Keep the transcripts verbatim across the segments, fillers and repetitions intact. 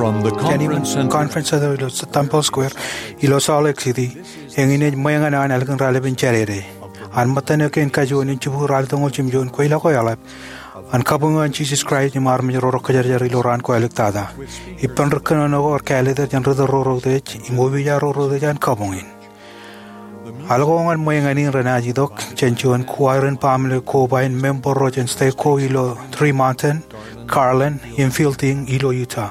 Jān im Conference Center ilo Temple Square ilo Salt Lake City, eñin ej ṃweeñan eo an ālikin raelep in Jādede. An ṃōttan eo kein kajuon in jibukwi ralitōñoul jimjuon kweilọk eo eḷap an kabuñ eo an Jisōs Kraist im armej ro rekwōjarjar ilo raan ko āliktata. Ippān ri kōnono ko rej kāālōt er jān ri tōl ro reutiej im opiij ro reutiej an kabuñ in. Ālkōñan ṃweeñan in renaaj itok jān juon choir in baaṃle koba in member ro jān state ko ilo Three Mountain, Garland, im Fielding ilo Utah.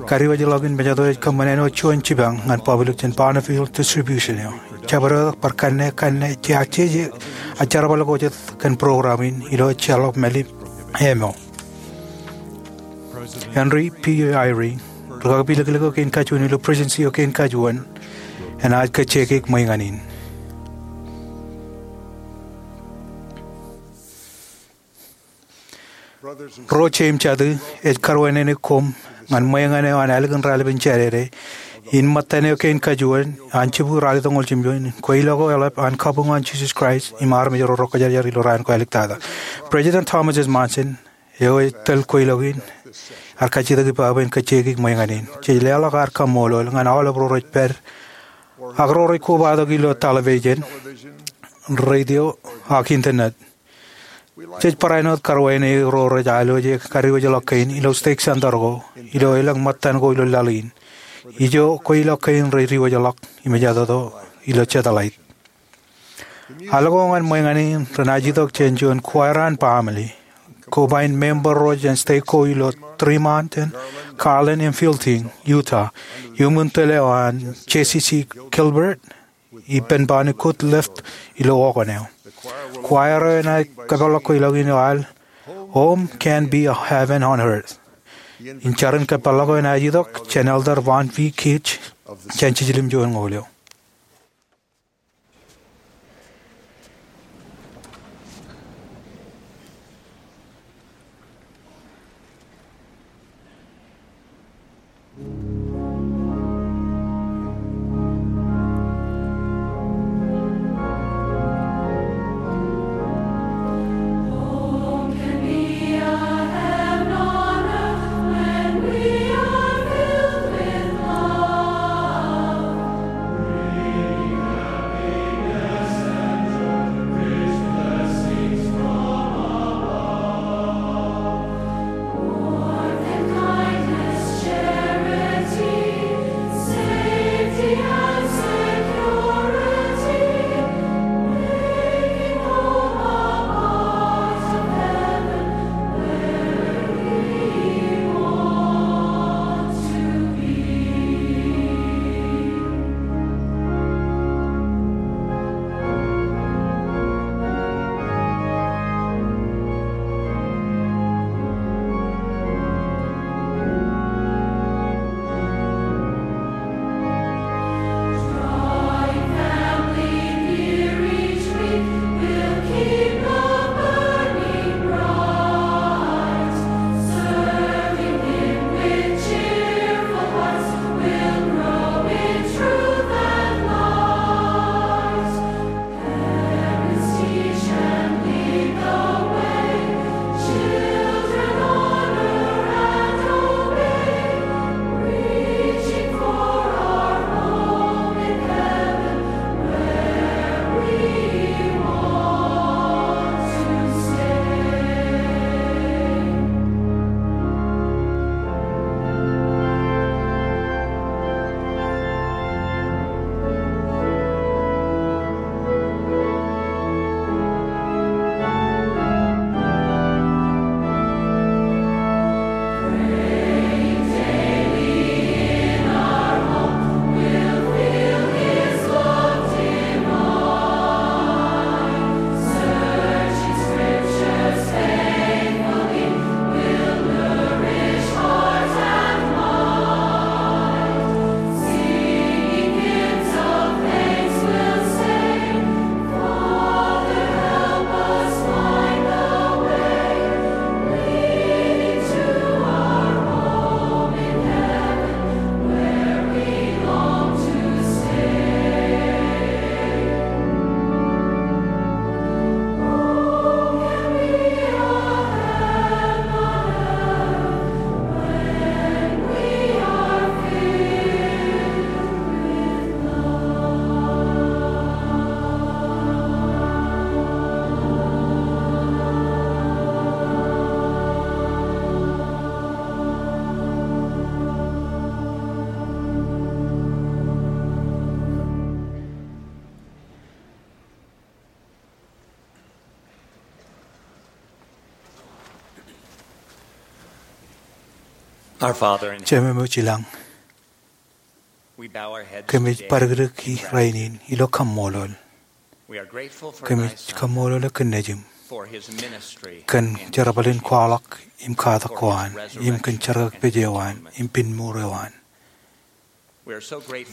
Kadiwōjḷọk in mejatoto ej kōṃṃan āinwōt juon jipañ ñan public jān Bonneville Distribution eo. Jabdewōt bar kanne, kanne, jeje, ak jerbal ko jet kōn program in ilo ejjeḷọk mālip eo. Henry B. Eyring, ri kakpilōklōk eo kein kajuon ilo Presidency eo kein kajuon, enaaj kajjioñ ṃweeñan in. Ro jeiū im jatū, ij karuwainene koṃ ñan ṃweeñan eo an ālikin raelep in Jādede in ṃōttan eo kein kajuon an jibukwi ralitōñoul jimjuon kweilọk eo eḷap an kabuñ eo an Jisōs Kraist im armej ro rekwōjarjar ilo raan ko āliktata. President Thomas S. Monson, eo ej tōl kweilọk in, ear kajjitōk ippa bwe en kajjioñ ṃweeñan in. Jej leḷọk ad kaṃṃoolol ñan aolep ro rej pād ak ro rej kobatok ilo television, radio, ak internet. Jej barāinwōt karuwainene ro rej alwōje kadiwōjḷọk kein ilo stake center ko ilo elōñ ṃōttan ko ilo laḷ in. Ijo kweilọk kein rej diwōjḷọk im ejatoto ilo satellite. Ālkōñan ṃweeñan in renaaj itok jān juon choir an baaṃle koba in member ro jān state ko ilo Three Mountain, Garland, im Fielding, Utah, iuṃwin tōl eo an Jesse C. Gilbert, ippān baaṇ Good Lift ilo organ eo. Choir eo enaaj kōpeḷḷọk kweilọk in ilo al Home Can Be a Heaven on Earth. Im jar in kōpeḷḷọk eo enaaj itok jān Elder Vaughn V. Keetch jān Jiljilimjuonñoul eo. Jemem eo ej ilañ, kōmij badikdiki rainin ilo kaṃṃoolol. Kōmij kaṃṃoolol eok kōn Nejiṃ, kōn jerbal in kwaḷọk im katak ko an, im kōn jerkakpeje eo an im pinmour eo an.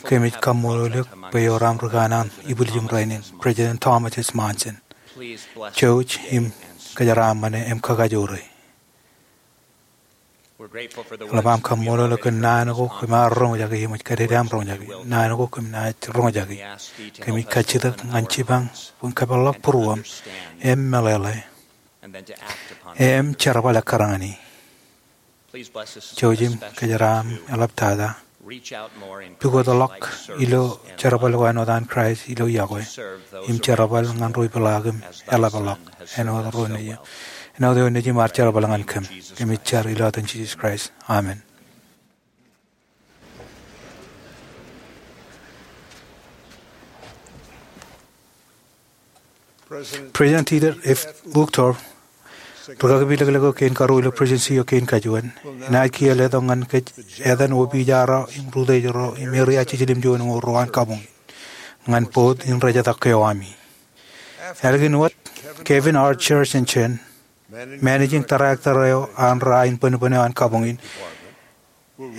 Kōmij kaṃṃoolol eok bwe ewōr aṃ rikanaan ibwiljim rainin, President Thomas S. Monson. Jouj im kōjeraaṃṃane im kakajoore. Eḷap aṃ kaṃṃoolol eok kōn naan ko kōm ar roñjake im ej kōdede aṃ roñjake, naan ko kōm naaj roñjake. Kōmij kajjitōk ñan jipañ bwe en kōpeḷḷọk būruōm im meḷeḷe im jerbal ekkar ñan e. Jouj im kōjeraaṃ eḷaptata. Pukotḷọk ilo jerbal ko āinwōt an Kraist ilo yokwe, im jerbal ñan ro ipeḷaakim eḷapḷọk āinwōt eo Nejiṃ, āinwōt eo Nejiṃ ear jerbal ñan kōm. Kōmij jar ilo etan Jisōs Kraist, amen. President Dieter F. Uchtdorf, rikaki pilōklōk eo kein karuo ilo Presidensi eo kein kajuon, enaaj kiiō letok ñan kōj etan opiij eo im rūtōjro im eria jiljilimjuon ko ro an kabuñ in ñan board in rejetak eo ami. Ālikin wōt, Kevin R. Cherson Managing Director eo an ro in bōnbōn eo an kabuñ in,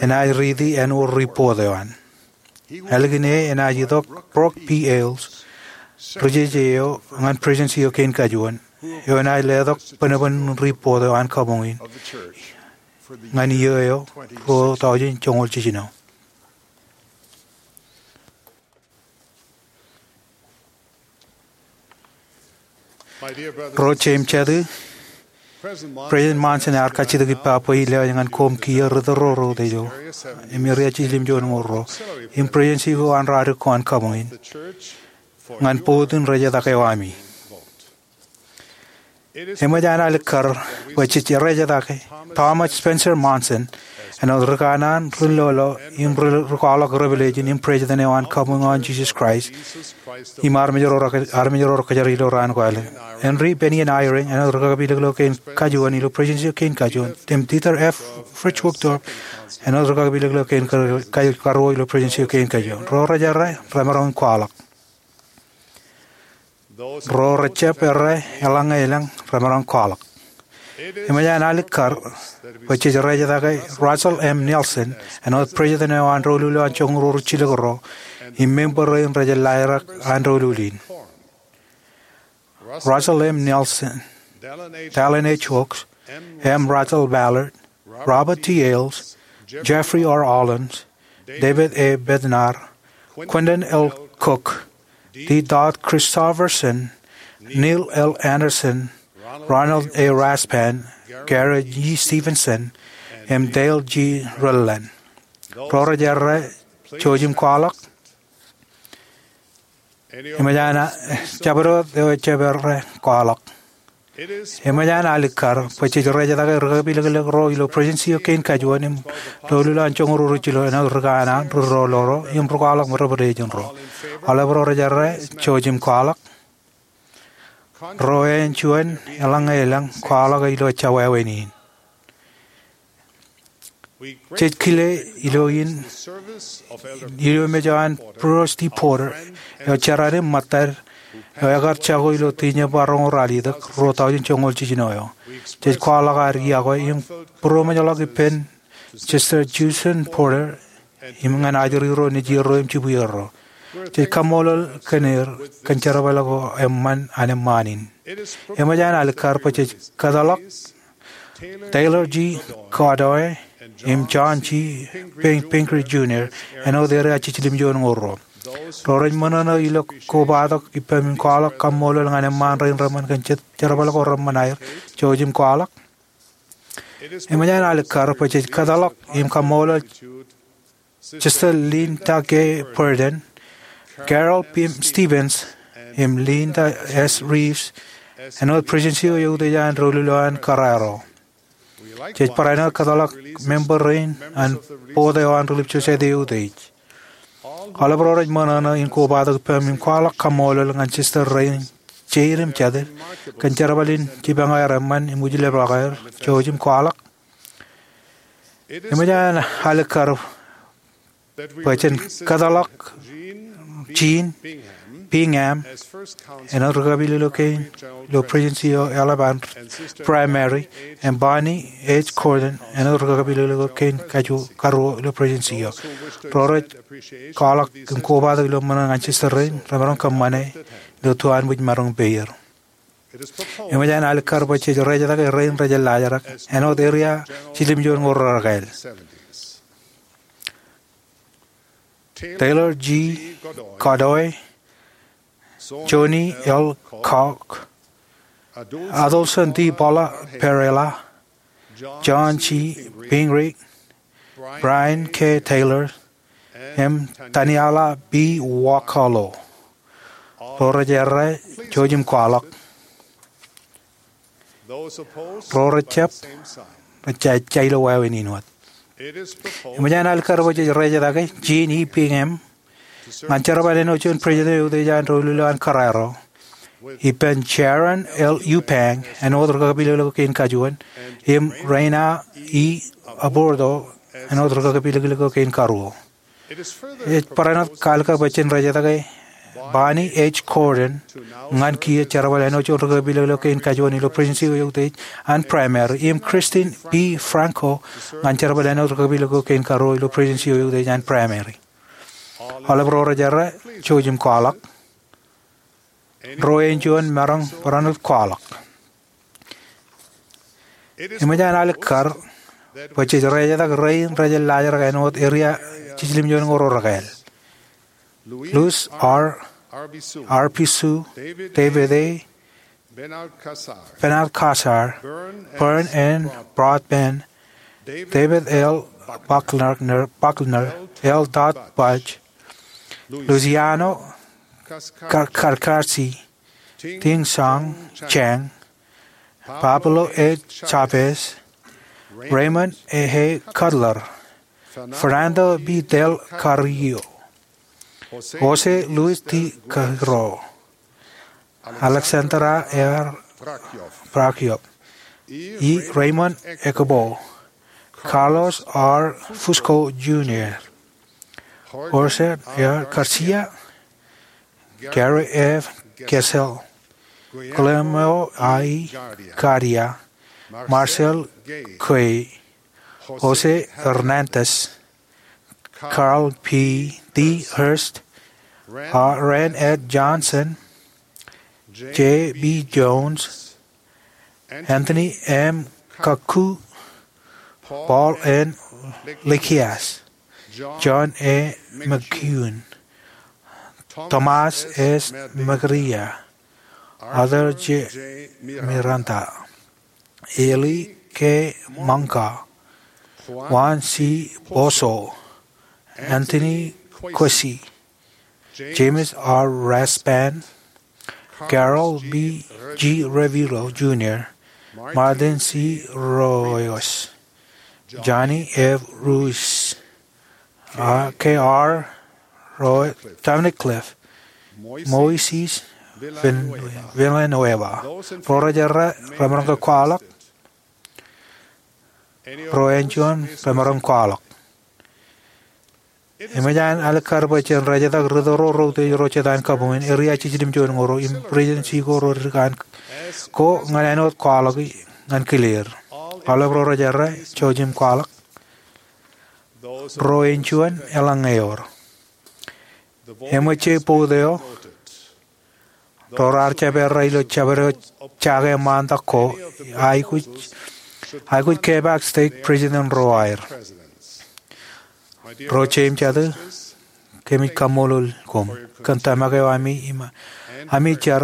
enaaj riiti āinwōt report eo an. Ālikin e enaaj itok Brock P. Hales, ri-jeje eo ñan Presidensi eo kein kajuon, eo enaaj letok bōnbōn report eo an kabuñ in ñan iiō eo ruo taujin joñoul jiljino. Ro jet im jatū, President Monson ear kajjitōk ippa bwe in lewōj ñan koṃ kiiō ri tōl ro rūtōjro im eria jiljilimjuon ko ro im Presidensi ko an ro adik ko an kabuñ in ñan board in rejetak eo ami. Eṃōj an alikkar bwe jej rejetake Thomas Spencer Monson āinwōt rikanaan, ri-lolo im ri-, rikwaḷọk revelation im President eo an kabuñ an Jisōs Kraist im armej ro re-, armej ro rekōjār ilo raan ko ālikin. Henry Bennion Eyring āinwōt rikaki pilōklōk eo kein kajuon ilo Presidensi eo kein kajuon, im Dieter F. Fritz Uchtdorf āinwōt rikaki pilōklōk eo kein ka-, ka-, karuo ilo Presidensi eo kein kajuon. Ro rej errā, remaroñ in kwaḷọk. Ro rejjab errā, eḷaññe elōñ, remaroñ kwaḷọk. Eṃōj an alikkar bwe jej rejetake Russell M. Nelson āinwōt President eo an doulul eo an joñoul ruo ri jilkinro im member rein rej laerōk an doulul in. Russell M. Nelson, Dallin H. Oaks, M. Russell Ballard, Robert T. Hales, Jeffrey R. Holland, David A. Bednar, Quentin L. Cook, D. Todd Christofferson, Neil L. Andersen, Ronald A. Rasband, Gary G. Stevenson, im Dale G. Redland. Ro rej errā, jouj im kwaḷọk. Eṃōj an, a, jabdewōt eo ejjab errā, kwaḷọk. Eṃōj an alikkar bwe jej rejetake rikaki pilōklōk ro ilo Presidensi eo kein kajuon im doulul eo an joñoul ruo ri jilkinro āinwōt rikanaan, ri-lolo ro im rikwaḷọk revelation ro. Aolep ro rej errā, jouj im kwaḷọk. Ro ej juon, eḷaññe elōñ, kwaḷọk e ilo ejja wāween in. Jej kile ilo in, ilo mej eo an Bruce D. Porter, eo jar im ṃōttad, eo ekar jako ilo Tiinjeṃba roñoul ralitōk, ruo taujin joñoul jiljino eo. Jej kwaḷọk ad yokwe im būroṃōjḷọk ippān Sister Judson Porter im ñan ajri ro, nejier ro im jibwier ro. Jej kaṃṃoolol kōn er kōn jerbal ko eṃṃan an eṃṃaan in. Eṃōj an alikkar bwe jej kōtḷọk Taylor G. Cardwell im John G. Pin-, Pinckney Junior āinwōt eria jiljilimjuon ko ro. Ro rej ṃōṇōṇō ilo kobatok ippaṃ im kwaḷọk kaṃṃoolol ñan eṃṃaan rein reṃṃan kōn je-, jerbal ko reṃṃan aer, jouj im kwaḷọk. Eṃōj an alikkar bwe jej kōtḷọk im kaṃṃoolol Sister Linda K. Burden, Carol P. Stevens, im Linda S. Reeves, āinwōt Presidensi eo eutiej an doulul eo an kōrā ro. Jej barāinwōt kōtḷọk member rein an board eo an Relief Society eutiej. Aolep ro rej ṃōṇōṇō in kobatok ippaṃ im kwaḷọk kaṃṃoolol ñan sister rein jeid im jatid kōn jerbal in jipañ aer eṃṃan im ujlepḷọk aer, jouj im kwaḷọk. Eṃōj an alikkar bwe jen kōtḷọk Jean Bingham āinwōt ri-kapilōklōk kein ilo Presidency eo eḷap an Primary, im Bonnie H. Cordon āinwōt ri-kapilōklōk kein karuo ilo Presidency eo. Ro rej kwaḷọk im kobatok ilo ṃōṇōṇō ñan sister rein remaroñ kōṃṃane ilo tuanbwij maroñ peier. Eṃōj an alikkar bwe jej rejetake rein rej laajrak āinwōt eria jiljilimjuon ñoul rekael: Taylor G. Godoy, Johnny L. Koch, Adelson D. Paula Perella, John G. Pingree, Brian K. Taylor, im Taniela B. Wakolo. Ro rej errā, jouj im kwaḷọk. Ro rej jab, rej ja ilo wāween in wōt. Eṃōj an alikkar bwe jej rejetake Jean E. Bingham ñan jerbal āinwōt juon President eo eutiej an doulul eo an kōrā ro, ippān Sharon L. Eubank āinwōt ri-kapilōklōk kein kajuon, im Reina E. Aburto āinwōt ri-kapilōklōk kein karuo. Ej barāinwōt kalikkar bwe jen rejetake Bonnie H. Cordon ñan kiiō jerbal āinwōt juon ri-kapilōklōk kein kajuon ilo Presidency eo eutiej an Primary, im Christine B. Franco ñan jerbal āinwōt ri-kapilōklōk kein karuo ilo Presidency eo eutiej an Primary. Aolep ro rej errā, jouj im kwaḷọk. Ro āinjuon maroñ barāinwōt kwaḷọk. Eṃōj an alikkar bwe jej rejetake rein rej laajrak āinwōt eria jiljilimjuon ñoul rekael: Luis R. Arbizu, David A. Benalcázar, Vern N. Broadbent, David L. Buckner, Buckner, L. Todd Budge, Luciano Carcasi, Ting Song Chang, Pablo A. Chavez, Raymond A. Cutler, Fernando B. del Carrillo, José Luis T. Carreño, Alexandra R. Brakyov, E. Raymond Ekebo, Carlos R. Fusco Junior, Jorge R. García, Gary F. Gesell, Guillermo I. García, Marcel Gay, José Hernández, Carl P. D. Hurst, Rand Ed Johnson, J. B. Jones, Anthony M. Kikuo, Paul N. Likias, John A. McEwen, Tomas S. Mercader, Arthur J. Miranda, Eli K. Munger, Juan C. Pozo, Anthony Quessy, James R. Rasband, Carol B. G. Revilo Junior, Martin C. Royos, Johnny F. Ruiz, K. R. Roy, Dominic Cliff, Moises Villanueva. Ro rej errā, remaroñ ke kwaḷọk. Ro āinjuon, remaroñ kwaḷọk. Eṃōj an alikkar bwe jen rejetak ri-tōro ro utiej ro jet an kabuñ in eria jiljilimjuon ñoul ruo im Presidency ko ro dik an ko ñan āinwōt kwaḷọk ñan kile er. Aolep ro rej errā, jouj im kwaḷọk. Ro āinjuon, eḷaññe eor. Eṃōj je vote eo, ro raar jab errā ilo jabdewōt jake ṃaantak ko, aikuj, aikuj kepaak stake president ro aer. Ro jeiū im jatū, kōmij kaṃṃoolol koṃ kōn tōmak eo ami, ami jar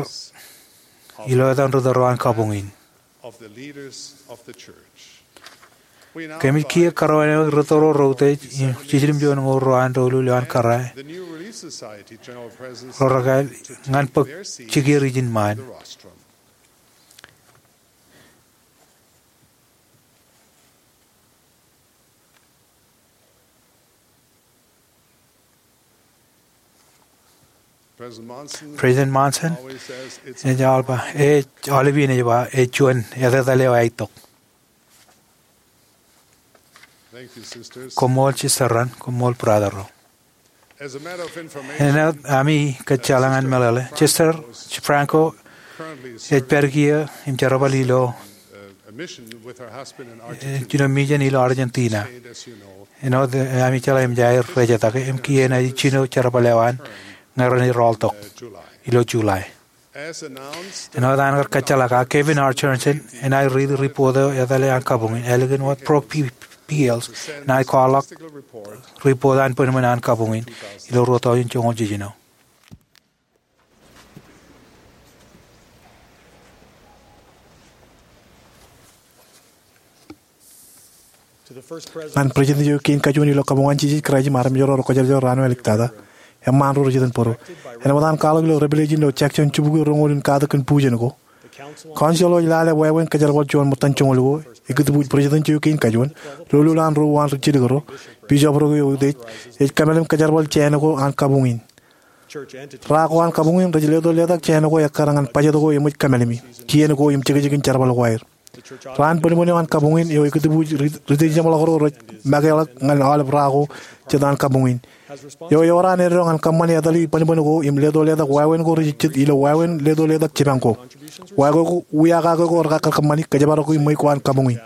ilo etan ri-tōro an kabuñ in. Kōmij kiiō kōrā eo ri-tōro ro utiej im jiljilimjuon ñoul ruo an doulul eo an kōrā ro rekael ñan bōk jikier ijin ṃaan. President Monson ej aolep, ej aolep iien ej ba, ej juon etetal eo aetok. Koṃṃool sister ro, koṃṃool brother ro. Āinwōt ami kōjjeḷā ñan meḷeḷe, Sister Franco ej pād kiiō im jerbal ilo, eh, jino mijen ilo Argentina. Āinwōt ami jeḷā im ej aer rejetake im kiiō enaaj jino jerbal eo an ñe renaaj rọọltok ilo July. Āinwōt an kar kōjjeḷā kake, Kevin R. Jensen enaaj riiti ripot eo etale an kabuñ in ālikin wōt Brooke P. Peales enaaj kwaḷọk ripot an bōnbōn an kabuñ in ilo ruo tọujin joñoul jiljino. Ñan President eo kein kajuon ilo kabuñ an Jisōs Kraist im armej ro rej kōjjeḷā raan eo āliktata, eṃṃaan ro rej iten bōro. Āinwōt an kwaḷọk ilo Revelation ilo section jibukwi roñoul in katak kōn bujen ko, council eo ej lale wāween kōjerbal juon ṃōttan joñoul ko, ekitibuuj president eo kein kajuon, lolol an ro uwaan rijjilōk ro, bishop ro ke utiej, ej kōmeḷeḷe im kōjerbal jāān ko an kabuñ in. Ra ko an kabuñ in rej leto letak jāān ko ekkar ñan budget ko eṃōj kōmeḷeḷe. Kien ko im jekjekin jerbal ko aer. Raan bōnbōn eo an kabuñ in eo ekitibuuj ri-, ri-, ri-, jeṃḷọk ro rej makeḷọk ñan aolep ra ko jet an kabuñ in. Eo ewōr an eddo ñan kōṃṃani etale bōnbōn ko im leto letak wāween ko rej jejjet ilo wāween leto letak jipañ ko. Wāween ko, wiakake ko rekar kōṃṃani, kōjparok ṃweiuk ko an kabuñ in.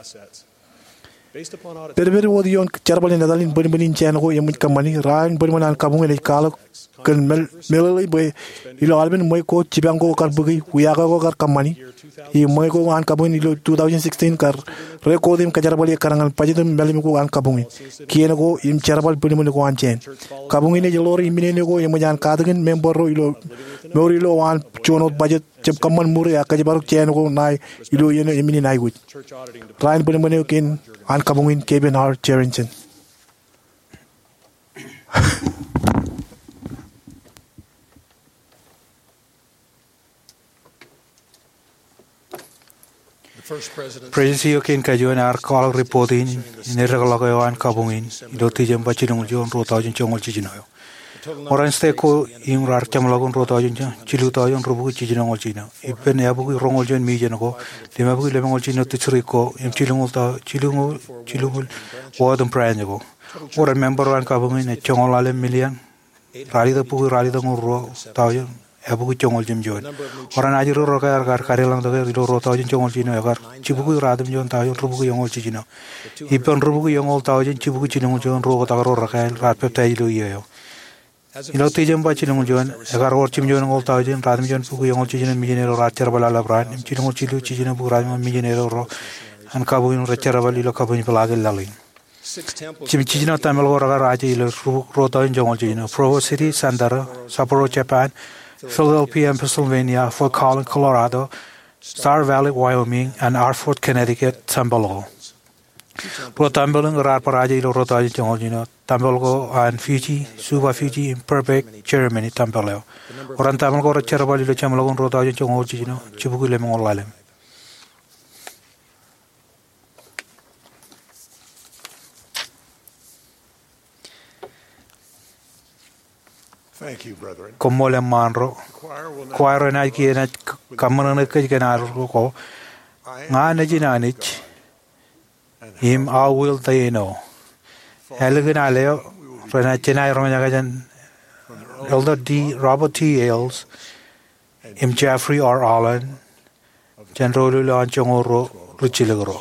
Pedped wōt ioon jerbal in etal in bōnbōn in jāān ko eṃōj kōṃṃani, raan bōnbōn an kabuñ in ej kwaḷọk kōn meḷ-, meḷeḷe bwe ilo aolepen ṃweiuk ko jipañ ko kar bōki, wiakake ko kar kōṃṃani, im ṃweiuk ko an kabuñ in ilo two thousand sixteen kar record im kōjerbali ekkar ñan budget im meḷeḷe ko an kabuñ in. Kien ko im jerbal bōnbōn ko an jāān. Kabuñ in ej ḷoor iminene ko eṃōj an katakin member ro ilo mour ilo an juon wōt budget jab kōṃṃan ṃuri ak kōjparok jāān ko ṇae ilo iien eo emin in aikuj. Raan bōnbōn eo kein an kabuñ in, Kevin R. Jensen. President eo kein kajuon ear kwaḷọk ripot in, in eddekḷọk eo an kabuñ in ilo December jilñuul juon, ruo tọujin joñoul jiljino eo. Ṃōran state ko in raar jeṃḷọkin ruo tọujin, jilu tọujin rubukwi jiljino ñoul jiljino. Ippān eabukwi roñoul juon mijen ko, limabukwi lemñoul jiljino district ko, im jilñuul tọu-, jilñuul, jilñuul ward im branch ko. Ṃōran member eo an kabuñ in ej joñoul ḷalem million, ralitōk bukwi ralitōk ñoul ruo tọujin, eabukwi joñoul jimjuon. Ṃōran ajri ro rekar kadeḷọñtok er ilo ruo tọujin joñoul jiljino ekar jibukwi ratimjuon tọujin rubukwi eñoul jiljino. Ippān rubukwi eñoul tọujin jibukwi jilñuul juon ruo oktak ro rekāāl raar peptaij ilo iiō eo. Ilo December jilñuul juon, ekar wōr jimjuon eñoul tọujin ratimjuon bukwi eñoul jiljino mijen eo raar jerbal aolep raan, im jilñuul jilu jiljino bukwi ratimjuon mijen eo ro an kabuñ in rej jerbal ilo kabuñ in peḷaakin laḷ in. Jimjuon jiljino tempel ko rekar aje ilo rubukwi ruo tọujin joñoul jiljino: Provo City Center, Sapporo, Japan; Philadelphia, Pennsylvania; Fort Collins, Colorado; Star Valley, Wyoming; and Hartford, Connecticut tempel ko. Ruo tempel in raar bar aje ilo ruo tọujin joñoul jiljino: tempel ko an Fiji, Suva, Fiji; im Berbice, Germany tempel eo. Ṃōran tempel ko rej jerbal ilo jeṃḷọkin ruo tọujin joñoul jiljino, jibukwi lemñoul ḷalem. Koṃṃool eṃṃaan ro. Choir eo enaaj kiiō enaaj kaṃṃōṇōṇō kōj kōn ad ko, Ña nejin Anij, im how wilt they know? Ālikin al eo, renaaj jenaaj roñjake jān Elder D. Robert T. Hales im Jeffrey R. Holland, jān doulul eo an joñoul ruo rijjilōk ro.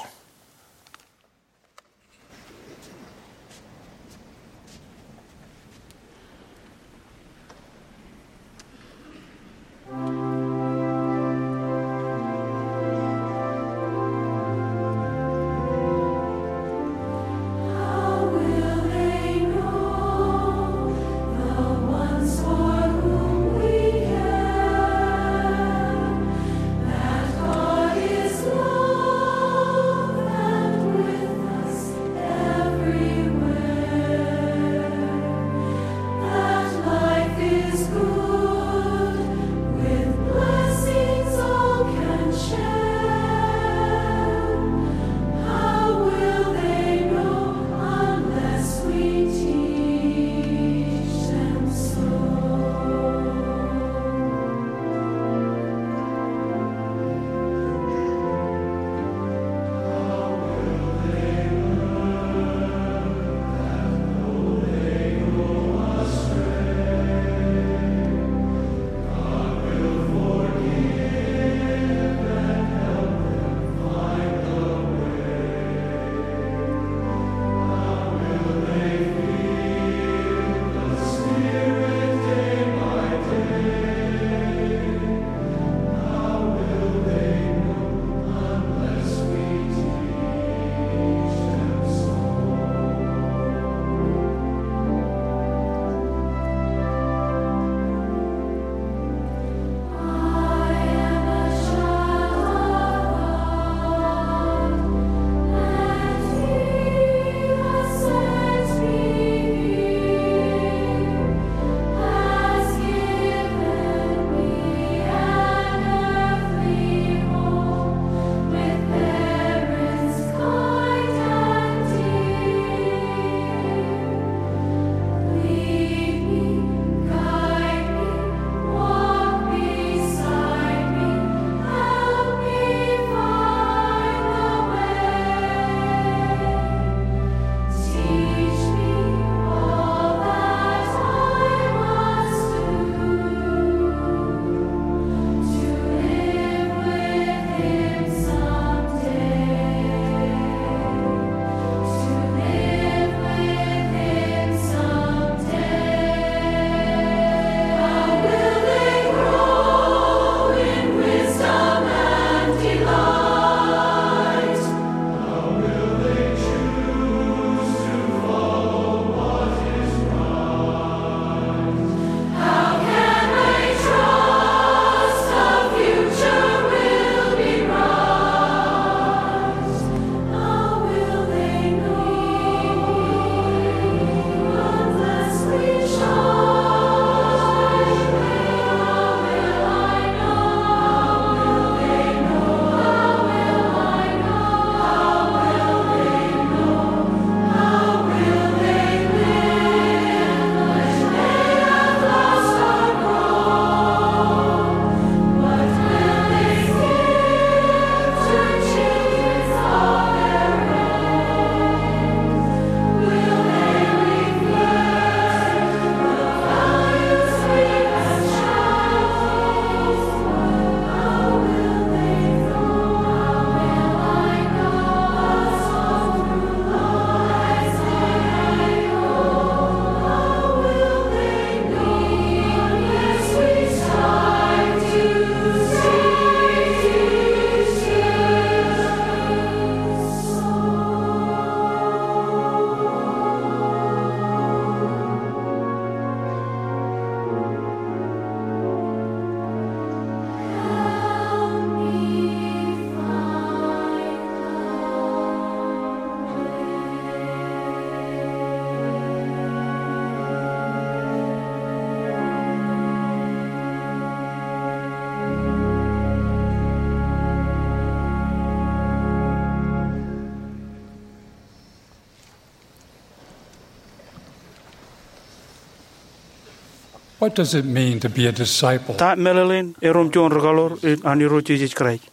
What does it mean to be a disciple? Ta meḷeḷein erom juon rūkaḷoor an Irooj Jisōs Kraist?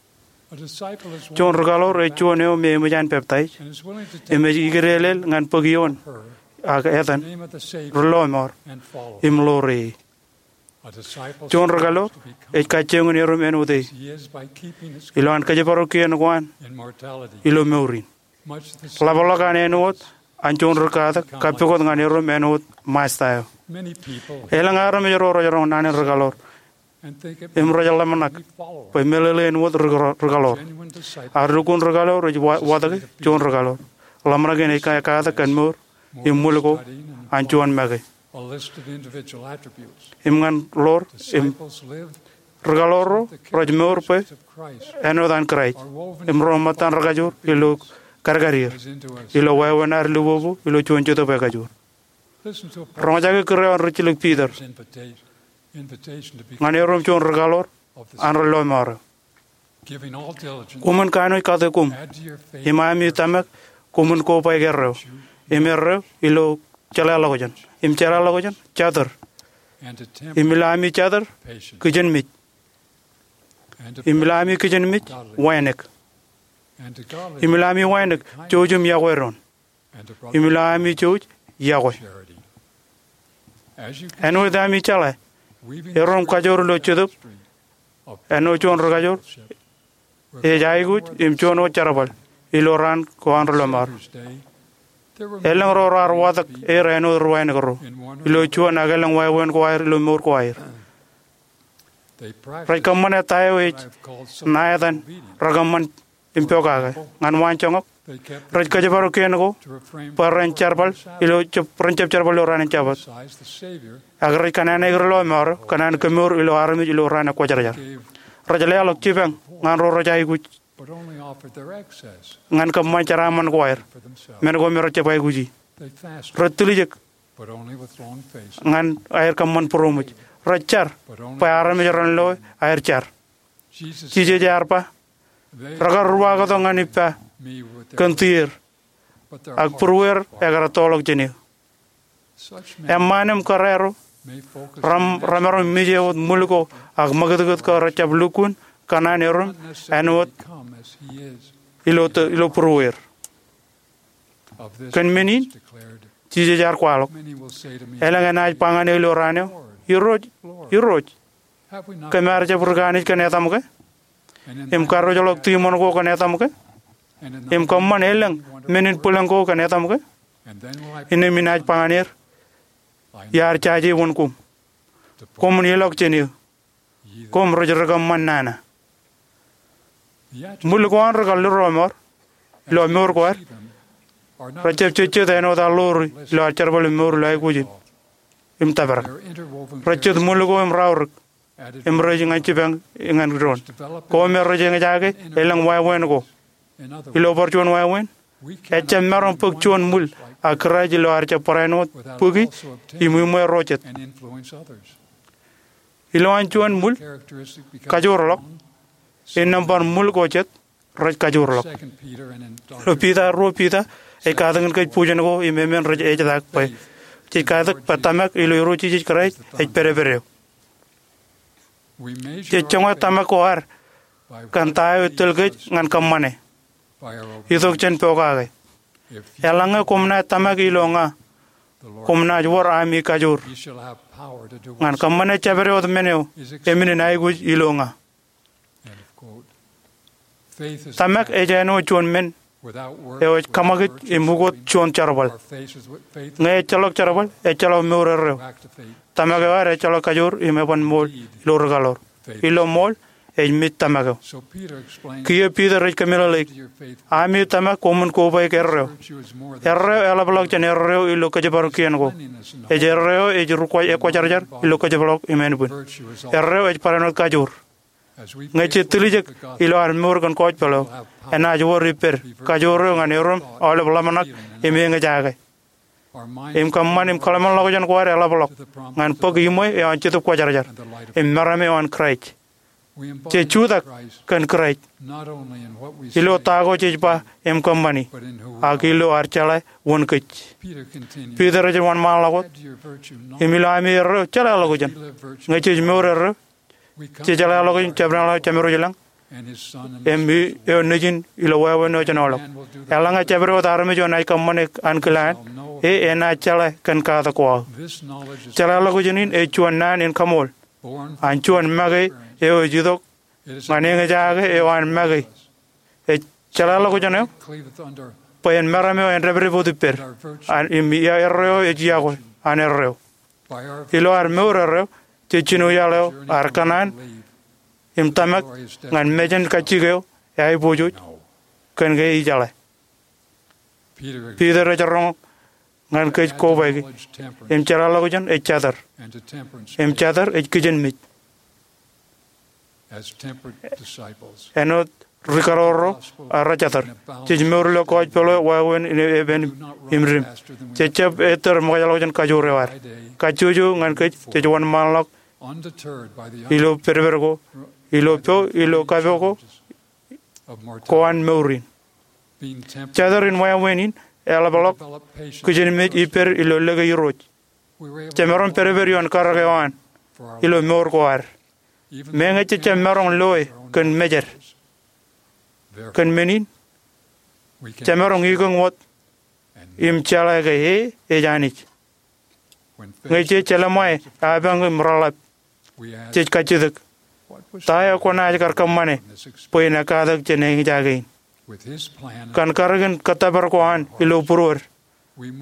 A disciple is one Juon rūkaḷoor ej juon eo me eṃōj an peptaij, and is willing to take im ej ikdeelel ñan bōk ioon, ak etan, name of the Savior, relọmọọr, and follow. Im ḷoor e. A disciple Juon rūkaḷoor ej kajjioñ in erom āinwōt e. He is by keeping his Ilo an kōjparok kien ko an in mortality. Ilo mour in. Ḷapḷọk an āinwōt an juon ri katak kappukot ñan erom āinwōt Maestā eo. Elōñ armej ro rej roñ naan in rūkaḷoor im rej ḷōmṇak bwe meḷeḷe āinwōt rūkaḷoor. Ak lukkuun rūkaḷoor ej watōke juon rūkaḷoor. Ḷōmṇak in ej katak kōn mour im ṃwil ko an juon make. Im ñan ḷoor im rūkaḷoor ro rej mour bwe āinwōt an Kraist, im ro ṃōttan rekajoor ilo kadkad er, ilo wāween ad lubobū ilo juon jetōb ekajoor. Roñjake kūr eo an rijjilōk Piter. Ñan erom juon rūkaḷoor an relọmọọr eo. Koṃwin kanooj kate koṃ, im ami tōmak koṃwin kobaik erreo, im erreo ilo jeḷāḷọkjeṇ, im jeḷāḷọkjeṇ jatūr, im ilo ami jatūr kijenmej, im ilo ami kijenmej wānōk, im ilo ami wānōk jouj im iọkwe doon, im ilo ami jouj iọkwe. Āinwōt ami jeḷā, erom kajoor ilo jetōb āinwōt juon rūkajoor ej aikuj im juon wōt jerbal ilo raan ko an relọmọọr. Elōñ ro raar watōk er āinwōt ri wānōk ro ilo juon ak elōñ wāween ko aer ilo mour ko aer. Rej kōṃṃane ta eo ej ṇa etan rekōṃṃan im pokake. Ñan waanjoñak, rej kōjparok kien ko bwe ren jerbal ilo, ren jab jerbal ilo raan in Jabōt. Ak rej kōṇaan aer relọmọọr eo kōn an kemour ilo armej ilo raan ekwōjarjar. Rej leḷọk jipañ ñan ro rej aikuj ñan kōṃṃan jeraaṃṃan ko aer, men ko me rej jab aikuji. Rej tiljek ñan aer kōṃṃan būroṃōj. Rej jar bwe armej ren loe aer jar. Jisōs ear ba, rekar ruwaaktok ñan ippa kōn tier, ak būrueer ekar ettoḷọk jān eō. Eṃṃaan im kōrā ro remaroñ mejāwōt ṃwil ko ak ṃakūtkūt ko rej jab lukkuun kōṇaan erom āinwōt ilo būrueer. Kōn men in, Jisōs ear kwaḷọk, elōñ enaaj ba ñan eō ilo raan eo, Irooj, Irooj, kōm ar jab ri kaanij kōn etaṃ ke, im karreoḷọk tiṃoṇ ko kōn etaṃ ke, im kōṃṃan elōñ men in bwilōñ ko kōn etaṃ ke? Innām inaaj ba ñan er, iar jaje wōn koṃ. Koṃwin ilọk jān eō, koṃ rej ri kōṃṃan nana. Ṃwil ko an ri kar lelọmọọr ilo mour ko ad rej jab jejjet āinwōt ad ḷoori ilo ad jerbal im mour ilo aikuj in im tōprak. Rej jet ṃwil ko im raorōk im rej ñan jipañ ñan doon. Ko me rej eñjake elōñ wāween ko. Ilo bar juon wāween, ejjab maroñ bōk juon ṃwil ak kūraj ilo ad jab barāinwōt bōki im iṃwe ro jet. Ilowaan juon ṃwil kajoorḷọk, innām bar ṃwil ko jet rej kajoorḷọk. Ilo Piter, ruo Piter, ej katakin kōj bwijin ko im emān rej ejtak bwe jej katak bwe tōmak ilo Irooj Jisōs Kraist ej pedped eo. Jej joñe tōmak ko ad kōn ta eo ej tōl kōj ñan kōṃṃane itok jān pokake. Eḷaññe koṃ naaj tōmak ilo ña, koṃ naaj wōr ami kajoor ñan kōṃṃane jabdewōt men eo eṃṃan in aikuj ilo ña. Tōmak ej āinwōt juon men eo ej kaṃakūt im ukot juon jerbal. Ñe ejjeḷọk jerbal, ejjeḷọk mour erreo. Tōmak eo ad ejjeḷọk kajoor im eban ṃool ilo ri kaḷoor. Ilo ṃool, ej mej tōmak eo. Kiiō Piter ej kōmeḷeḷeik, ami tōmak koṃwin kobaik erreo. Erreo eḷapḷọk jān erreo ilo kōjparok kien ko. Ej erreo ej ekwōjarjar ilo kōjparok im ānbwin. Erreo ej barāinwōt kajoor. Ñe jej tiljek ilo ad mour kōn gospel eo, enaaj wōr ippād kajoor eo ñan erom aolep ḷōmṇak im eñjake. Im kōṃṃan im kōḷmānḷọkjeṇ ko ad eḷapḷọk ñan bōk iṃwe eo an Jetōb Kwōjarjar im meram eo an Kraist. Jej jutak kōn Kraist ilo ta ko jej ba im kōṃṃani, ak ilo ad jeḷā wōn kōj. Piter ej wōnṃaanḷọk wōt, im ilo ami erreo jeḷāḷọkjeṇ, ñe jej mour erreo, jej jeḷāḷọkjeṇ jabdewōt Jemem ro ilañ im eo Nejin ilo wāween eo jen aolep. Eḷaññe jabdewōt armej eo enaaj kōṃṃane ankilaan, e enaaj jeḷā kōn katak ko aō. Jeḷāḷọkjeṇ in ej juon naan in kaṃool an juon make eo ej itok ñan eñjake eo an make. Ej jeḷāḷọkjeṇ eo bwe en meram eo en dāpdep wōt ippād, im ia erreo ej iọkwe an erreo. Ilo ad mour erreo, jej jino iaḷ eo ad kōṇaan im tōmak ñan mejān kajjik eo eaiboojoj kōn ke ijeḷā. Piter ej roñ ñan kōj kobaiki, im jeḷāḷọkjeṇ ej jatōr, im jatōr ej kijenmej. Āinwōt ri kaḷoor ro rejatōr, jej mour ilo gospel eo wāween in epen im dim. Jejjab ettōr ṃōkajḷọkjeṇ kajoor eo ad. Kajjojo ñan kōj jej wōnṃaanḷọk ilo pedped ko, ilo po, ilo kapo ko, ko an mour in. Jatōr in wāween in eḷapḷọk kijenmej ippād ilo lōke Irooj. Jemaroñ pedped ioon karōk eo an ilo mour ko ad. Meñe jejjab maroñ loe kōn mejed, kōn men in, jemaroñ ikōñ wōt im jeḷā ke e ej Anij. Ñe jej jelṃae apañ im reḷap, jej kajjitōk, ta eo kwōnaaj kar kōṃṃane bwe en ekkatak jān eñjake in? Kōn karōk in kōttōpar ko an ilo būruod,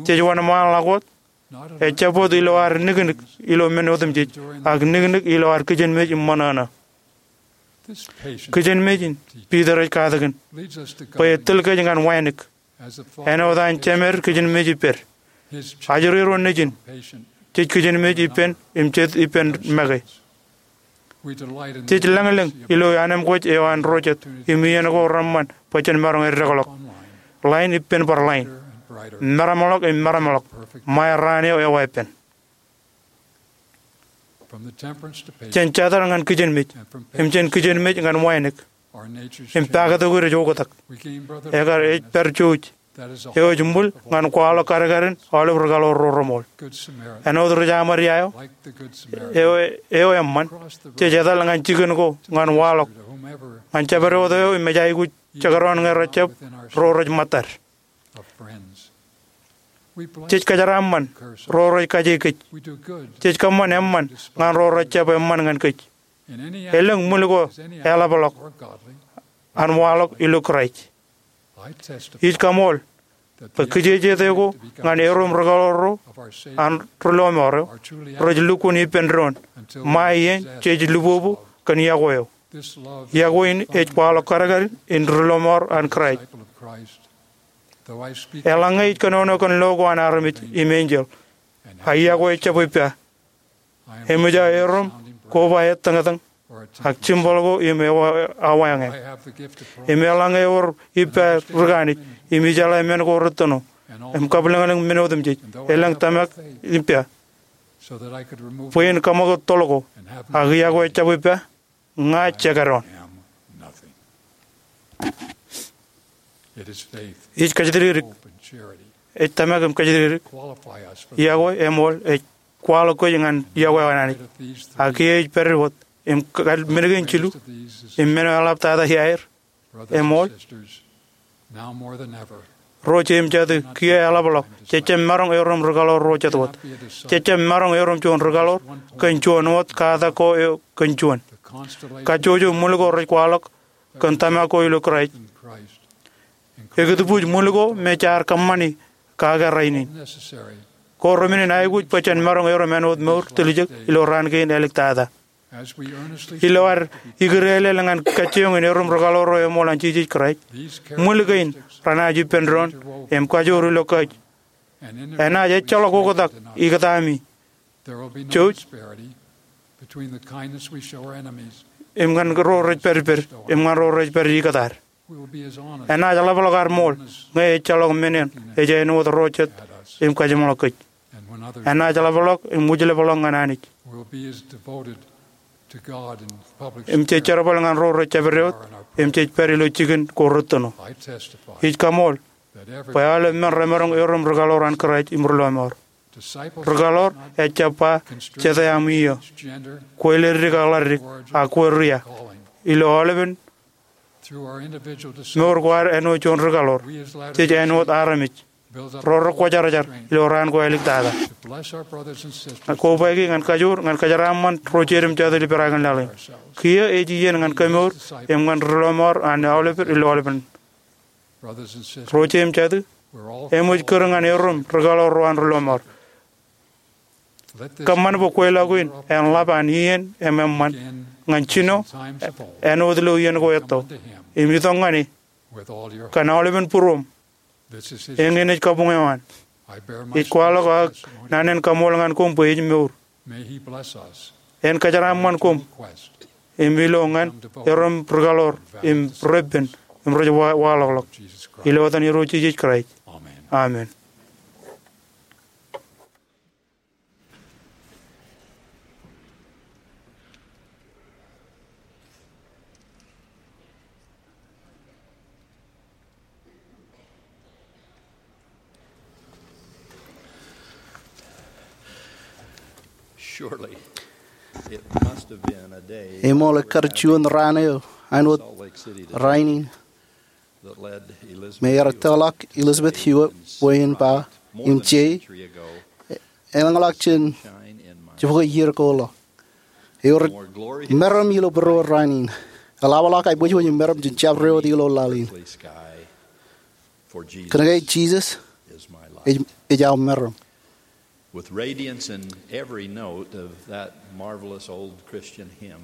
jej wōnṃaanḷọk wōt, ejjab wōt ilo ad niknik ilo men otemjej, ak niknik ilo ad kijenmej im ṃōṇōṇō. Kijenmej in Piter ej katakin bwe e tōl kōj ñan wānōk, āinwōt an Jemed kijenmej ippād. Ajri ro nejin, jej kijenmej ippān im jet ippān make. Jej lañlōñ ilo anemkwōj eo an ro jet im iien ko reṃṃan bwe jen maroñ eddekḷọk line ippān bar line, meramḷọk im meramḷọk, ṃae raan eo ewa ippān. Jān jatōr ñan kijenmej, im jān kijenmej ñan wānōk, im paktok eo ej oktak. Ekar ej pād jouj, eo ej ṃwil ñan kwaḷọk kadkadin aolep ri kaḷoor ro reṃool. Āinwōt ri Samāria eo, eo, eo eṃṃan, jej etal ñan jikin ko ñan waḷọk ñan jabdewōt eo im ej aikuj jekdọọn ñe rejjab ro rej ṃōttad. Jej kōjeraaṃṃan ro rej kaje kōj. Jej kōṃṃan eṃṃan ñan ro rej jab eṃṃan ñan kōj. Elōñ ṃwil ko eḷapḷọk an waḷọk ilo Kraist. Ij kaṃool bwe kijeje ko ñan erom ri kaḷoor ro an ri lọmọọr eo rej lukkuun ippān doon ṃae iien jej lupopo kōn iọkwe eo. Iọkwe in ej kwaḷọk kadkadin ri lọmọọr an Kraist. Eḷaññe ij kōnono kōn lo ko an armej im enjeḷ, ak iọkwe ejjab ippa, eṃōj aō erom koba ettōñtōñ ak jimbal ko im ewa, awa eñin. Im eḷaññe ewōr ippa ri kanij im ijeḷā men ko rettino im kabwilōñlōñ men otemjej, elōñ tōmak ippa bwe in kaṃakūt toḷ ko, ak iọkwe ejjab ippa, ña jekdọọn. Ij kōjatdikdik, ej tōmak im kōjatdikdik. Iọkwe eṃool ej kwaḷọk kōj ñan iọkwe eo an Anij. Ak kiiō ej pād wōt im kal men kein jilu im men eo eḷaptata iaer, eṃool, ro jeiū im jatū, kiiō eḷapḷọk, jejjab maroñ erom ri kaḷoor ro jet wōt. Jejjab maroñ erom juon ri kaḷoor kōn juon wōt katak ko eo kōn juon. Kajjojo ṃwil ko rej kwaḷọk kōn tōmak ko ilo Kraist ekōtbuuj ṃwil ko me jaar kōṃṃani kake rainin. Ko remenin aikuj bwe jen maroñ erom āinwōt mour tiljek ilo raan kein āliktata. Ilo ad ikdeelel ñan kajjioñ in erom ri kaḷoor ro eṃool an Jisōs Kraist, ṃwil kein renaaj ippān doon im kajoor ilo kōj. Enaaj ejjeḷọk oktak ikōtaami jouj im ñan ro rej pād ippād im ñan ro rej pād ikōt ad. Enaaj ḷapḷọk ad ṃool ñe ejjeḷọk men eṇ ej āinwōt ro jet im kajeṃḷọk kōj. Enaaj ḷapḷọk im wūjlepḷọk ñan Anij. im jej jerbal ñan ro rej jabdewōt im jej pād ilo jikin ko retōno. Ij kaṃool bwe aolep men remaroñ erom rikaḷoor an Kraist im ri lọmọọr. Rikaḷoor ejjab ba jete aṃ iiō, kwe leddik ak ḷaddik, ak kwe ria. Ilo aolepen mour ko ad āinwōt juon rikaḷoor, jej āinwōt armej ro rekwōjarjar ilo raan ko āliktata. Kobaiki ñan kajoor ñan kōjeraaṃṃan ro jeiū im jatū ilo perakān laḷ in. Kiiō ej iien ñan kemour im ñan ri lọmọọr an aolepen ri lọmọọr. Ro jeiū im jatū, eṃōj kūr ñan erom rikaḷoor ro an ri lọmọọr. Kōṃṃan bwe kweilọk in en ḷap an iien im eṃṃan ñan jino āinwōt ilo iien ko etto im itok ñan e kōn aolepen būruōṃ. Eñin ej kabuñ eo an. Ij kwaḷọk ak naan in kaṃool ñan koṃ bwe ej mour. En kōjeraaṃṃan koṃ im ilo ñan erom rikaḷoor im repen im rej wa- waḷọkḷọk. Ilo etan Irooj Jisōs Kraist, amen. Surely, it must have been a day Eṃool ekkar juon raan eo āinwōt rainin me ear tōḷọk Elizabeth Hewitt bwe en ba, im je, elōñḷọk jān jibukwi iiō ko ḷọk. Ewōr meram ilo būruō rainin. Eḷapḷọk aō bwijbwij im meram jān jabdewōt ilo laḷ in. Kōnke Jisōs ej, ej aō meram. With radiance in every note of that marvelous old Christian hymn.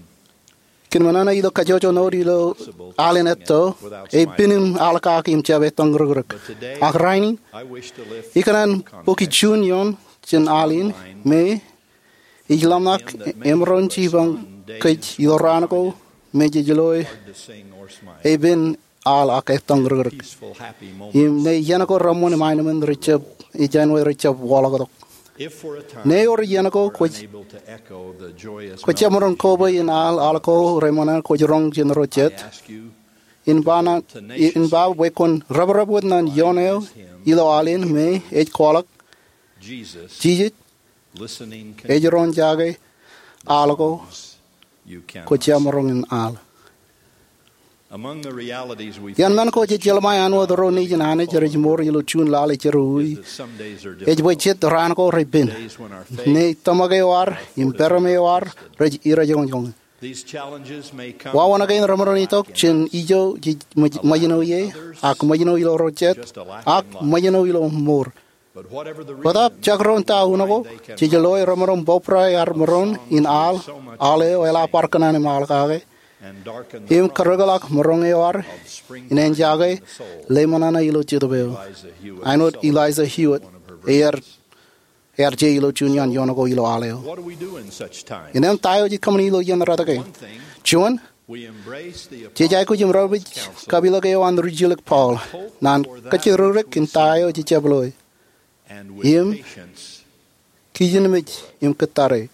Kōn ṃōṇōṇō ilo kajjojo note ilo al in etto, ej pen im al kaki im jab ettoñ rikrik. Ak rainin, ikōṇaan bōki juon ioon jān al in, me ij ḷōmṇak emaroñ jipañ kōj ilo raan ko me jej loe, ej pen al ak ettoñ rikrik. Im ṇe iien ko reṃṃan im aenōṃṃan rej jab, ej āinwōt rej jab waḷọktok. Ṇe ewōr iien ko kwōj, kwōj jab maroñ kobwe in al, al ko reṃṃan kwōj roñ jān ro jet, in ba ṇe, in ba bwe kwōn reprep wōt ṇe ioon eo ilo al in me ej kwaḷọk, Jisōs ej roñ jake al ko kwōj jab maroñ in al. Among the realities we Iien men ko jej jeḷā āinwōt ro nejin Anij rej mour ilo juon lale jerọwiwi, ej bwe jet raan ko repen. Ṇe tōmak eo ad im peram eo ad rej irejoñjoñ. These challenges may come Wāween kein remaroñ itok jān ijo jej ṃōj, ṃōjṇọ ie, ak ṃōjṇọ ilo ro jet, ak ṃōjṇọ ilo mour. Bōtaab jekdọọn ta unin ko, jej loe remaroñ bōbrae ad maroñ in al, al eo eḷap bar kōṇaan im al kake, im karōkḷọk maroñ eo ad in enjake lale ṃōṇōṇō ilo jetōb eo. Āinwōt Eliza Hewitt, ear, ear je ilo juon iaan ioon ko ilo al eo. What do we do in such time? Innām ta eo jej kōṃṃane ilo iien rot kein? Juon, jej aikuj im repeej kapiḷōk eo an rijilōk Paul, naan kajjirōkrōk in ta eo jej jab loe. Im kijenmej im kōttare.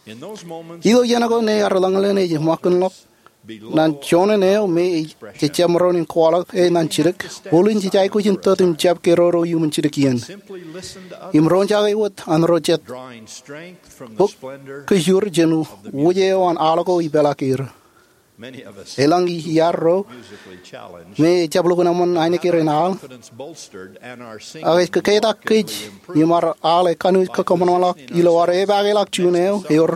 Ilo iien ko ṇe ad eḷaññe ej ṃakūtḷọk naan joñan eo me jej jab maroñ in kwaḷọk e naan jidik, bōlen jej aikuj in tōt im jab keroro iuṃwin jidik iien im roñjake wōt an ro jet. Bōk kōjro jān wōj eo an al ko ipeḷaakier. Elōñ iar ro me ejjab lukkuun eṃṃan ainikien al, ak ej kōketak kōj im ad al ekaṇ kōkōṃanṃanḷọk ilo ad epaake ḷọk juon eo ewōr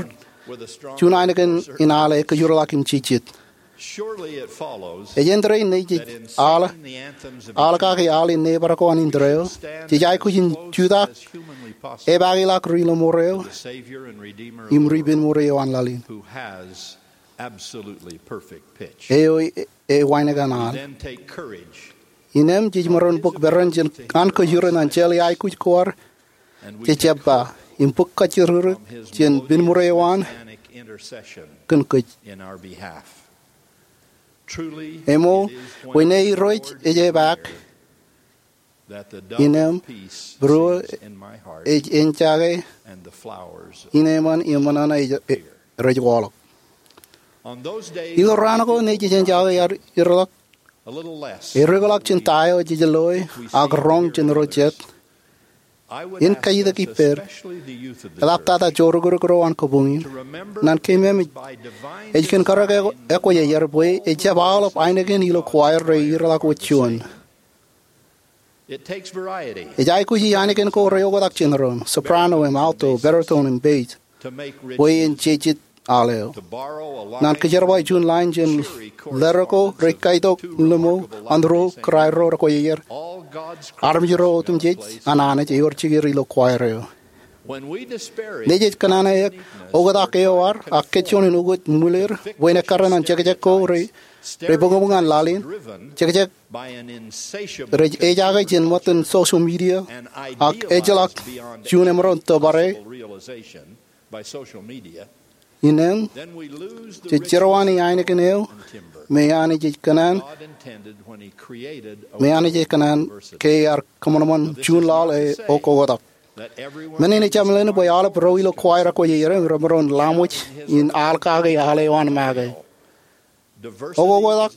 juon ainikien in al ekōjro ḷọk im jijet. Ej āindein ṇe jej al, al kaki al in neighbor ko an indeeo, jej aikuj in jutak epaake ḷọk ri-lọmọọr eo im ri-penmour eo an laḷ in. Absolutely perfect pitch. Eo e, e, ewānōk an al. Then take courage. Innām jej maroñ bōk peran jān an kōjro naan jeḷā aikuj ko ad jej jab ba im bōk kajjirōkrōk jān penmour eo an kōn kōj. Eṃṃan, bwe ṇe Irooj ej epaak, innām būruō ej enjake, innām eṃṃan im ṃōṇōṇō ej, ej, rej waḷọk. Ilo raan ko nejejān jake aō iroḷọk, edeḷọk jān ta eo jej loe ak roñ jān ro jet, en kajjitōk ippād, eḷaptata jorikrokro an kabuñ in, ñan keememej ej kōn karōk ekwōjarjar bwe ejjab aolep ainikien ilo choir rej iroḷọk wōt juon. Ej aikuji ainikien ko rej oktak jān doon, soprano im alto, baritone im bass, bwe en jejet al eo. Ñan kōjerbal juon line jān letter ko rej kaitok limo an ro kōrā ro rekwōjarjar, armej ro otemjej an Anij ewōr jikier ilo choir eo. Nejej kōṇaan eok oktak eo ad ak kōjjoñan ukōt ṃwileer bwe en ekkar ñan jekjek ko rej, rej bōkbōk ñan laḷ in, jekjek rej ejake jān ṃōttan social media, ak ejjeḷọk juon emaroñ tōpare, innām jej jerọwiwi ainikien eo me Anij ej kōṇaan, me Anij ej kōṇaan ke ear kōṃanṃan juon laḷ e okoktak. Men in ejjab meḷeḷein bwe aolep ro ilo choir rekwōjarjar remaroñ laṃōj in al kake al eo an make. Okoktak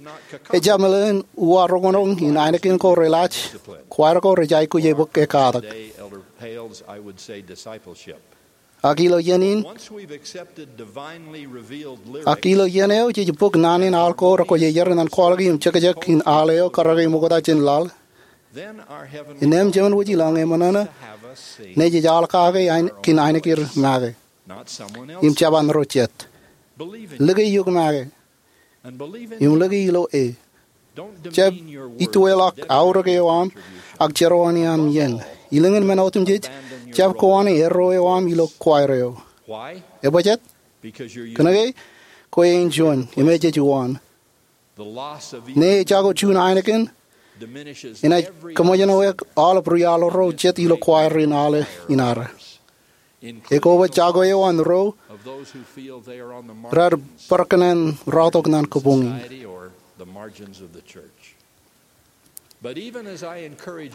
ejjab meḷeḷein uwaroñroñ in ainikien ko re laaj, choir ko rej aikuj bōk e katak. Ak ilo iien in, ak ilo iien eo jej bōk naan in al ko rekwōjarjar ñan kwaḷọk im jekjek in al eo karōke ṃokta jān laḷ, innām Jemān wōj ilañ eṃōṇōṇō nejej al kake kōn ainikien make im jab an ro jet. Lōke eok make im lōke ilo e. Jab itueḷọk aorōk eo aṃ ak jerọwiwi aṃ iien. Ilōñin men otemjej, jab kowaan erro eo aṃ ilo choir eo. Ebajjek? Kōnke kwe ej juon im ejej uwaan. Ñe ejako juon ainikien, enaaj kōṃōjṇọ eok aolep ri-al ro jet ilo choir in al in ad. Ekwe, jako eo an ro raar bar kōṇaan rọọltok ñan kabuñ in.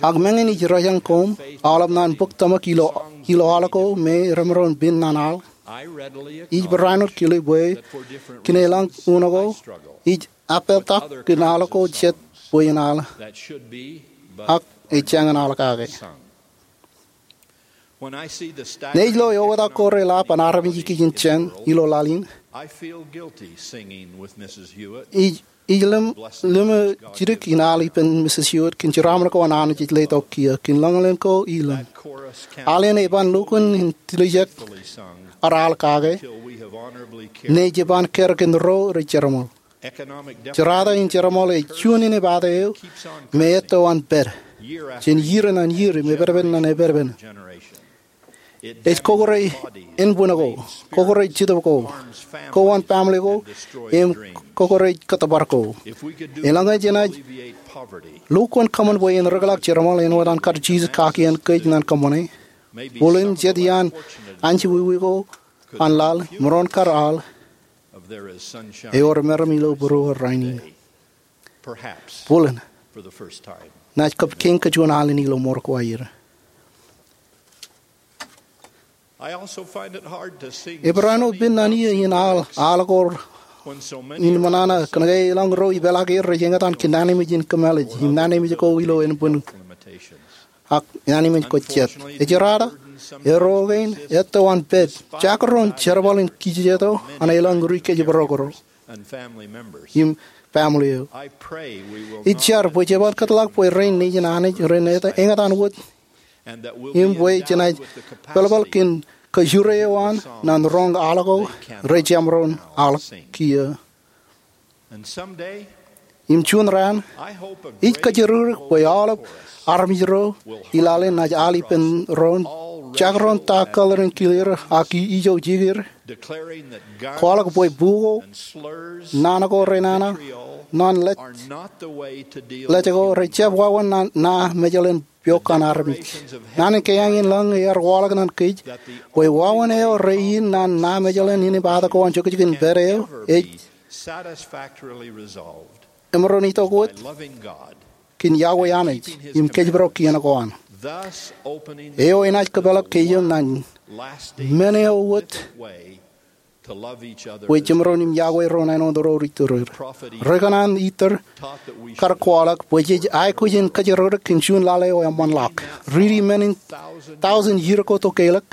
Ak meñe ij rōjañ koṃ aolep ñan bōk tōmak ilo, ilo al ko me remaroñ pen ñan al, ij barāinwōt kile bwe kōn eḷaññe unin ko ij appeḷtak kōn al ko jet bwe en al, ak ej jañin al kake. Ñe ij lo eoktak ko re lap an armej ikijjien ilo laḷ in, ij, ij lōñ, lōñ jidik in al ippān Misis Hewitt kōn jeraaṃṃan ko an Anij ej letok kiiō, kōn lōñlōñ ko ilōñ. Al in eban lukkuun in tiljek ad al kake ñe jeban kar kōn ro rej jeramṃool. Jerata in jeramṃool ej juon inepata eo me etto an pād jān iiō ñan iiō im epedped ñan epedped. Ej kokorej ānbwin ko, kokorej jetōb ko, kowan baaṃle ko, im kokorej kōttōpar ko. Eḷaññe jenaaj lukkuun kōṃṃan bwe en rōkḷọk jeramṃool āinwōt an kar Jisōs kakien kōj ñan kōṃṃane, bōlen jet iaan anjọ wiwi ko an laḷ, maroñ kar al, ewōr meram ilo būruō rainin. Bōlen, naaj kab kein kōj juon al in ilo mour ko aer. Ebarāinwōt pen ñan iiō in al, al ko in ṃōṇōṇō, kōnke eḷaññe ro ipeḷaakier rej eñtaan kōn naan in ej kōmālij im naan in ej ko ilo ānbwin ak naan in ej ko jet. Ej jerata, erro kein etto an pād, jekdọọn jerbal in kijejeto an eḷaññe ri kōjparok ro im baaṃle eo. Ij jar bwe jeban kōtḷọk bwe rein nejin Anij ren eñtaan wōt im bwe jenaaj peḷpeḷ kōn kōjure eo an ñan roñ al ko rej jab maroñ al kiiō. Im juon raan, ij kōjatdikdik bwe aolep armej ro i laḷ in naaj al ippān ro, jekdọọn ta kōḷ rein kilier ak ijo jikier, kwaḷọk bwe buk ko, naan ko renana, ñan lej, lej ko rej jab wāween ñan ña mejeḷ in piok an armej. Naan in kaiañ in lañ ear waḷọk ñan kōj bwe wāween eo rein ñan ña mejeḷ in inepata ko an jokjok in pād eo ej emaroñ itok wōt kōn Yahweh Anij im kōjparok kien ko an. Eo enaaj kōpeḷḷọk kōj ñan men eo wōt bwe jemaroñ im yokwe doon āinwōt ro rej iturūr. Ri-kōṇaan Ether kar kwaḷọk bwe jej aikuj in kōjerakrōk kōn juon lale eo eṃṃanḷọk. Riiti men in thousand iiō ko tokālik,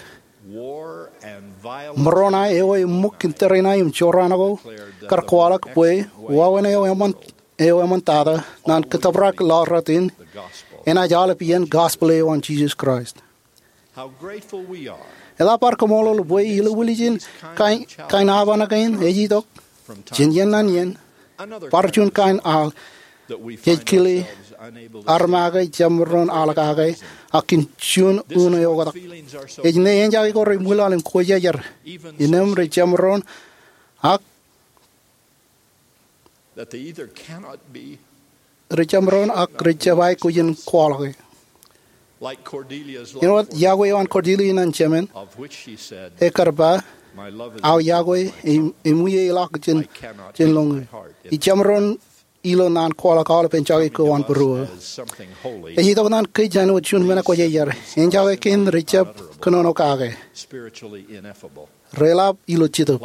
Moroni eo eṃṃuk kōn tōre in aō im jorrāān ko kar kwaḷọk bwe wāween eo eṃṃan eo eṃṃantata naan kōttōprak ḷọk rot in enaaj aolep iien gospel eo an Jisōs Kraist. Eḷap ad kaṃṃoolol bwe ilo ālikin kain, kain apaṇ kein ej itok jān iien ñan iien, bar juon kain al jej kile armake jemaroñ al kake ak kōn juon unin eoktak. Ej ṇe enjake ko rej ṃwilaḷ im kwōjarjar. Innām rej jemaroñ ak rej jemaroñ ak rej jab aikuj in kwaḷọke. Āinwōt yokwe eo an Cordelia ñan jemān, ekar ba, "Aō yokwe, im, im ie ḷọk jān, jān lōñe." Ij jemaroñ ilo naan kwaḷọk aolepān jokwe ko an būruō. Ej itok naan kōj āinwōt juon men ekwōjarjar. Enjake kein rej jab kōnono kake. Reḷap ilo jetōb.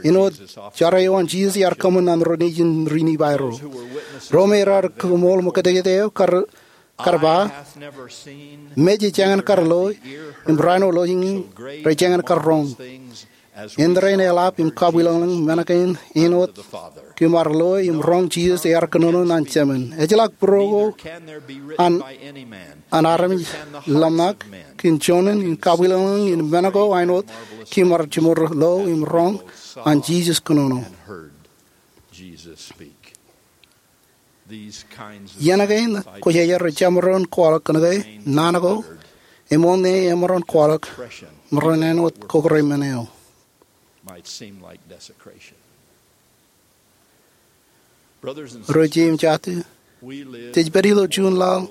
Āinwōt jar eo an Jisōs ear kōṃṃan ñan ro nejin ri-Nifai ro. Ro me raar kaṃool ṃōkajjikjek eo kar, kar ba, "Mej ej jañin kar lo, im raan eo lọjilñiñ rej jañin kar roñ. Indein eḷap im kabwilōñlōñ men kein āinwōt kōm ar lo im roñ Jisōs ear kōnono ñan jemān." Ejjeḷọk būruō ko an, an armej ḷōmṇak kōn joñan in kabwilōñlōñ in men ko āinwōt kōm ar jiṃor lo im roñ an Jisōs kōnono. Iien kein kwōjarjar rej jemaroñ kwaḷọk kōnke naan ko eṃṃan ṇe emaroñ kwaḷọk ṃōrōn āinwōt kōkōrā men eo. Ro jeiū im jatū, jej pād ilo juon laḷ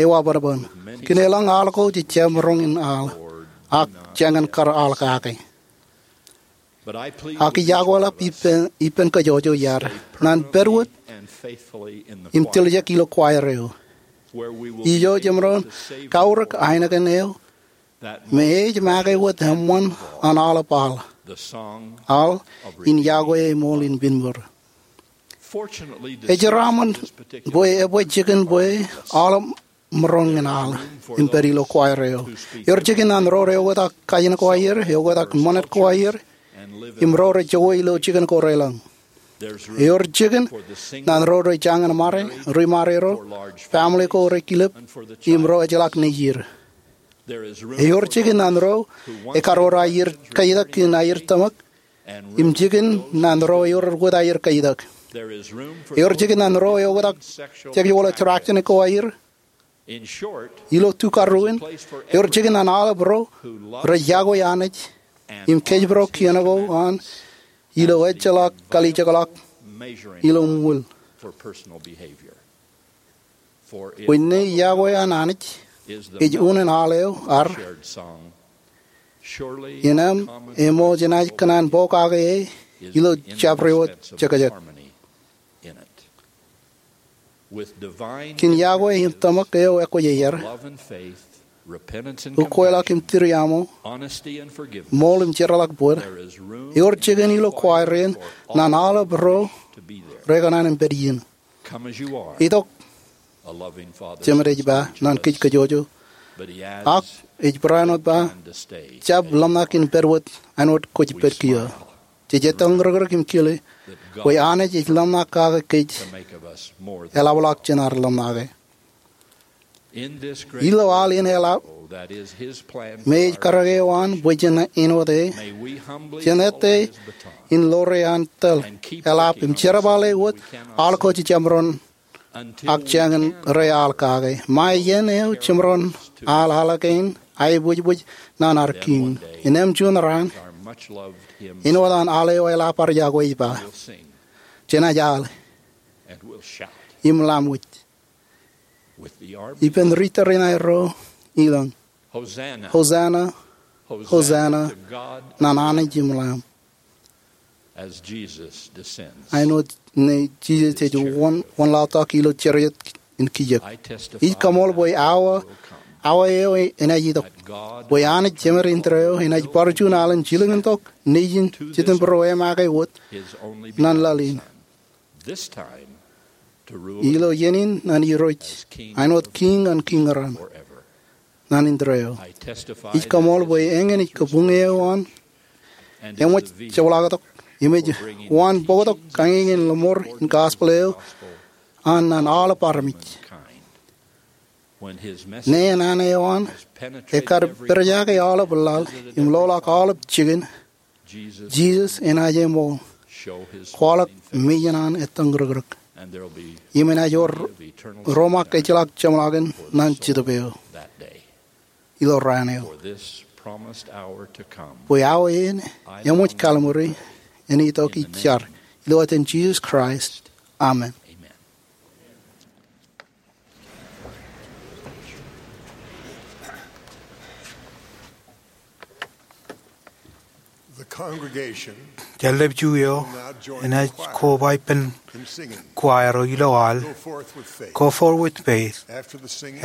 eo eban bōn. Kōn elōñ al ko jej jab roñ in al, ak jañin kar al kake. Ak ij akweḷap ippān, ippān kōjwōjwōj iaad, ñan pād wōt im tiljek ilo choir eo. Ijo jemaroñ kaurōk ainikien eo me ej make wōt eṃṃan an aolep al, al in yokwe eṃool in pinbōd. Ej jeraaṃṃan bwe ebwe jikin bwe aolep maroñ in al im pād ilo choir eo. Ewōr jikin ñan ro rej oktak kajin ko aer, oktak ṃanit ko aer, im ro rej jokwe ilo jikin ko relōñ. Ewōr jikin ñan ro rej jañin ṃare, ri-ṃare ro, family ko rej kilep, im ro ejjeḷọk nejier. Ewōr jikin ñan ro ekar wōr aer kaitak kōn aer tōmak, im jikin ñan ro ewōr wōt aer kaitak. Ewōr jikin ñan ro eoktak sexual attraction ko aer. Ilo tukaruin, ewōr jikin ñan aolep ro rej yokwe Anij im kōjparok kien ko an ilo ejjeḷọk kalijekḷọk ilo ṃwiin. Bwe ṇe yokwe an Anij ej unin al eo ad, innām eṃōj enaaj kōṇaan pokake e ilo jabdewōt jekjek. Kōn yokwe im tōmak eo ekwōjarjar, ukweḷọk im tūriaṃo, ṃool im jeorḷọk bōd, ewōr jikin ilo choir in ñan aolep ro rekōṇaan im pād iien. Itok, Jemed ej ba, ñan kōj kōjwōjwōj. Ak ej barāinwōt ba, jab ḷōmṇak in pād wōt āinwōt kwōj pād kiiō. Jej etal ṇōkrōk im kile bwe Anij ej ḷōmṇak kake kōj, eḷapḷọk jān ad ḷōmṇake. Ilo al in eḷap, me ej karōk eo an bwe jen āinwōt e, jen ettā in ḷoor an tōl, eḷap im jerbale wōt al ko jemaroñ ak jañin rej al kake. Ṃae iien eo jemaroñ al al kein aebwijbwij ñan ad Kiiñ. Innām juon raan, āinwōt an al eo eḷap ad yokwe ej ba, jenaaj al im lamwōj ippān ri tōre in aerro ilọk, "Hosanna, Hosanna ñan Anij im Lamb." Āinwōt ṇe Jisōs ej wōn, wōnlaḷtak ilo chariot in kijek. Ij kaṃool bwe awa awa eo enaaj itok, bwe Anij Jemed in tōre eo enaaj bar juon alen jilkintok Nejin Jetōnbōro e make wōt ñan laḷ in. Ilo iien in ñan irooj, āinwōt Kiiñ ñan kiiñ raṇ, ñan indeeo. Ij kaṃool bwe eñin ej kabuñ eo an eṃōj jepḷaaktok im ej waan bōktok kañiñein lōṃor in gospel eo an ñan aolep armej. Ñe enañin eo an ekar pād jake aolep laḷ im loḷọk aolep jikin, Jisōs enaaj eṃool, kwaḷọk mejān an ettōñ rikrik, im enaaj wōr romaak ejjeḷọk jeṃḷọkin ñan Jetōb eo ilo raan eo. Bwe awa in eṃōj kalimjeke, en itok ij jar, ilo etan Jisōs Kraist, amen. Jān ḷap ju eo enaaj koba ippān choir eo ilo aḷ, Go Forth with Faith.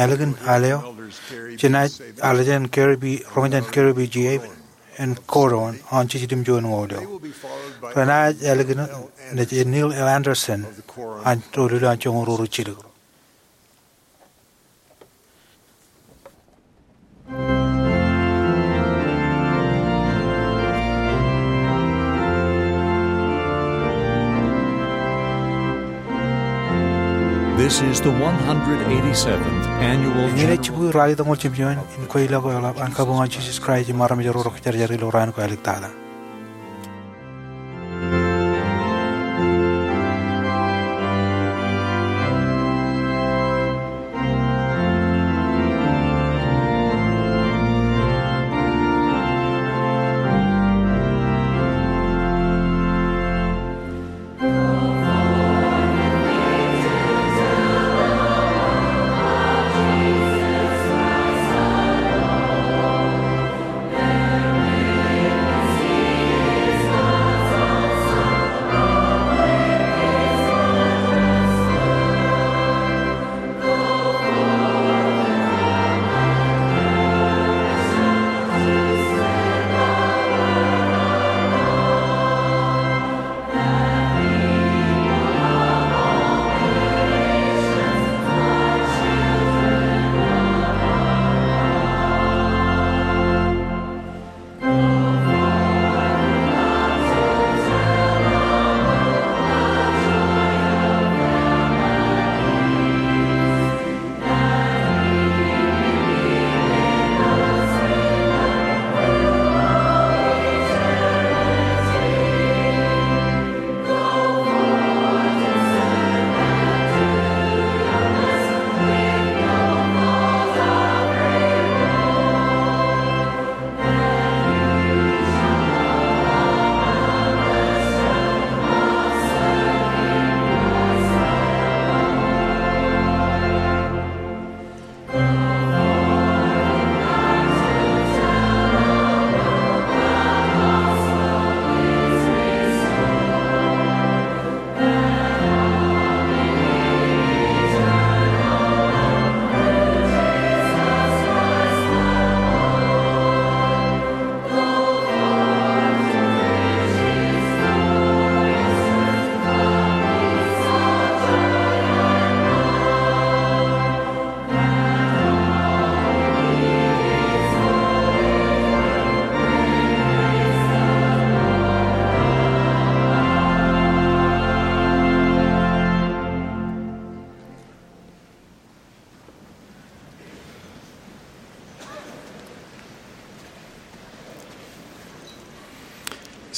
Ālikin aḷ eo, jenaaj alen Gary B., Reverend Gary B. Jay en kōto an jiljilimjuon ñoul eo. Renaaj ālikin Neil L. Andersen an ro lilo an joñoul ruo ro jilkinḷọk. This is the one hundred eighty-seventh annual Eñin ej general jibukwi ralitōñoul jimjuon in kweilọk eo ḷap an Kabuñ an Jisōs Kraist im armej ro rej kōjarjar ilo raan ko āliktata.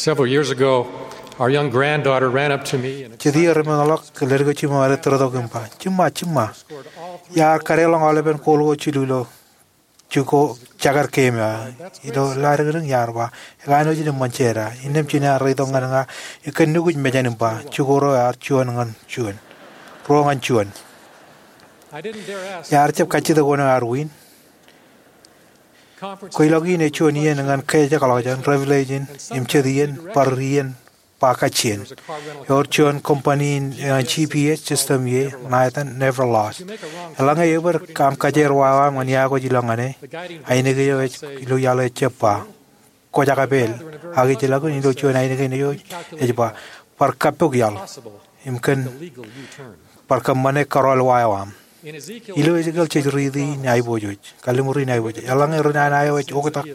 Several years ago, our young granddaughter ran up to me and Jet iiō ri meḷọk, ledik eo jiṃṃaṃ rej tōrtok im ba, "Jiṃṃa, jiṃṃa, iar kadeḷọñ aolepen kooḷ ko jilu ilo jukọọr jekar game eo." Ilo ḷadikdik iar ba, "Ekanooj in eṃṃan jeda." Innām jen ear reitok ñan ña im kōnnukkuj mejān im ba, "Jukọọr eo ear juon ñan juon. Ruo ñan juon." Iar jab kajjitōk wōn eo ear win. Kweilọk in ej juon iien ñan kōj ekḷọk jān Revelation im jet iien bar iien ba kajjien. Ewōr juon company in, eh, G P S system ie, ṇa etan Never Lost. Eḷaññe ebōd aṃ kajeer wāween aṃ ñan iọkwe ilo ñane, ainikien eo ej ilo iaḷ eo ejjab ba, kwōj ak apeel, ak ij ilọk in ilo juon ainikien eo ej ba, bar kappok iaḷ im kōn bar kōṃṃane kōrọọl wāween aṃ. Ilo Ezekiel jej riiti in aiboojoj, kalliṃur in aiboojoj. Eḷaññe ri nana eo ej oktak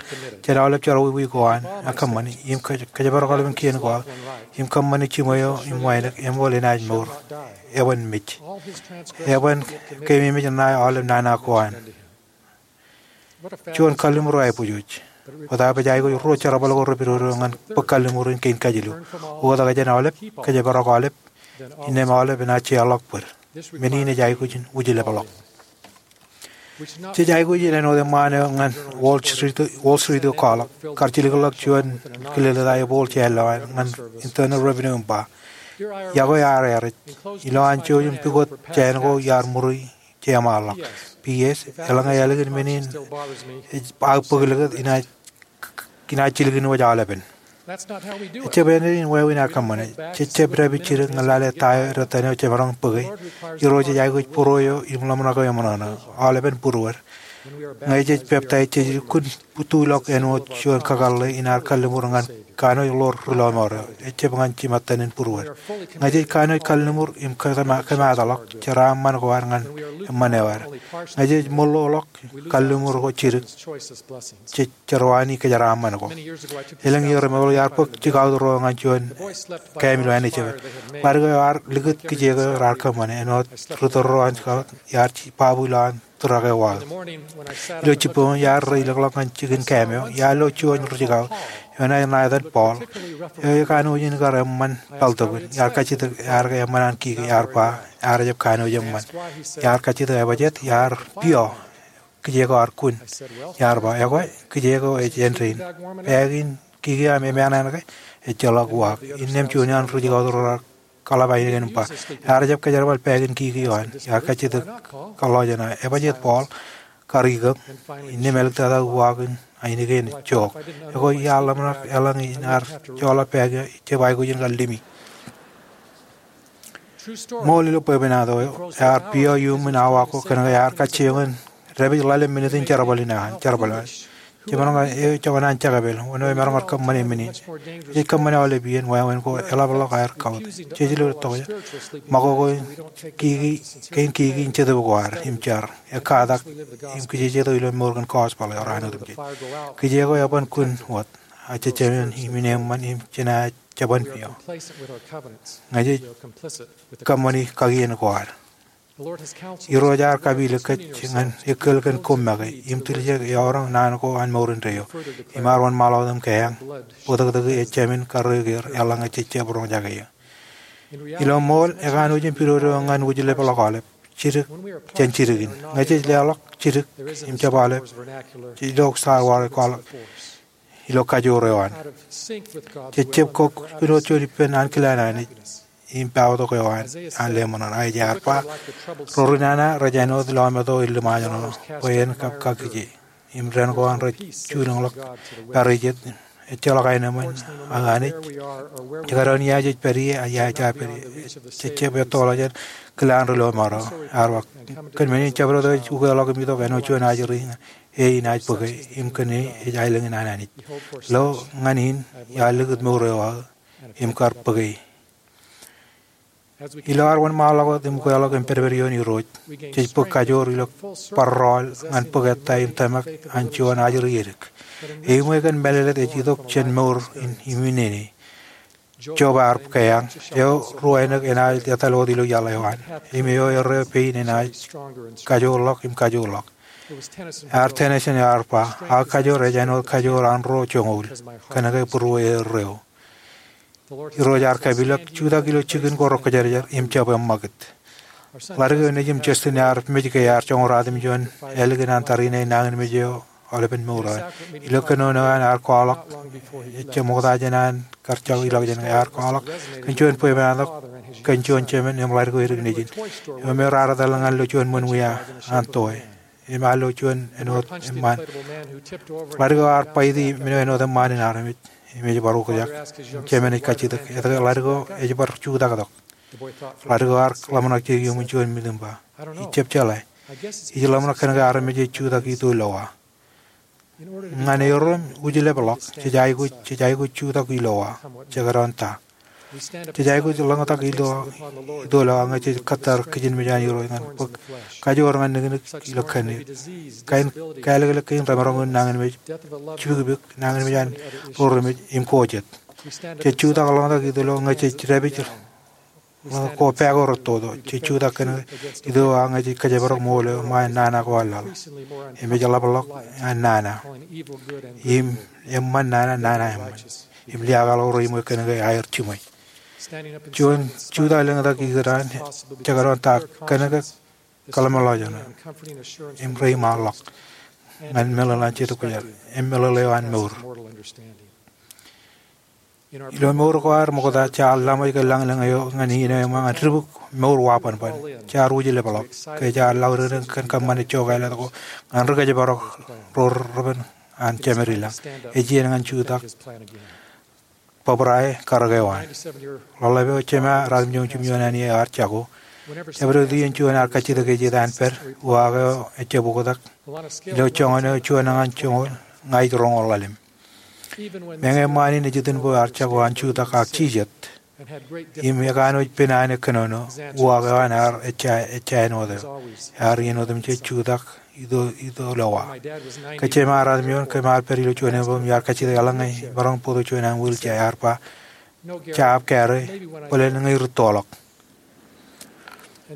jān aolep jerbal wiik ko an, ak kōṃṃani im kōj-, kōjparok aolepen kien ko aō, im kōṃṃane jiṃwe eo im wānōk, eṃool enaaj mour. Eban mej. Eban keememej ṇae aolep nana ko an. Juon kalliṃur eo aiboojoj. Bōtaab ej aikuj ruo jerbal ko repidodo ñan bōk kalliṃur in kein kajilu. Oktak jān aolep, kōjparok aolep, innām aolep enaaj jeorḷọk bōd. Men in ej aikuj in wūjlepḷọk. Jej aikuj in āinwōt eṃṃaan eo ñan Wall Street, Wall Street eo kwaḷọk, kar jilkinḷọk juon kilelōt aō ebool jān lowaan ñan Internal Revenue im ba, iọkwe ear earej. Ilowaan jouj im pukot jāān ko iar ṃuri jeṃaanḷọk. P S, eḷaññe ālikin men in ej aō bōk likūt, inaaj, inaaj jilkin wōj aolepen. Ejjab āindein wāween aō kōṃṃane. Jej jab dāpij jidik ñan lale ta eo editōn eo jemaroñ bōke. Irooj ej aikuj būruō eo im ḷōmṇak eo eṃōṇōṇō. Aolepen būruod. Ñe jej peptaij, jej lukkuun tuḷọk āinwōt juon kakōḷḷe in ad kalliṃur ñan kanooj ḷoor ri lọmọọr eo. Ejjab ñan jimattan in būruod. Ñe jej kanooj kalliṃur im kōmaatḷọk jeraaṃṃan ko ad ñan eṃṃan eo ad. Ñe jej ṃōḷoḷọk kalliṃur ko jidik, jej jerwani kōjeraaṃṃan ko. Elōñ iiō remootḷọk iar bōk jikaot ro ñan juon kaem ilo Anij ej. Ḷadik eo ar likūt kijeek eo raar kōṃṃane āinwōt ri tōl ro an jikaot iar ji-, babu ilowaan tūrak eo waḷọk. Ilo jibboñ iar reilọkḷọk ñan jikin kaem eo, iar lo juon ri jikaot, eo ṇa etan Paul. Eo ekanooj in kar eṃṃan Baltimore. Iar kajjitōk, iar ke eṃṃan an kiki, iar ba, ear jab kanooj eṃṃan. Iar kajjitōk, ebajeet, iar piọ. Kijeek eo ar kun. Iar ba, ekwe, kijeek eo ej āindein. Bag in kiki eo aṃ eṃṃan an ke? Ejjeḷọk uwaak. Innām juon eo an ri jikaot ro raar kaḷap ainikien im ba, ear jab kōjerbal bag in kiki eo an. Iar kajjitōk kōḷḷā jān an, ebajeet Paul, kar ikōṃ. Innām āliktata uwaak in ainikien jook. Ekwe iar ḷōmṇak eḷaññe in ar joḷọk bag eo, ejjab aikuj in kar limi. Ṃool ilo bwebwenato eo, ear piọ iuṃwin awa ko kōnke ear kajjioñ in dāpij ḷalem minit in jerbal in an, jerbal an. Jemaroñ ke eo ej jokwan an jakpel, wōn eo emaroñ kar kōṃṃane men in. Jej kōṃṃane aolep iien, wāween ko eḷapḷọk aer kautiej ilo tokjān. Ṃakoko in kiki, kein kiki in jetōb ko ad, im jar. Ekkatak, im kijejeto ilo mour kōn gospel eo raar otemjej. Kijeek eo eban kun wōt, ak jejāmin im in eṃṃan im jenaaj jeban piọ. Ñe jej kōṃṃani kakien ko ad. Irooj ear kapilōk kōj ñan ekkal kōn koṃ make, im tiljek eọroñ naan ko an mour indeeo. Im ear wōnṃaanḷọk im kaiañ, bōtōktōki ejāmin karreoik er eḷaññe jej jab roñjake eō. Ilo ṃool, ekanooj in pidodo ñan wūjlepḷọk aolep. Jidik jān jidik in. Ñe jej leḷọk jidik im jab aolep, jej lo saware kwaḷọk ilo kajoor eo an. Jej jab kok āinwōt juon ippān ankilaan Anij im pād tok eo an, an leṃōṇōṇō. Aija ear ba, ro ri nana rej āinwōt lọmeto in ḷōmṇak eo, bwe en kab kakije. Im dān ko an rej juunōñḷọk pād ijeet, ejjeḷọk aenōṃṃan an Anij. Jekdọọn ia jej pād ie, ak ia ej pād ie. Jej jab ettoḷọk jān kilaan ri lọmọọr eo. Ear ba, kōn men in jabdewōt eo ej ukeḷọk im itok āinwōt juon ajri ñan e inaaj bōke, im kōn e ej aelōñ in an Anij. Lo ñan in, iar likūt mour eo aō, im kar bōke. Ilo ad wōnṃaanḷọk wōt im ukeḷọk im pedped ioon Irooj, jej bōk kajoor ilo bar rọọl ñan bōk ettā im tōmak an juon ajri edik. Eṃṃan kōn mālōtlōt ej itok jān mour in im inene. Job ear kaiañ, eo ruwainōk enaaj etal wōt ilo iaḷ eo an, im eo erreo pein enaaj kajoorḷọk im kajoorḷọk. Ear Tennyson eo ear ba, aō kajoor ej āinwōt kajoor an ro joñoul, kōnke būruō erreo. Irooj ear kapilōk, jutak ilo jikin ko rekwōjarjar im jab eṃṃakūt. Ḷadik eo nejūṃ Justin ear mej ke ear joñoul ruatimjuon ālikin an tariṇae nañinmej eo aolepen mour eo an. Ilo kōnono eo an ear kwaḷọk, ejjab ṃokta jān an kar jab ilọk jān ke ear kwaḷọk kōn juon bwebwenato kōn juon jemān im ḷadik eo edik nejin. Im ear etal ñan lo juon ṃōn wia an toe. Im ear lo juon āinwōt eṃṃaan. Ḷadik eo ear baiti men eo āinwōt eṃṃaan in armej. Im ej bar ukōjak. Im jemān ej kajjitōk, etke ḷadik eo ej bar jutak tok? Ḷadik eo ear ḷōmṇak jidik iuṃwin juon mitiṃba. Ij jab jeḷā. Ij ḷōmṇak kōnke armej ej jutak ilo awa. Ñan erom wūjlepḷọk, jej aikuj, jej aikuj jutak ilo awa, jekdọọn ta. Jej aikuj ḷōñtak ilo, ilo awa ñe jej kōttar kijinmej an Irooj ñan bōk kajoor ñan niknik ilo kōn. Kain kālōklōk kein remaroñ in nañinmej jibikbik, nañinmej an ro remej im ko jet. Jej jutak ḷōñtak ilo awa ñe jej dāpij ko pā ko rettoto. Jej jutak kōn ilo awa ñe jej kōjparok ṃool eo ṃae nana ko eḷḷaḷ. Im ej ḷapḷọk an nana. Im eṃṃan nana, nana eṃṃan. Im liaakḷọk ro iṃwe kōnke aer jiṃwe. Juon jutak lōñtak ikōtaan, jekdọọn ta kōnke kōḷmānḷọkjeṇ im reiṃaanḷọk ñan meḷeḷe an Jetōb Kwōjarjar im meḷeḷe eo an mour. Ilo mour ko ad ṃokta jaar laṃōj ke lañlōñ eo ñan iien eo eṃṃan ñan dibuk mour wabanban. Jaar wūjlepḷọk ke jaar laudikdik kōn kōṃṃane jokālet ko ñan ri kōjparok ro repen an Jemedilōñ. Ej iien ñan jutak bōbrae karōk eo an. Ḷōḷḷap eo, jema ratimjuon im jimjuon āne eo ear jako. Jabdewōt iien juon ear kajjitōk ej itok an pād, uwaak eo ejjab oktak. Ilo joñan eo juon ñan joñoul, ña ij roñoul ḷalem. Meñe eṃṃaan in ej itinbwe ear jako an jutak ak jijet. Im ekanooj pen āne kōnono, uwaak eo an ear ejja, ejja āinwōt eo. Ear iien otemjej jutak ilo, ilo awa. Ke jema ratimjuon, kōm ar pād ilo juon eṃṃan im iar kajjitōk eḷaññe maroñ bōktok juon an wheelchair, ear ba, "Jab kare, bōlen ñe irūttoḷọk."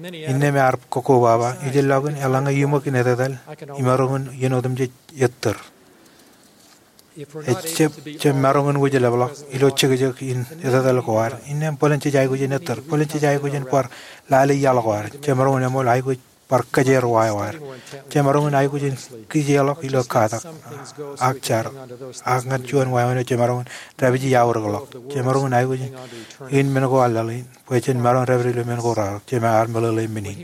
Innām ear kōkobaba, "Ijellọkin eḷaññe iṃōk in etetal, imaroñ in iien otemjej ettōr." Ejjab, jab maroñ in wūjlepḷọk ilo jekjek in etetal ko ad. Innām bōlen jej aikuj in ettōr, bōlen jej aikuj in bar lale iaḷ ko ad. Jemaroñ in eṃool aikuj bar kōjeer wa eo ad. Jemaroñ in aikuj in kijeḷọk ilo katak, ak jar, ak ñan juon wāween eo jemaroñ in dāpiji aorōkḷọk. Jemaroñ in aikuj in men ko eḷḷaḷ in bwe jen maroñ dāpid ilo men ko raar, jema ear meḷeḷe men in.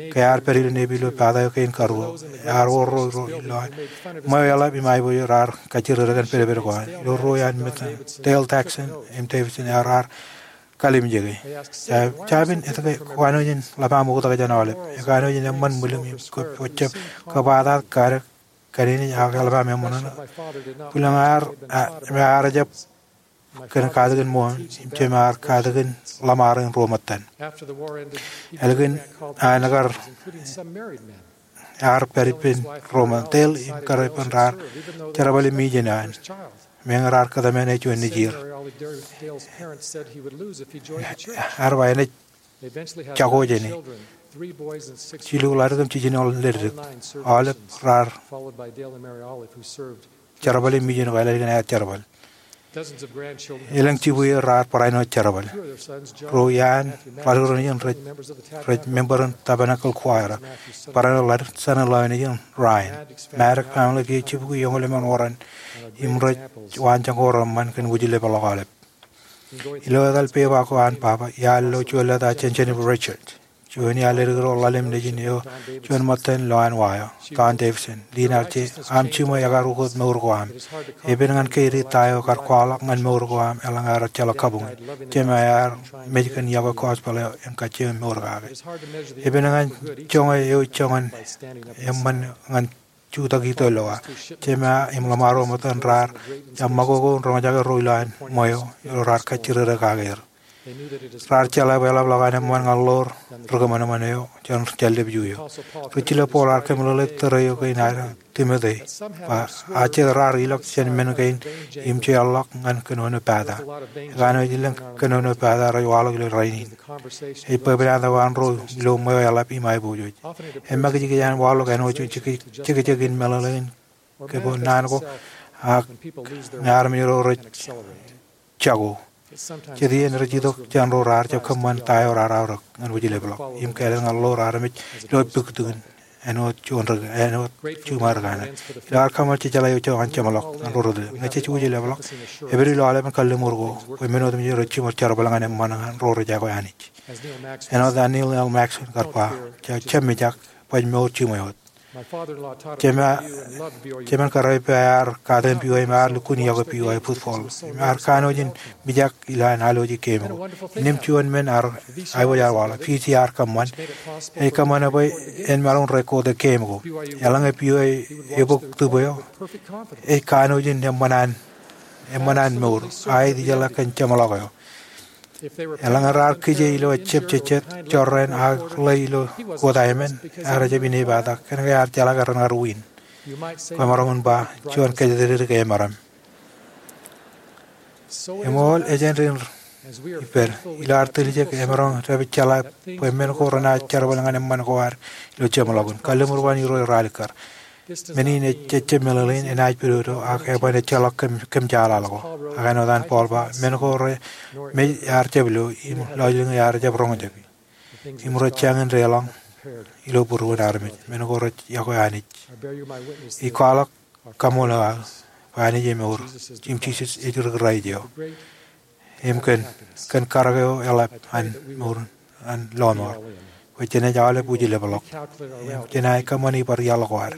Ke ear pād ilo Navy ilo pata eo kein karuo, ear wōr ro, ro ilo an ṃweo eḷap im aiboojoj raar kajjirere kōn pedped ko an. Ilo ruo iaan men, Dale Taxton im Davidson ear, ear kalimjeke. Jab, jabin etke kwōn āinwōt in ḷap aṃ oktak jān aolep. Ekanooj in eṃṃan ṃwilim im kōb, kōb jab kōttar kanin in ak eḷap aṃ eṃṃan. Bwilōñ ear, a, ear jab kōn katakin ṃool, im jema ear katakin ḷōṃaro in ruo ṃōttan. Ālikin an kar ear pād ippān ruo ṃōttan, Dale im kar ippān raar jerbale mijen eo an. Meñe raar kōtmāne juon nejier. Ear ba enaaj jako jāne. Jilu ḷadik im jiljino leddik. Aolep raar jerbale mijen ko eḷap ālikin aer jerbal. Elōñ jibwier raar barāinwōt jerbal. Ro iaan ḷadik ro nejin rej, rej member in Tabernacle Choir. Barāinwōt ḷadik, Sanilō nejin Ryan. Maddock family kiiō jibukwi eñoul emān oran im rej waanjoñak ko reṃṃan kōn wūjlepḷọk aolep. Ilo etal pepa ko an baba, iar lo juon leta jān Jennifer Richards. Juon iaan leddik ro ḷalem nejin eo, juon ṃōttan lo an wa eo, Don Davidson. Lien ear je, aṃ jiṃwe ekar ukōt mour ko aṃ. Epen ñan keidi ta eo kar kwaḷọk ñan mour ko aṃ eḷaññe ear ejjeḷọk kabuñ in. Jema ear mej kōn iọkwe gospel eo im kajjioñ mour kake. Epen ñan joñe eo joñan eṃṃan ñan jutak ito ilo awa. Jema im ḷōṃaro ṃōttan raar jab ṃakoko in roñjake ro ilowaan ṃweo ilo raar kajjirere kake er. Raar jeḷā bwe eḷapḷọk an eṃṃan ñan ḷoor ri kōṃanṃan eo jān jallib ju eo. Ri jilōb Paul ear kōmeḷeḷe tōre eo kein ad Timote, ba, a jet raar ilọk jān men kein im jeorḷọk ñan kōnono pata. Ekanooj elōñ kōnono pata rej waḷọk ilo rainin. Ej bwebwenato an ro ilo ṃweo eḷap im aiboojoj. Emakijkij an waḷọk āinwōt jekjek in meḷeḷe in kōpooj naan ko, ak ñe armej ro rej jako. Jet iien rej itok jān ro raar jab kōṃṃan ta eo raar aorōk ñan wūjlepḷọk im kāālōt ñan ḷoor armej ilo puktukin āinwōt juon ri, āinwōt jiṃor kaṇe. Ilo ad kōṃṃan jejeḷā eo ej jeṃḷọk ñan ro rej, ñe jej wūjlepḷọk, epād ilo aolepen kalliṃur ko bwe men otemjej rej jiṃor jerbal ñan eṃṃan ñan ro rej aikuj Anij. Āinwōt an Neal L. Maxwell kar ba, jab, jab mijak, baj mour jiṃwe wōt. Jema, jemen kōrā eo ear katakin B Y D im ear lukkuun yokwe B Y D football. Im ear kanooj in mijak ilo an alwōji game ko. Innām juon men ear, aiboojoj ear waḷọk. B C ear kōṃṃan. Ej kōṃṃane bwe en maroñ record e game ko. Eḷaññe B Y D ebōk tūb eo, ej kanooj in eṃṃan an, eṃṃan an mour. Aet ijeḷā kōn jeṃḷọk eo. Eḷaññe raar kije ilo ejjab jejjet jorrāān ak ḷe ilo wōt aemān, ear jab inepata. Kōnke ear jeḷā ke ren kar win. Kwōmaroñ in ba, juon kōjatdikdik emaroñ. Eṃool, ej āindein ippād. Ilo ad tiljek, emaroñ dāpij jeḷā bwe men ko renaaj jerbal ñan eṃṃan ko ad ilo jeṃḷọkin. Kalliṃur ba en Irooj ralitōk. Men in ej jejjab meḷeḷein, enaaj pidodo, ak eban ejjeḷọk kōm, kōm jeḷāḷọk. Ak āinwōt an Paul ba, men ko remej ear jab lo, im lọjilñi ear jab roñjake. Im rej jañin deḷọñ ilo būruon armej. Men ko rej yokwe Anij. Ij kwaḷọk kaṃṃoolol aō bwe Anij emour, im Jisōs ej ri Kraist eo. Im kōn, kōn karōk eo eḷap an mour, an lọmọọr, bwe jenaaj aolep wūjlepḷọk. Im jenaaj kōṃṃane bar iaḷ ko ad.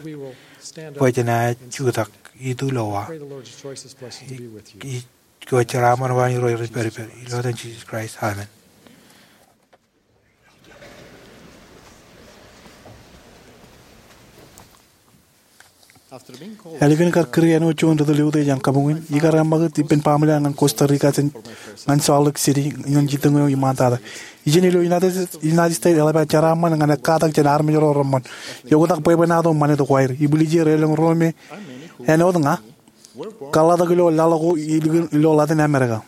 Bwe jenaaj jutak, itu lowa. Ij, ij kōjeraaṃṃan bwe en Irooj ri pād ippād. Ilo etan Jisōs Kraist, amen. Ālikin kar kūr āinwōt juon ri tōl eutiej an kabuñ in, ikar eṃṃakūt ippān baaṃle an ñan Costa Rica jān, ñan Salt Lake City ñan jitōñ eo iṃaantata. Ijin ilo United, United States eḷap aō jeraaṃṃan ñan ekkatak jān armej ro reṃṃan. Eoktak bwebwenato ṃanit ko aer. Ibwiljir elōñ ro me āinwōt ña kōḷḷātok ilo laḷ ko ilo, ilo Latin America.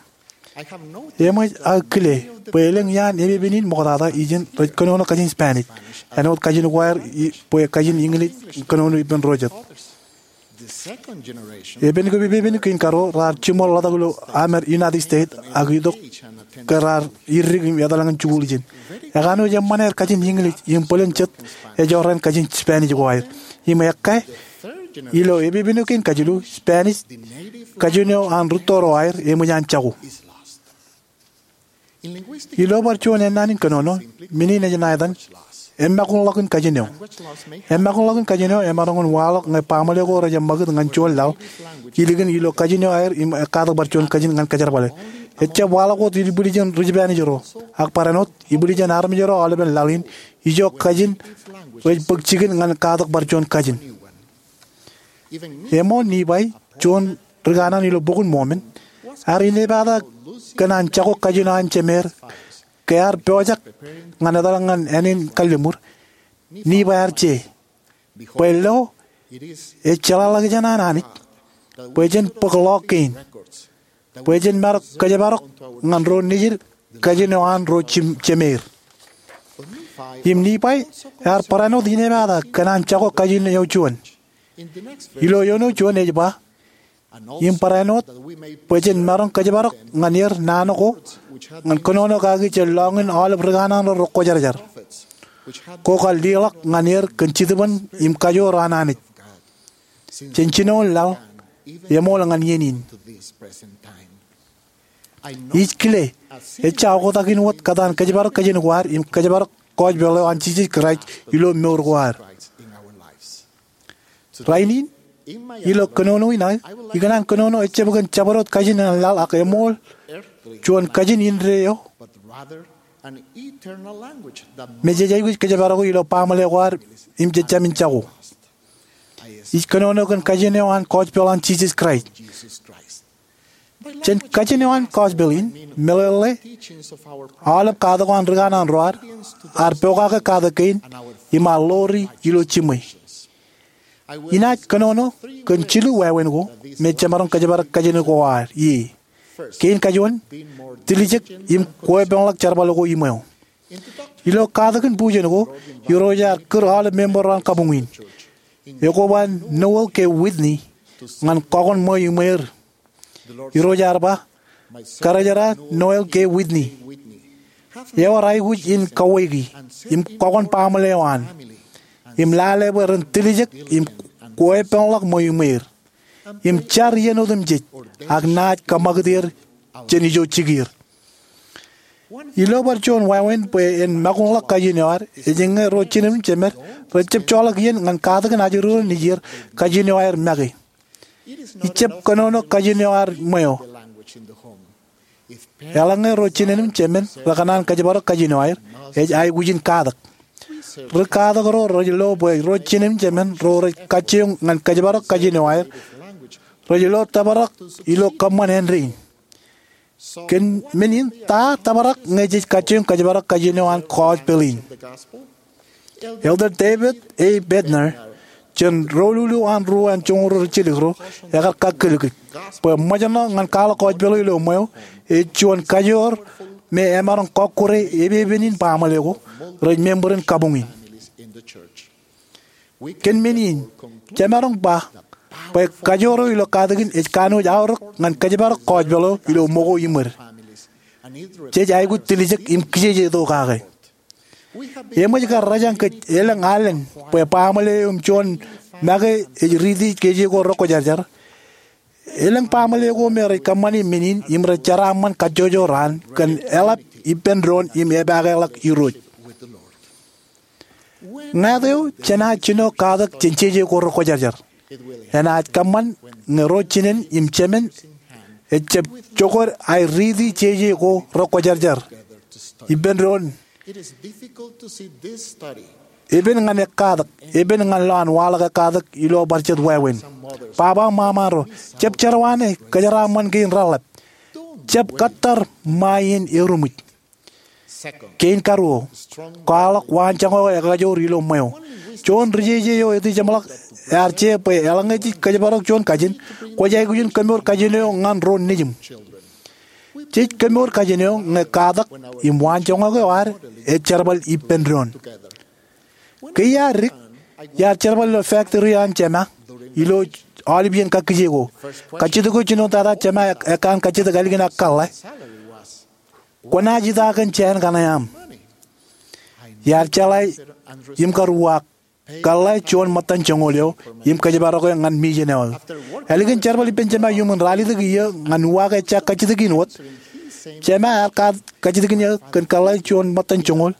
Eṃōj aō kile bwe elōñ iaan epepen in ṃoktata ijin rej kōnono kajin Spanish āinwōt kajin ko aer, i, bwe kajin English kōnono ippān ro jet. Epen ko epepen kein karuo raar jiṃor ḷotak ilo aṃ United States ak itok ke raar irdik im etal ñan jikuuḷ ijin. Ekanooj eṃṃan aer kajin English im bōlen jet ejorrāān kajin Spanish ko aer. Im ekkā, ilo epepen eo kein kajilu, Spanish, kajin eo an rūtto ro aer, eṃōj an jako. Ilo bar juon ennaan in kōnono, men in ej ṇa etan, eṃṃakūṇḷọkin kajin eo. Eṃṃakūṇḷọkin kajin eo emaroñ in waḷọk ñe baaṃle ko rej eṃṃakūt ñan juon laḷ ilikin ilo kajin eo aer im ekkatak bar juon kajin ñan kōjerbale. Ejjab waḷọk wōt ibwiljin ri Spanish ro, ak barāinwōt ibwiljin armej ro aolepen laḷ in, ijo kajin rej bōk jikin ñan katak bar juon kajin. Eṃool Nifai, juon ri kanaan ilo Bok in Mōmon, ear inepata kōn an jako kajin eo an jemeer, ke ear pojak ñan etal ñan āne in kalliṃur. Nifai ear je, bwe lo, ej jeḷāḷọkjeṇ an Anij bwe jen bōk ḷọk kein, bwe jen marok kōjparok ñan ro nejid kajin eo an ro jim-, jemeer. Im Nifai ear barāinwōt inepata kōn an jako kajin eo juon. Ilo eoon eo juon ej ba, im barāinwōt bwe jen maroñ kōjparok ñan er naan ko, ñan kōnono kaki jān lọñiin aolep ri kanaan ro rekwōjarjar, ko kar leḷọk ñan er kōn jitōbōn im kajoor an Anij jān jinoin laḷ, eṃool ñan iien in. Ij kile, ejja oktak in wōt kōtaan kōjparok kajin ko ad im kōjparok gospel eo an Jisōs Kraist ilo mour ko ad. Rainin, ilo kōnono in aō, ikōṇaan kōnono ejjab kōn jabdewōt kajin an laḷ ak eṃool juon kajin indeeo me jej aikuj kōjparok ilo baaṃle ko ad im jejjamin jako. Ij kōnono kōn kajin eo an gospel an Jisōs Kraist. Jān kajin eo an gospel in, meḷeḷe, aolep katak ko an ri kanaan ro ad, ear pokake katak kein, im ear ḷoori ilo jiṃwe. Inaaj kōnono kōn jilu wāween ko me jemaroñ kōjparok kajin ko ad ie. Kein kajuon, tiljek im kweepeḷḷọk jerbal ko iṃweo. Ilo katakin bujen ko, Irooj ear kūr aolep member ro an kabuñ in. Ekwe ba Noel K. Whitney ñan kọkoṇ ṃweo iṃweer. Irooj ear ba, Karijerā Noel K. Whitney, ewōr aikuj in kawōki im kọkoṇ baaṃle eo an, im lale bwe ren tiljek im kweepeḷḷọk ṃweo iṃweer, im jar iien otemjej ak naaj kōṃakūt er jān ijo jikier. Ilo bar juon wāween bwe en makuñḷọk kajin eo ad, ej ñe ro jined im jemed rej jab joḷọk iien ñan katakin ajri ro nejier kajin eo aer make. Ijab kōnono kajin eo ad ṃweo. Eḷaññe ro jined im jemed rekōṇaan kōjparok kajin eo aer, ej aikuj in katak. Ri katak ro rej lo bwe ro jined im jemed ro rej kajjioñ ñan kōjparok kajin eo aer rej lo tōprak ilo kōṃṃan āindein. Kōn men in, ta tōprak ñe jej kajjioñ kōjparok kajin eo an gospel in? Elder David A. Bednar, jān ro lulu an ruo an joñoul ro ri jilkinro, ekar kakōlkōl bwe ṃōjṇọ ñan kwaḷọk gospel eo ilo ṃweo ej juon kajoor me emaroñ kọkkure epepen in baaṃle ko rej member in kabuñ in. Kōn men in, jemaroñ ba bwe kajoor eo ilo katakin ej kanooj aorōk ñan kōjparok gospel eo ilo ṃōko iṃōd. Jej aikuj tiljek im kijeje tok kake. Eṃōj kar rōjañ kōj elōñ alen bwe baaṃle eo im juon make ej riiti jeje ko rekwōjarjar. Elōñ baaṃle ko me rej kōṃṃani men in im rej jeraaṃṃan kajjojo raan kōn eḷap ippān doon im epaake ḷọk Irooj. Ñāāt eo jenaaj jino katak jān jeje ko rekwōjarjar. Enaaj kōṃṃan ñe ro jined im jemed ejab jokwe aer riiti jeje ko rekwōjarjar ippān doon. Epen ñan ekkatak, epen ñan lowaan waḷọk ekkatak ilo bar jet wāween. Baba im ṃaṃa ro, jab jerọwiwi kōjeraaṃṃan kein reḷap. Jab kōttar ṃae in eruṃwij. Kein karuo, kwaḷọk waanjoñak eo ekajoor ilo ṃweo. Juon rijeje eo etijeṃḷọk ear je bwe eḷaññe jej kōjparok juon kajin, kwōj aikuj in kōmour kajin eo ñan ro nejiṃ. Jej kōmour kajin eo ñe katak im waanjoñak eo ad ej jerbal ippān doon. Ke iar dik, iar jerbal ilo factory an jema ilo aolep iien kakkije ko. Kajjitōk eo jinoin tata jema ekkan kajjitōk ālikin aō kōḷḷā. Kwōnaaj ita kōn jāān kaṇe aṃ. Iar jeḷā im kar uwaak kōḷḷā juon ṃōttan joñoul eo im kōjparok e ñan mission eo aō. Ālikin jerbal ippān jema iuṃwin ralitōk iiō ñan uwaak ejja kajjitōk in wōt, jema ear kajjitōk in eō kōn kōḷḷā juon ṃōttan joñoul.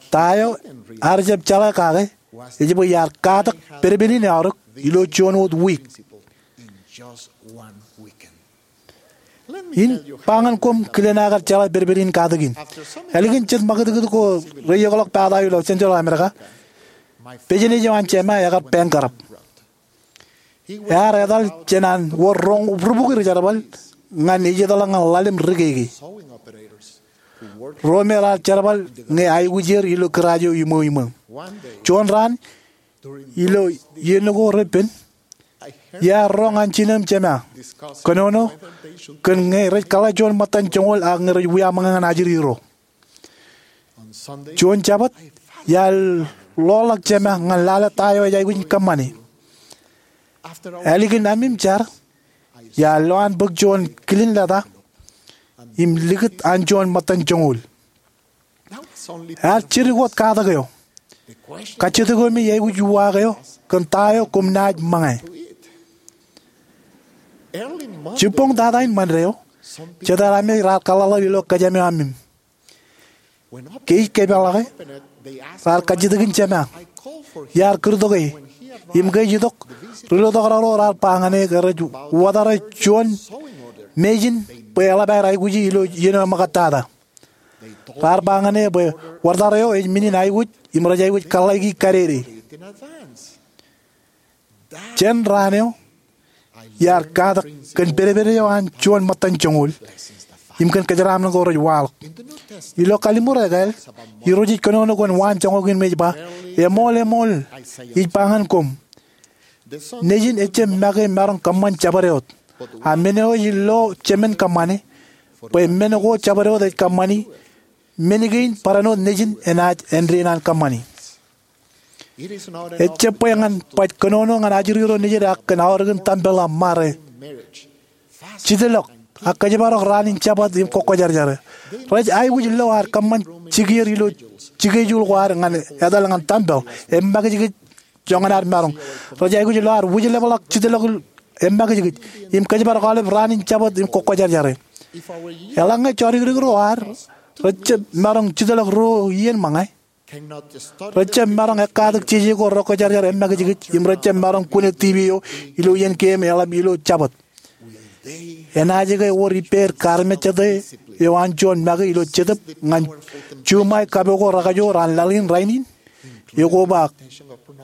Ta eo ear jab jeḷā kake ej bwe iar katak pedped in aorōk ilo juon wōt wiik. In ba ñan koṃ kilen aō kar jeḷā pedped in katak in. Ālikin jet ṃakūtkūt ko reiiokḷọk pata eo ilo Central America, business eo an jema ekar bankrupt. Ear etal jān an wōr roñ rubukwi ri jerbal ñan ejjeḷọk ñan ḷalem ri keke ro me raar jerbal ñe aikuj er ilo garage eo iṃweo iṃweo. Juon raan ilo iien ko repen, iar roñ an jinō im jema kōnono kōn ñe rej kōḷḷā juon ṃōttan joñoul ak ñe rej wiaṃōñā ñan ajri ro. Juon Jabōt, iar loḷọk jema ñan lale ta eo ej aikuj in kōṃṃane. Ālikin aṃ im jar, iar lo an bōk juon kilin leta im likūt an juon ṃōttan joñoul. Ear jidik wōt katak eo. Kajjitōk eo me iaikuj uwaak eo kōn ta eo koṃ naaj ṃōñā. Jibboñ tata in Ṃande eo, jet aer amej raar kōḷḷāḷọk ilo kōjām eo aṃ im ke ij kōpeḷḷọk e, raar kajjitōk in jema. Iar kūrtok e, im ke ij itok, ri-lutōkrōk ro raar ba ñan e ke rej wōtare juon machine bwe eḷap aer aikuji ilo iien eo eṃōkaj tata. Raar ba ñan e bwe wōtare eo ej men in aikuj im rej aikuj kōḷḷāiki kadede. Jān raan eo, iar katak kōn pedped eo an juon ṃōttan joñoul im kōn kōjeraaṃṃan ko rej waḷọk. Ilo Kalliṃur Ekāāl, Irooj ej kōnono kōn waanjoñak in me ej ba, eṃool, eṃool, ij ba ñan koṃ, nejin ejjab make maroñ kōṃṃan jabdewōt. A men eo ej lo jemān kōṃṃane, bwe men ko jabdewōt ej kōṃṃani, men kein barāinwōt nejin enaaj āindein an kōṃṃani. Ejjab bwe ñan baj kōnono ñan ajri ro nejid ak kōn aorōkin tempel am ṃare. Jitḷọk, ak kōjparok raan in Jabōt im kōkkōjarjar. Rej aikuj lo ad kōṃṃan jikier ilo jikejuul ko ad ñan etal ñan tempel, emakijkij joñan ad maroñ. Rej aikuj lo ad wūjlepḷọk jitḷọk emakijkij, im kōjparok aolep raan in Jabōt im kōkkōjarjar. Eḷaññe jodikdik ro ad rejjab maroñ jitḷọk ruo iien ṃōñā, rejjab maroñ ekkatak jeje ko rekwōjarjar emakijkij im rejjab maroñ kune TV eo ilo iien keememej eḷap ilo Jabōt. Enaaj ke wōr ippāer kaarmejjete eo an juon make ilo Jetōb ñan juṃae kapo ko rekajoor an laḷ in rainin? Ekoba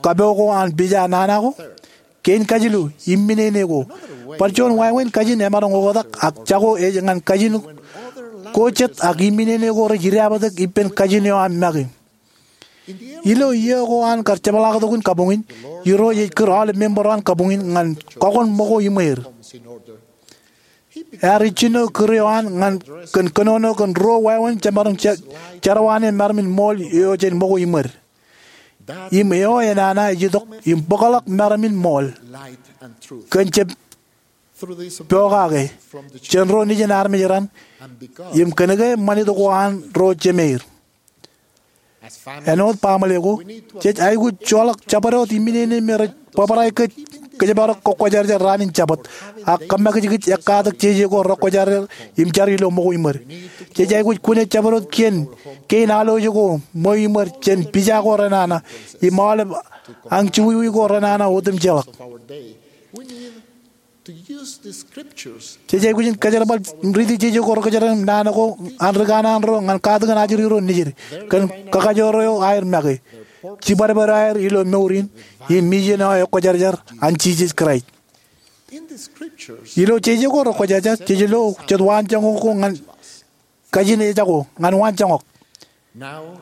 kapo ko an pija nana ko? Kein kajilu, imminene ko. Bar juon wāween kajin emaroñ oktak ak jako ej ñan kajin ko jet ak imminene ko rej idaapōtak ippān kajin eo an make. Ilo iiō ko an kar jepḷaaktok in kabuñ in, Irooj ej kūr aolep member eo an kabuñ in ñan kọkoṇ ṃōko iṃweer. Ear ijjino kūr eo an ñan kōn kōnono kōn ruo wāween jemaroñ jerọwiwi ṃaraṃ in ṃool eo jān ṃōko iṃweer. Im eo enana ej itok im bōkḷọk ṃaraṃ in ṃool kōn jab pokake jān ro nejin armej raṇ im kōn ke ṃanit ko an ro jemeir. Āinwōt baaṃle ko, jej aikuj joḷọk jabdewōt imminene me rej bōbrae kōj kōjparok kōkkōjarjar raan in Jabōt ak kōmakijkij ekkatak jeje ko rekwōjarjar im jar ilo ṃōko iṃweer. Jej aikuj kune jabdewōt kien kein alwōj ko ṃweo iṃweer jān pija ko renana im aolep añjuwiwi ko renana otemjeḷọk. Jej aikuj in kōjerbal riiti jeje ko rekwōjarjar naan ko an ri kanaan ro ñan katakin ajri ro nejid kōn kakajoor eo aer make, jibadbad eo aer ilo mour in, im mijen eo ekwōjarjar an Jisōs Kraist. Ilo jeje ko rekwōjarjar jej lo jet waanjoñak ko ñan kajin ejako ñan waanjoñak.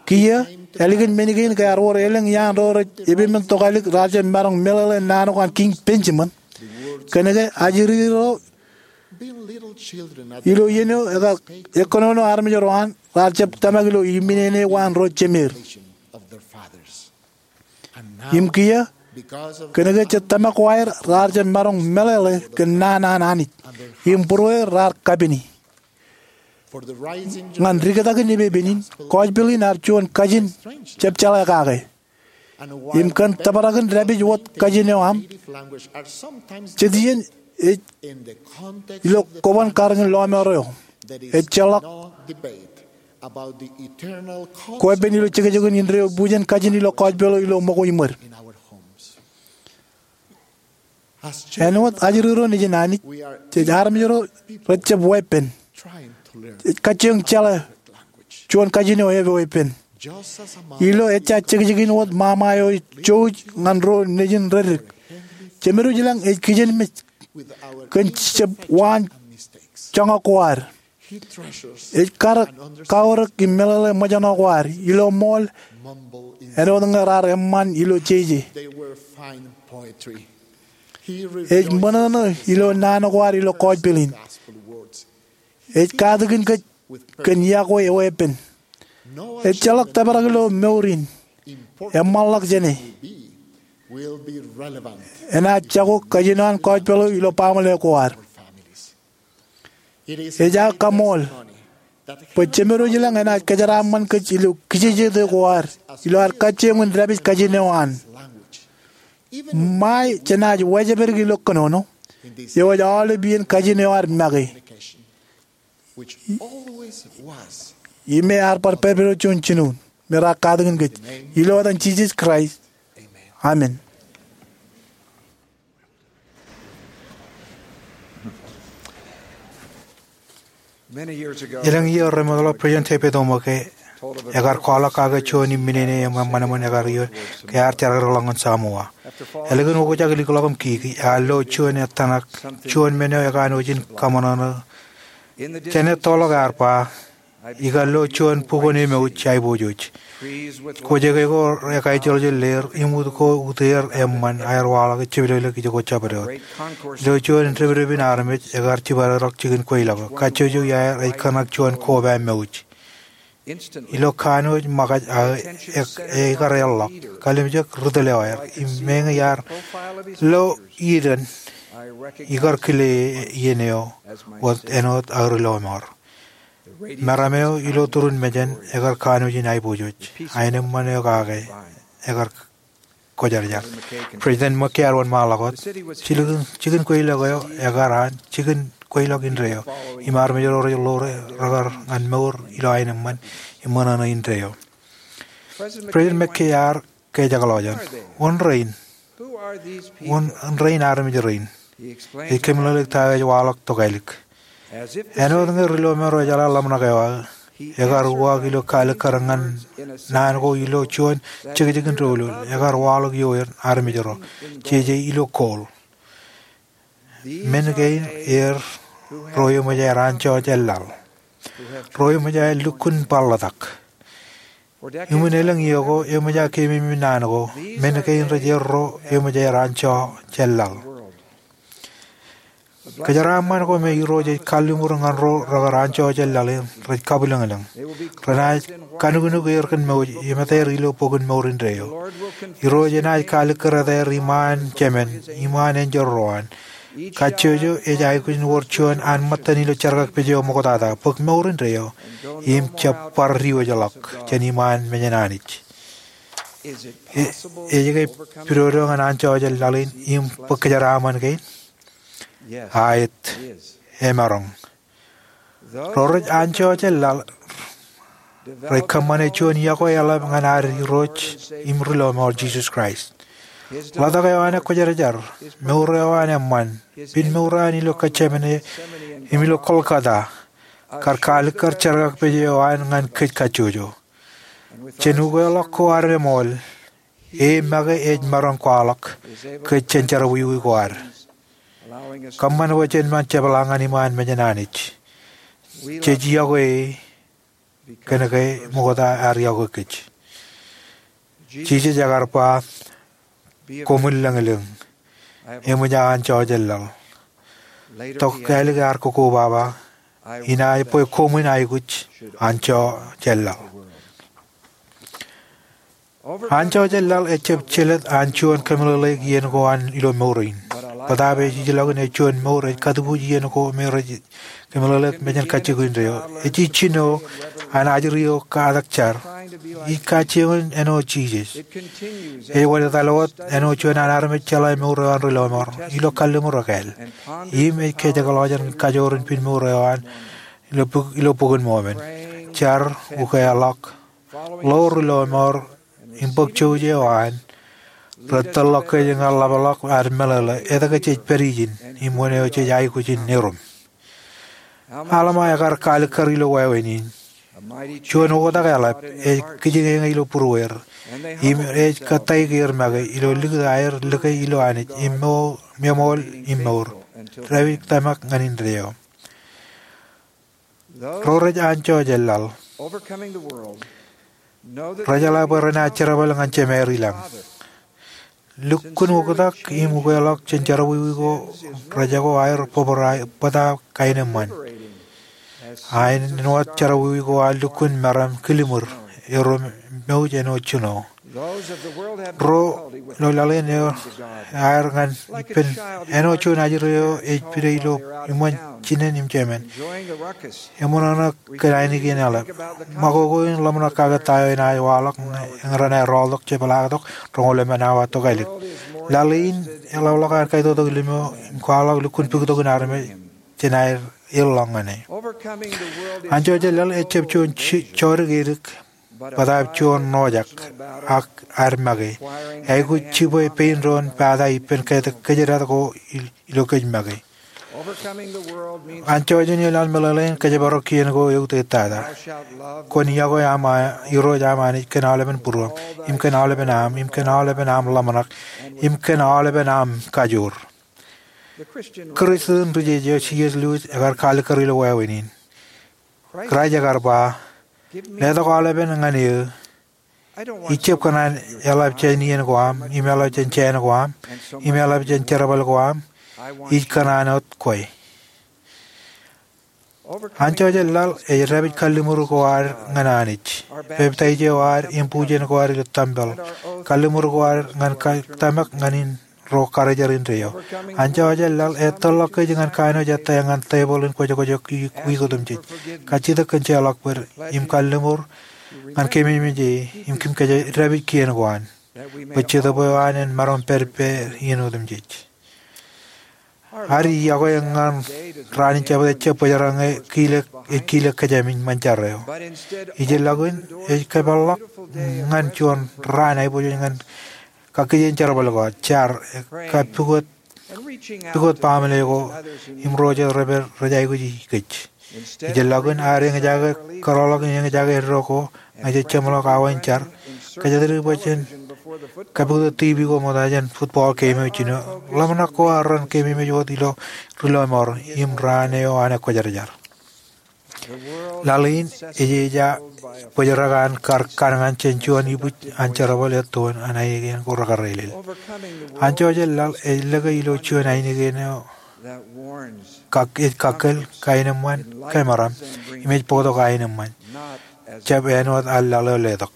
Kiiō, ālikin men kein ke ear wōr elōñ iaan ro rej epepen tokālik raar jab maroñ meḷeḷe naan ko an Kiiñ Benjamin. Kōn ke ajri ro ilo iien eo ekar ekkōnono armej ro an raar jab tōmak ilo imminene ko an ro jemeir. Im kiiō, kōn ke jet tōmak ko aer raar jab maroñ meḷeḷe kōn naan an Anij im būrueir raar kapini. Ñan rikitakin epepen in, kọjpel in ear juon kajin jab jeḷā kake. Im kōn tōprak in dāpij wōt kajin eo aṃ, jet iien ej ilo koban karōk in lọmọọr eo ejjeḷọk kweeppān ilo jekjekin indeeo bujen kajin ilo kọjpel eo ilo ṃōko iṃweer. Āinwōt ajri ro nejin Anij, jej armej ro rejjab weeppān. Jej kajjioñ jeḷā juon kajin eo eweeppān. Ilo ejja jekjekin wōt ṃaṃa eo ej jouj ñan ro nejin reddik, Jemedwōj ilañ ej kijenmej kōn jab waanjoñak ko ad. Ej karōk, kaorōk im meḷeḷe ṃōjṇọ ko ad ilo ṃool āinwōt ñe raar eṃṃan ilo jeje. Ej ṃōṇōṇō ilo naan ko ad ilo kọjpel in. Ej katakin kōj kōn iọkwe eweeppān. Ejjeḷọk tōprak ilo mour in eṃṃanḷọk jāne enaaj jako kajin eo an kọjpel eo ilo baaṃle ko ad. Ej aō kaṃool bwe Jemedwōj ilañ enaaj kōjeraaṃṃan kōj ilo kijejete ko ad ilo ad kajjioñ in dāpij kajin eo an. Ṃae jenaaj wājepdik ilo kōnono, eo ej aolep iien kajin eo ad make. Im ear bar pedped juon jinoin me raar katakin kōj. Ilo etan Jisōs Kraist, amen. Elōñ iiō remootḷọk President Tevita Tebow Moke ekar kwaḷọk kake juon imminene eṃṃan eṃṃan ekar ioon ke ear jerakrōkḷọk ñan Samoa. Ālikin okjak likḷọk im kiki, ear lo juon etan ak juon men eo ekanooj in kaṃōṇōṇō. Jān ettoḷọk ear ba, ikar lo juon bukwōn emouj aiboojoj. Kwōjeke ko ekaijjeḷjeḷ leer, im ut ko uteer eṃṃan aer waḷọk ej jepdekdek ijoko jabdewōt. Ilo juon depdepin armej ekar jibadekḷọk jikin kweilọk eo. Kajjojo iaer ej kōṇak juon koba mouj. Ilo kanooj ṃōkaj aō, ekar eḷḷọk. Kalimjek ri tōl eo aer im meñe iar lo iien, ikar kile iien eo wōt āinwōt aō ri lọmọọr. Meram eo ilo turin mejān ekar kanooj in aiboojoj. Aenōṃṃan eo kake ekar kwōjarjar. President McKay ear wōnṃaanḷọk wōt, jikin kweilọk eo ekar an jikin kweilọk indeeo, im armej ro rej lo rekar ñan mour ilo aenōṃṃan im ṃōṇōṇō indeeo. President McKay ear kajekḷọk jān, wōn rein? Wōn rein armej rein? Ej kōmeḷeḷeik ta eo ej waḷọk tokālik. Āinwōt ñe ri lọmọọr ro ejeḷā ḷōmṇak eo aō, ekar uwaak ilo kalikkar ñan naan ko ilo juon jekjekin doulul, ekar waḷọk ioer armej ro, jeje ilo gold. Men kein er ro eṃōj aer anjọ jān laḷ, ro eṃōj aer lukkuun bar ḷotak. Iṃōn elōñ iiō ko eṃōj aō keememej naan ko, men kein rej er ro eṃōj aer anjọ jān laḷ. Kōjeraaṃṃan ko me Irooj ej kalliṃur ñan ro rekar anjọ jān laḷ in rej kabwilōñlōñ. Renaaj kanuknuk er kōn mouj im eteer ilo bok in mour indeeo. Irooj enaaj kalikkar eteer iṃaan Jemān, iṃaan enjeḷ ro an. Kajjojo ej aikuj in wōr juon an ṃōttan ilo jerkakpeje eo ṃoktata, bōk mour indeeo, im jab bar diwōjḷọk jān iṃaan mejān Anij. Ej ke pidodo ñan anjọ jān laḷ in im bōk kōjeraaṃṃan kein? Aet, emaroñ. Ro rej anjọ jān laḷ rej kōṃṃane juon iọkwe eḷap ñan ad Irooj im ri lọmọọr Jisōs Kraist. Ḷotak eo an ekwōjarjar, mour eo an eṃṃan, piṃ mour eo an ilo Getsemane im ilo Golgotha, kar kalikkar jerkakpeje eo an ñan kōj kajjojo. Jān ukeḷọk ko ad eṃool, e make ej maroñ kwaḷọk kōj jān jerọwiwi ko ad, kōṃṃan bwe jen ṃōk jepḷaak ñan iṃaan mejān Anij. Jej iọkwe e kōn ke ṃokta ear iọkwe kōj. Jisōs ekar ba, koṃwin lōñlōñ, eṃōj aō anjọ jān laḷ. Tokālik ear kokoba, inaaj bwe koṃwin aikuj anjọ jān laḷ. Anjọ jān laḷ ejjab jelōt an juon kōmeḷeḷeik iien ko an ilo mour in. Bōtaab ej ijlọkin ej juon mour ej kōtbuuj iien ko me rej kōmeḷeḷeik mejān kajjikuuj indeeo. Ej ijjino an ajri eo katak jar. Ij kajjioñ āinwōt Jisōs. Ej wōnṃaanḷọk wōt āinwōt juon an armej jeḷā mour eo an ri lọmọọr ilo kalliṃur ekāāl. Im ej kōjekḷọk jān kajoor in piṃ mour eo an ilo Buk in Mọmọn. Jar, ukeḷọk, lo ri lọmọọr im bōk jouj eo an, rej tōllọk kōj ñan ḷapḷọk ad meḷeḷe etke jej pād ijin im wōn eo jej aikuj in erom. Alma ekar kalikkar ilo wāween in, juon oktak eḷap ej kijiñeñe ilo būrueir, im ej kōttāik er make ilo likūt aer lōke ilo Anij im eṃool im mour, dāpij tōmak ñan indeeo. Ro rej anjọ jān laḷ rejeḷā bwe renaaj jerbal ñan Jemāer ilañ. Lukkuun oktak im ukeḷọk jān jerọwiwi ko rejako aer bōbrae bōtab kaenōṃṃan. Āinwōt jerọwiwi ko an lukkuun meram killimur, erom mouj āinwōt jino. Ro ilo laḷ in eo aer ñan ippān āinwōt juon ajri eo ej pidodo ilo iṃōn jinen im jemān. Eṃōṇōṇō kōn ainikien eḷap. Ṃakoko in ḷōmṇak kake ta eo enaaj waḷọk ñe renaaj rọọltok jepḷaaktok roñoul emān awa tokālik. Laḷ in eḷapḷọk an kaitoktok limo im kwaḷọk lukkuun bōktok in armej jān aer ilọk ñan e. Anjọ jān laḷ ejjab juon jodikdik edik, bōtaab juon ṇojak ak ad make, aikuj jibwe pein doon pata ippān kōjdat ko ilo kōj make. Anjọ jān laḷ meḷeḷein kōjparok kien ko eutiej tata. Kwōn iọkwe aṃ Irooj aṃ Anij kōn aolepen būruōṃ, im kōn aolepen aṃ, im kōn aolepen aṃ ḷōmṇak, im kōn aolepen aṃ kajoor. Kristian ri-jeje eo C. S. Lewis ekar kalikkar ilo wāween in. Kraist ekar ba, letok aolepen ñan eō. Ij jab kōṇaan eḷap jān iien ko aṃ, im eḷap jān jāān ko aṃ, im eḷap jān jerbal ko aṃ. Ij kōṇaan wōt kwe. Anjọ jān laḷ ej dāpij kalliṃur ko ad ñan Anij, peptaij eo ad im bujen ko ad ilo tempel, kalliṃur ko ad ñan tōmak ñan in ro karijer indeeo. Anjọ jān laḷ ej tōllọk kōj ñan kanooj ettā ñan tebōḷ in kwōjkwōj eo wiik otemjej, kajjitōk kōn jeorḷọk bōd, im kalliṃur ñan kememej e, im kōm kōjro dāpij kien ko an, bwe Jetōb eo an en maroñ pād ippāer iien otemjej. Ad iọkwe ñan raan in Jabōt ejjab bōjrak ñe ej kile kōjām in ṃōn jar eo. Ijellọkin ej kōpeḷḷọk ñan juon raan aiboojoj ñan kakkije in jerbal ko, jar, kab pukot, pukot baaṃle ko im ro jet rej pād rej aikuji kōj. Ijellọkin ad eñjake kōrọọlḷọk in eñjake eddo ko ñe jej jeṃḷọk awa in jar, kōjatdikdik bwe jen kapukot TV ko ṃokta jān football game eo jino. Ḷōmṇak ko ad ren keememej wōt ilo ri lọmọọr im raan eo an ekwōjarjar. Laḷ in ej eja bōjrak an kar kanñan jān juon ibwij an jerbal ettoon an ainikien ko rekareelel. Anjọ jān laḷ ej lōke ilo juon ainikien eo kak, ej kakkōl, kaenōṃṃan, kōmeram, im ej bōktok aenōṃṃan, jab āinwōt an laḷ eo letok.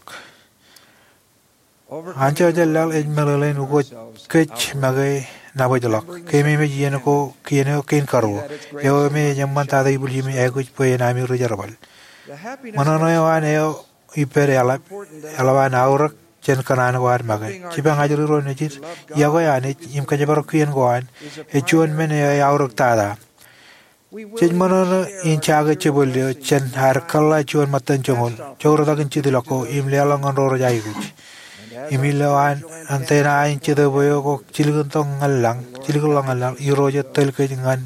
Anjọ jān laḷ ej meḷeḷein ukōt kōj make nabōjḷọk, keememej iien ko kien eo kein karuo, eo me ej eṃṃantata ibwiljimi aikuj bwe en ami ri jerbal. Ṃōṇōṇō eo an eo ippād eḷap, eḷap an aorōk jān kōṇaan ko ad make. Jipañ ajri ro nejid, iọkwe Anij im kōjparok kien ko an, ej juon men eo ej aorōktata. Jej ṃōṇōṇō in jake jebwel eo jān ad kōḷḷā juon ṃōttan joñoul, jourōtakin jitḷọk ko im leḷọk ñan ro rej aikuj. Im ilo an antenna in jetōb eo ko jilkintok ñan lañ, jilkinḷọk ñan laḷ, irooj ej tōl kōj ñan,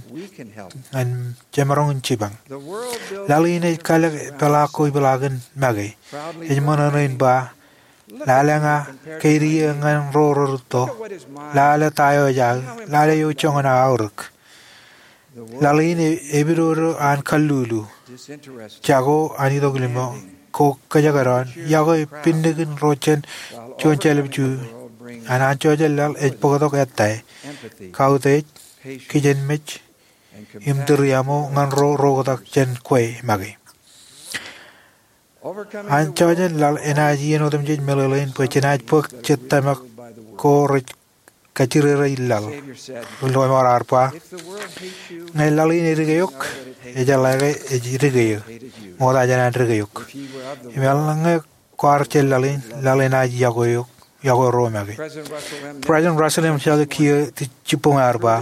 ñan jemaroñ in jipañ. Laḷ in ej kalōk peḷaak ko ipeḷaakin make. Ej ṃōṇōṇō in ba, lale ña keid eō ñan ro rerūtto, lale ta eo ej aō, lale eo joñan aō aorōk. Laḷ in ej epidodo an kallulu, jako an itok limo, ko kōjekdọọn, iọkwe pinnikin ro jān juon jelōb ju, an anjọ jān laḷ ej bōktok ettā, kautiej, kijenmej, im tūriaṃo ñan ro reoktak jān kwe make. Anjọ jān laḷ enaaj iien otemjej meḷeḷein bwe jenaaj bōk jet tōmak ko rej kajjirere in laḷ. Ri lọmọọr ar ba, ñe laḷ in edike eok, ejeḷā ke ej dike eō, ṃokta jān an dike eok. Im eḷaññe kwaar jān laḷ in, laḷ enaaj iọkwe eok, iọkwe ro make. President Russell M. Nelson kiiō jibboñ ear ba,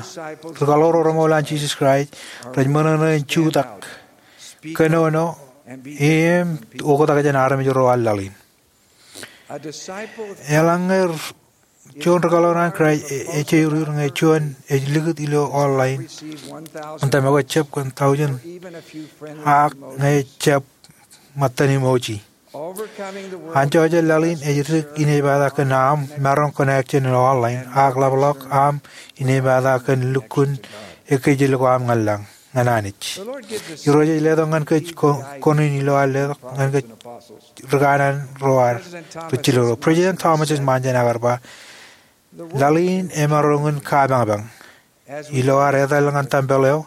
ri kaḷoor ro remool an Jesus Christ rej ṃōṇōṇō in jutak, kōnono, im oktak jān armej ro an laḷ in. Eḷaññe juon ri kaḷoor an Kraist ej euriur ñe juon ej likūt ilo online, an tōmak eo ejjab kōn tọujin, ak ñe ejjab ṃōttan emoji. Anjọ jān laḷ in ej dik inepata kōn aṃ maroñ connection ilo online, ak ḷapḷọk aṃ inepata kōn lukkuun ekkejel ko aṃ ñan lañ, ñan Anij. Irooj ej letok ñan kōj ko-, koṇin ilo an letok ñan kōj ri kanaan ro an ri jilōk ro. President Thomas S. Monson ear ba, laḷ in emaroñ in kapañpañ. Ilo ad etal ñan tempel eo,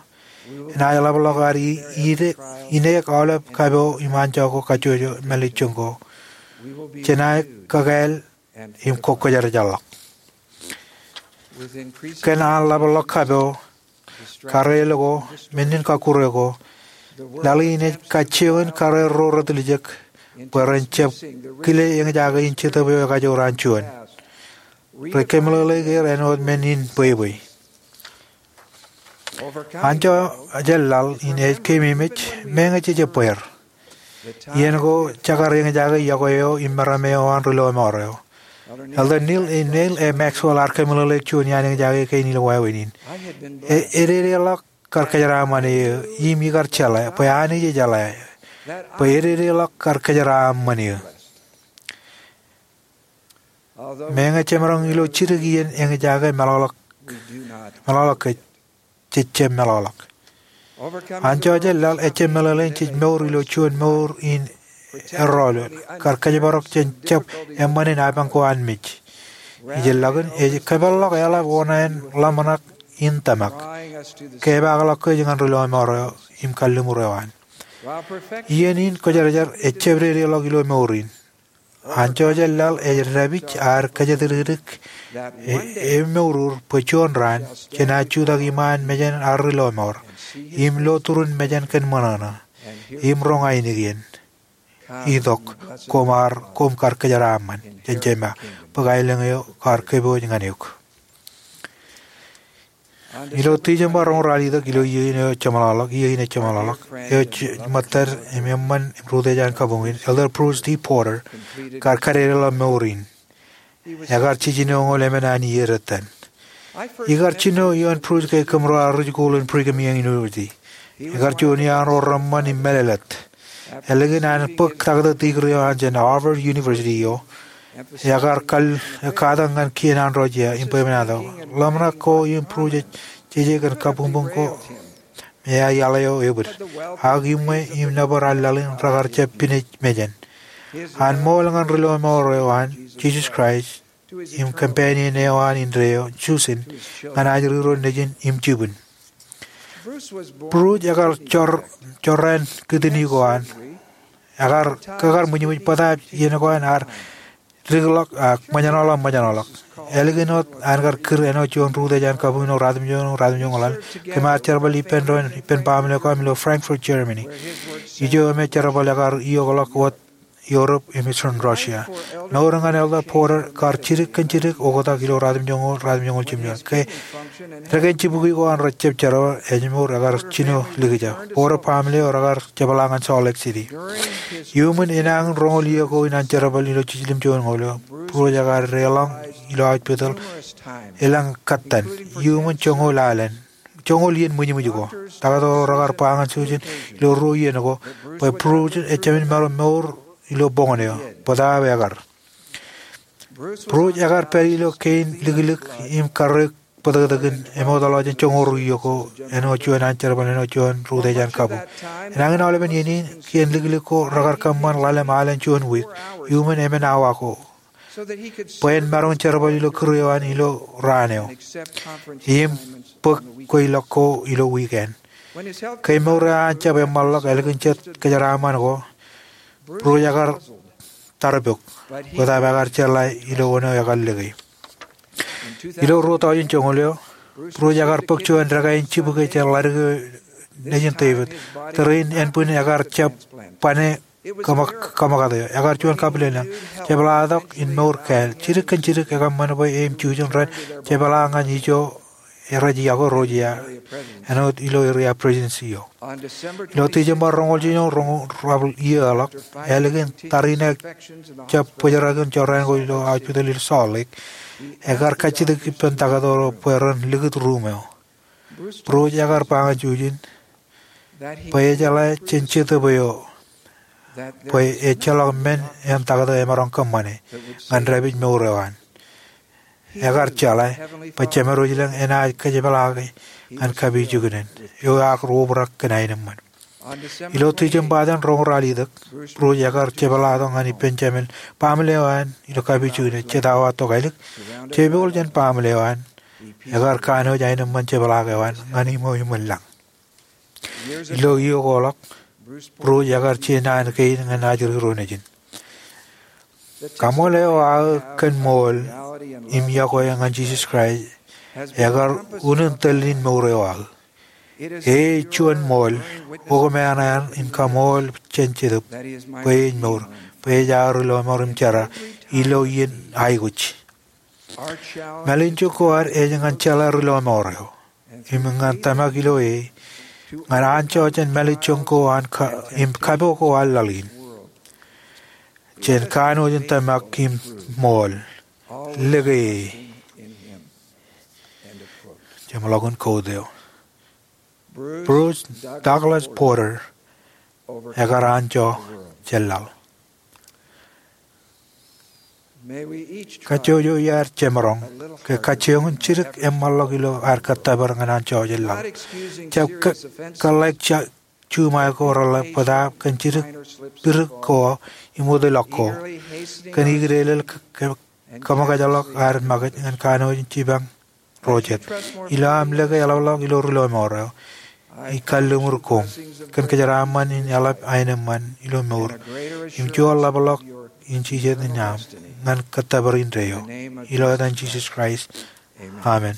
enaaj ḷapḷọk ad i-, ide-, ineek aolep kapo im anjọ ko kajjojo mālejjoñ ko. Jenaaj kakāāl im kwōjarjarḷọk. Kōn an ḷapḷọk kapo, kareel ko, men in kakkure ko, laḷ in ej kajjioñ in kareel ro retiljek bwe ren jab kile eñjake in Jetōb eo ekajoor an juon. Rej kōmeḷeḷeik er āinwōt men in bwebwe. Anjọ jān laḷ in ej keememej, meñe jej jab bweer. Iien ko jekar eñjake iọkwe eo im meram eo an ri lọmọọr eo. Elder Neal A. Maxwell ear kōmeḷeḷeik juon iaan eñjake kein ilo wāween in. E-, ededeḷọk kar kōjeraaṃṃan eō, im ikar jeḷā, bwe Anij ejeḷā, bwe ededeḷọk kar kōjeraaṃṃan eō. Meñe jemaroñ ilo jidik iien eñjake meḷọkḷọk, meḷọkḷọk kōj, jej jab meḷọkḷọk. Anjọ jān laḷ ejjab meḷeḷein jej mour ilo juon mour in erọọl, kar kōjparok jān jab eṃṃan in apañ ko an mej. Ijellọkin ej kōpeḷḷọk eḷap oṇāān ḷōmṇak in tōmak, kepaakḷọk kōj ñan ri lọmọọr eo im kalliṃur eo an. Iien in kwōjarjar ejjab dedeḷọk ilo mour in. Anjọ jān laḷ ej dāpij ad kōjatdikdik e-, emourur bwe juon raan jenaaj jutak iṃaan mejān ad ri lọmọọr, im lo turun mejān kōn ṃōṇōṇō, im roñ ainikien. Itok, koṃ ar, koṃ kar kōjeraaṃṃan jān Jema, bwe aelōñ eo kar kōpooj ñan eok. Ilo Tijeṃba roñoul ralitōk, ilo iiō in eo jeṃḷọkḷọk, iiō in eo jeṃḷọkḷọk, eo ej ṃōttad im eṃṃan im rūtōj an kabuñ in, Elder Bruce T. Porter, kar kadedeḷọk mour in. Ekar jiljinoñoul emān an iiō dettan. Ikar jino ioon Bruce ke kōmro ar ri jikuuḷ in Brigham Young University. Ekar juon iaan ro reṃṃan im mālōtlōt. Ālikin an bōk taktō degree eo an jān Harvard University eo, ekar kal, katak ñan kien an ro jea im bwebwenato. Ḷōmṇak ko im Bruce ej jeje kōn kabuñbuñ ko me eaḷ eo ebōd. Ak iṃwe im nōbar an laḷ in rekar jab pinej mejān. An ṃool ñan ri lọmọọr eo an Jesus Christ im companion eo an indeeo, Susan, ñan ajri ro nejin im jibwin. Bruce ekar jorrāān kūtini ko an. Ekar kōkar ṃwijṃwij bōtaab iien ko an ear dikḷọk ak ṃōjṇọḷọk ṃōjṇọḷọk. Ālikin wōt an kar kūr āinwōt juon rūtōj an kabuñ ilo ruatimjuon, ruatimjuon ḷalem, kōm ar jerbal ippān doon ippān baaṃle ko am ilo Frankfurt, Germany. Ijo im jerbal ekar iiokḷọk wōt Europe im Eastern Russia. Mour ñan Elder Porter kar jidik kōn jidik oktak ilo ruatimjuon, ruatimjuon jimjuon. Ke dekān jibukwi ko an rejjab jerbal, ej mour ekar jino likjab. Porter baaṃle eo rekar jepḷaak ñan Salt Lake City. Iuṃwin enañin roñoul iiō ko in an jerbal ilo jiljilimjuon ñoul eo, Bruce ekar deḷọñ ilo hospital elōñ kōttan, iuṃwin joñoul alen, joñoul iien ṃwijṃwij ko. Taktō ro rekar ba ñan Susan ilo ruo iien ko bwe Bruce ejāmin maroñ mour ilo boñōn eo, bōtaab ekar. Bruce ekar pād ilo kein liklik im karreoik bōtōktōkin eṃootḷọk jān joñoul ruo iiō ko āinwōt juon an jerbal āinwōt juon rūtōj an kabuñ. Enañin aolepen iien in, kein liklik ko rekar kōṃṃan ḷalem alen juon wiik, iuṃwin emān awa ko, bwe en maroñ jerbal ilo kūr eo an ilo raan eo im bōk kweilọk ko ilo wiik eo an. Ke mour eo an jab eṃṃanḷọk ālikin jet kōjeraaṃṃan ko, Bruce ekar tarpok, bōtaab ekar jeḷā ilo wōn eo ekar lōke. Ilo ruo tọujin joñoul eo, Bruce ekar bōk juon dekā in jibukwi jān ḷadik eo nejin David. Tōre in ānbwin ekar jab bane kōṃakūt eo. Ekar juon kabwilōñlōñ. Jepḷaaktok in mour kāāl. Jidik kōn jidik ekōṃṃan bwe e im Susan ren jepḷaak ñan ijo rej yokwe ro jea āinwōt ilo area presidency eo. Ilo Tijeṃba roñoul jiljino, roñoul iiō ḷọk, ālikin tariṇae jab bōjrak in jorrāān ko ilo hospital ilo Salt Lake, ekar kajjitōk ippān taktō ro bwe ren likūt ruum eo. Bruce ekar ba ñan Susan bwe ejeḷā jān Jetōb eo bwe ejjeḷọk men eo taktō emaroñ kōṃṃane ñan dāpij mour eo an. Ekar jeḷā bwe Jemedwōj ilañ enaaj kōjepḷaake ñan kapijuknen eo ak obrak kōn aenōṃṃan. Ilo Tijeṃba eo an roñoul ralitōk, Bruce ekar jepḷaaktok ñan ippān jāmin baaṃle eo an ilo kapijuknen jet awa tokālik. Jepooḷ jān baaṃle eo an, ekar kanooj aenōṃṃan jepḷaak eo an ñan iṃweo iṃōn lañ. Ilo iiō ko ḷọk, Bruce ekar je naan kein ñan ajri ro nejin. Kaṃool eo aō kōn ṃool im yokwe ñan Jisōs Kraist ekar unin tōl in mour eo aō. E juon ṃool, okōṃanṃan in kaṃool jān Jetōb bwe ej mour, bwe ej aō ri lọmọọr im jera ilo iien aikuj. Mālejjoñ ko ad ej ñan jeḷā ri lọmọọr eo im ñan tōmak ilo e ñan anjọ jān mālejjoñ ko an im kapo ko an laḷ in. Jān kanooj in tōmak im ṃool, lōke e. Jeṃḷọkin kōteo. Bruce Douglas Porter ekar anjọ jān laḷ. Kajjojo iar jemaroñ ke kajjioñ in jidik eṃṃanḷọk ilo ad kōttōpar ñan anjọ jān laḷ. Jab kōḷḷāik juṃae ko reḷḷap bōtaab kōn jidik pidik ko im utiḷọk ko, kōn ikdeḷeḷ ke kōṃōkajḷọk ad makūt ñan kanooj in jipañ ro jet. Ilo aṃ lōke eḷapḷọk ilo ri lọmọọr eo, ij kalliṃur koṃ kōn kōjeraaṃṃan in eḷap aenōṃṃan ilo mour im juon ḷapḷọk in jijet in aṃ ñan kōttōpar indeeo. Ilo etan Jisōs Kraist, amen.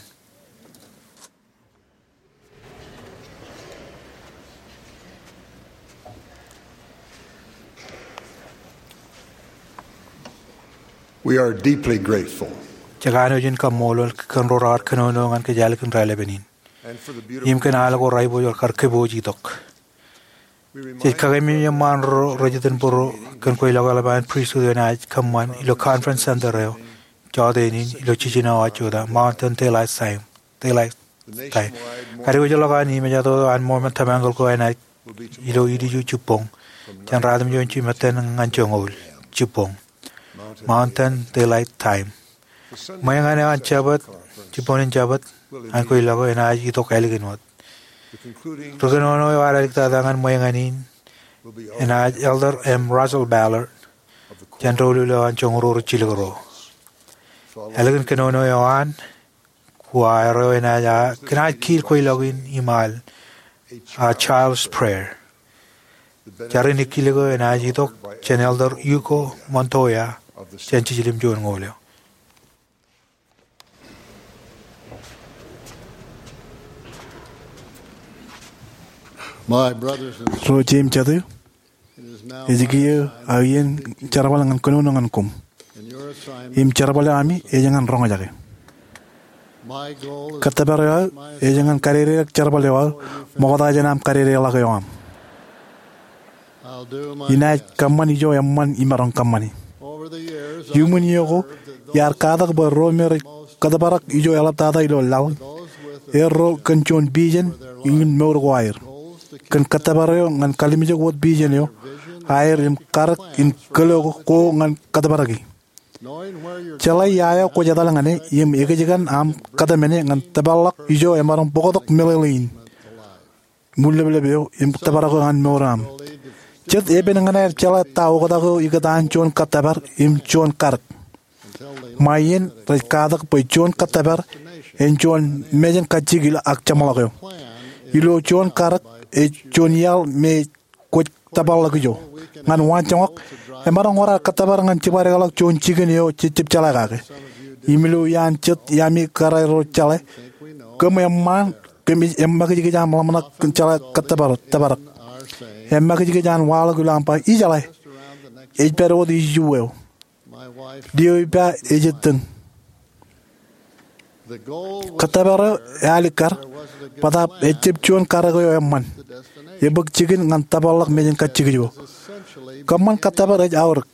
We are deeply grateful. Jekanooj in kaṃṃoolol kōn ro raar kōnono ñan kōj ālikin raelepin in. im kōn al ko raipojor kar kōpooj itok. Jej kakememej eṃṃaan ro rej itōn bōro kōn kweilọk eḷap an pristut eo enaaj kōṃṃan ilo Conference Center eo jọteen in ilo jiljino awa jota, Mountain Daylight Time. Daylight Time. Kadiwōjḷọk an imejatoto an ṃōṃan tōpar ko enaaj ilo idiju jibboñ jān ratimjuon jimettan ñan joñoul jibboñ, Mountain Daylight Time. Ṃweeñan eo an Jabōt, jibboñin Jabōt an kweilọk eo enaaj itok ālikin wōt. Ri-kōnono eo ad āliktata ñan ṃweeñan in enaaj Elder M. Russell Ballard jān doulul eo an joñoul ruo rej jilkinḷọk ro. Ālikin kōnono eo an, koṃ aer eo enaaj, a, kōnaaj kiil kweilọk in im al, a, Child's Prayer. Jar in ikkilōk eo enaaj itok jān Elder Hugo Montoya jān Jiljilimjuon Ñoul eo. My brothers and sisters, ro jeiū im jatū, it is now ej kiiō aō iien jerbal ñan kōnono ñan koṃ. In your assignment, im jerbal eo ami ej ñan roñjake. My goal is, kōttōpar eo aō ej ñan kadedeḷọk jerbal eo aō ṃokta jān aṃ kadedeḷọk eo aṃ. I'll do my best. Inaaj kōṃṃan ijo eṃṃan imaroñ kōṃṃani. Over the years, I've observed that those who are most, iuṃwin iiō ko, iar katak bwe ro me rej kōttōparak ijo eḷaptata ilo laḷ, erro kōn juon vision in mour ko aer, kōn kōttōpar eo ñan kalimjek wōt vision eo aer im karōk in kōlo ko ñan kōttōparaki. Jeḷā ia eo kwōj etal ñan e im ekōjkan aṃ kōtmāne ñan tōparḷọk ijo emaroñ bōktok meḷeḷe in, ṃwileplep eo im tōparok eo an mour eo aṃ. Jet epen ñan aer jeḷā ta oktak eo ikōtaan juon kōttōpar im juon karōk. Ṃae iien rej katak bwe juon kōttōpar en juon mejān kajjikil ak jeṃḷọk eo. Ilo juon karōk ej juon iaḷ me kwōj tōparḷọk ijo. Ñan waanjoñak, emaroñ wōr ad kōttōpar ñan jibadekḷọk juon jikin eo jej jab jeḷā kake. Im ilo iaan jet iaami kōrā ro jeḷā, kōm eṃṃaan, kōm ej eṃṃakijkij aṃ ḷōmṇak kōn jeḷā kōttōpar, tōparok. Eṃṃakijkij an waḷọk ilo aṃ ba, ijeḷā, ej pād wōt iju eo. Lio ippa ej ettōñ. Kōttōpar eo ealikkar, bōtaab ejjab juon karōk eo eṃṃan. Ebōk jikin ñan tōparḷọk mejān kajjikij eo. Kōṃṃan kōttōpar ej aorōk.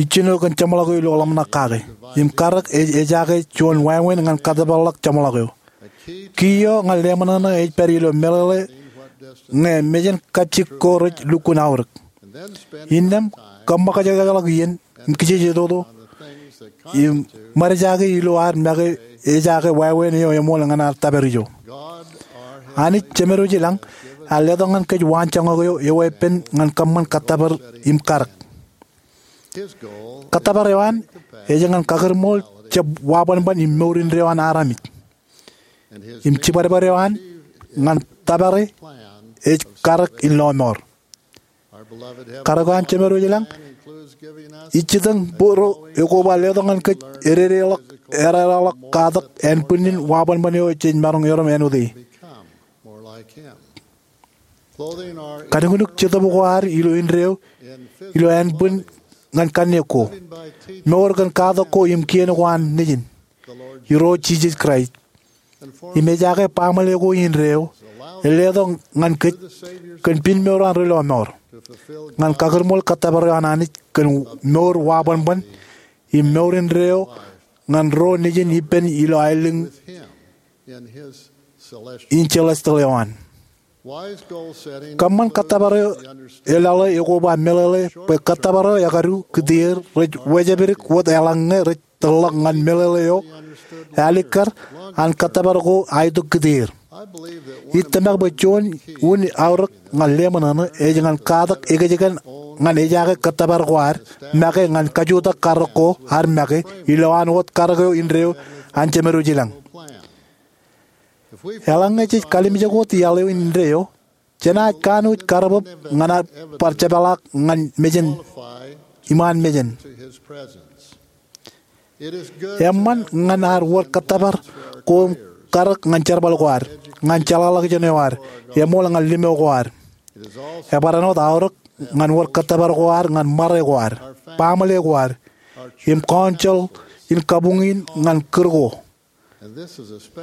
Ijjino kōn jeṃḷọk eo ilo ḷōmṇak kake. Im karōk ej ejaake juon wāween ñan kōttōparḷọk jeṃḷọk eo. Key eo ñan leṃōṇōṇō ej pād ilo meḷeḷe ñe mejān kajjik ko rej lukkuun aorōk. Innām kōṃṃakajekḷọk iien im kijeje toto im ṃadjake ilo ad make ejaake wāween eo eṃool ñan ad tōpar ijo. Anij Jemedwōj ilañ ear letok ñan kōj waanjoñak eo eweeppān ñan kōṃṃan kōttōpar im karōk. Kōttōpar eo an ej ñan kakūrmool jab wabwenbwen im mour indeeo an armej. Im jibadbad eo an ñan tōpare ej karōk in lọmọọr. Karōk eo an Jemedwōj ilañ ij jitōñ bōro ekoba letok ñan kōj ededeḷọk, ededeḷọk katak ānbwinnin wabwenbwen eo jej maroñ erom āinwōt e. Kadiñunuk jetōb ko ad ilo indeeo ilo ānbwin ñan kanniōk ko. Mour kōn katak ko im kien ko an Nejin, Irooj Jisōs Kraist. Im ejaake baaṃle ko indeeo, ear letok ñan kōj kōn piin mour an ri lọmọọr, ñan kakūrmool kōttōpar eo an Anij kōn mour wabwenbwen im mour indeeo ñan ro Nejin ippān ilo aelōñ in celestial eo an. Kōṃṃan kōttōpar eo eḷaḷe ekoba meḷeḷe bwe kōttōpar eo ekadu kūtier rej wejāpidik wōt eḷaññe rej tōrḷọk ñan meḷeḷe eo ealikkar an kōttōpar ko aetok kūtier. Ij tōmak bwe juon unin aorōk ñan leṃōṇōṇō ej ñan katak ekōjkan ñan ejaake kōttōpar ko ad make ñan kajutak karōk ko ad make ilowaan wōt karōk eo indeeo an Jemedwōj ilañ. Eḷaññe jej kalimjek wōt iaḷ eo indeeo, jenaaj kanooj karbōb ñan ad bar jepḷaak ñan mejān, iṃaan mejān. Eṃṃan ñan ad wōr kōttōpar ko im karōk ñan jerbal ko ad, ñan jeḷāḷọkjeṇ eo ad, eṃool ñan limo ko ad. Ebar āinwōt aorōk ñan wōr kōttōpar ko ad ñan ṃare ko ad, baaṃle ko ad, im council in kabuñ in ñan kūr ko.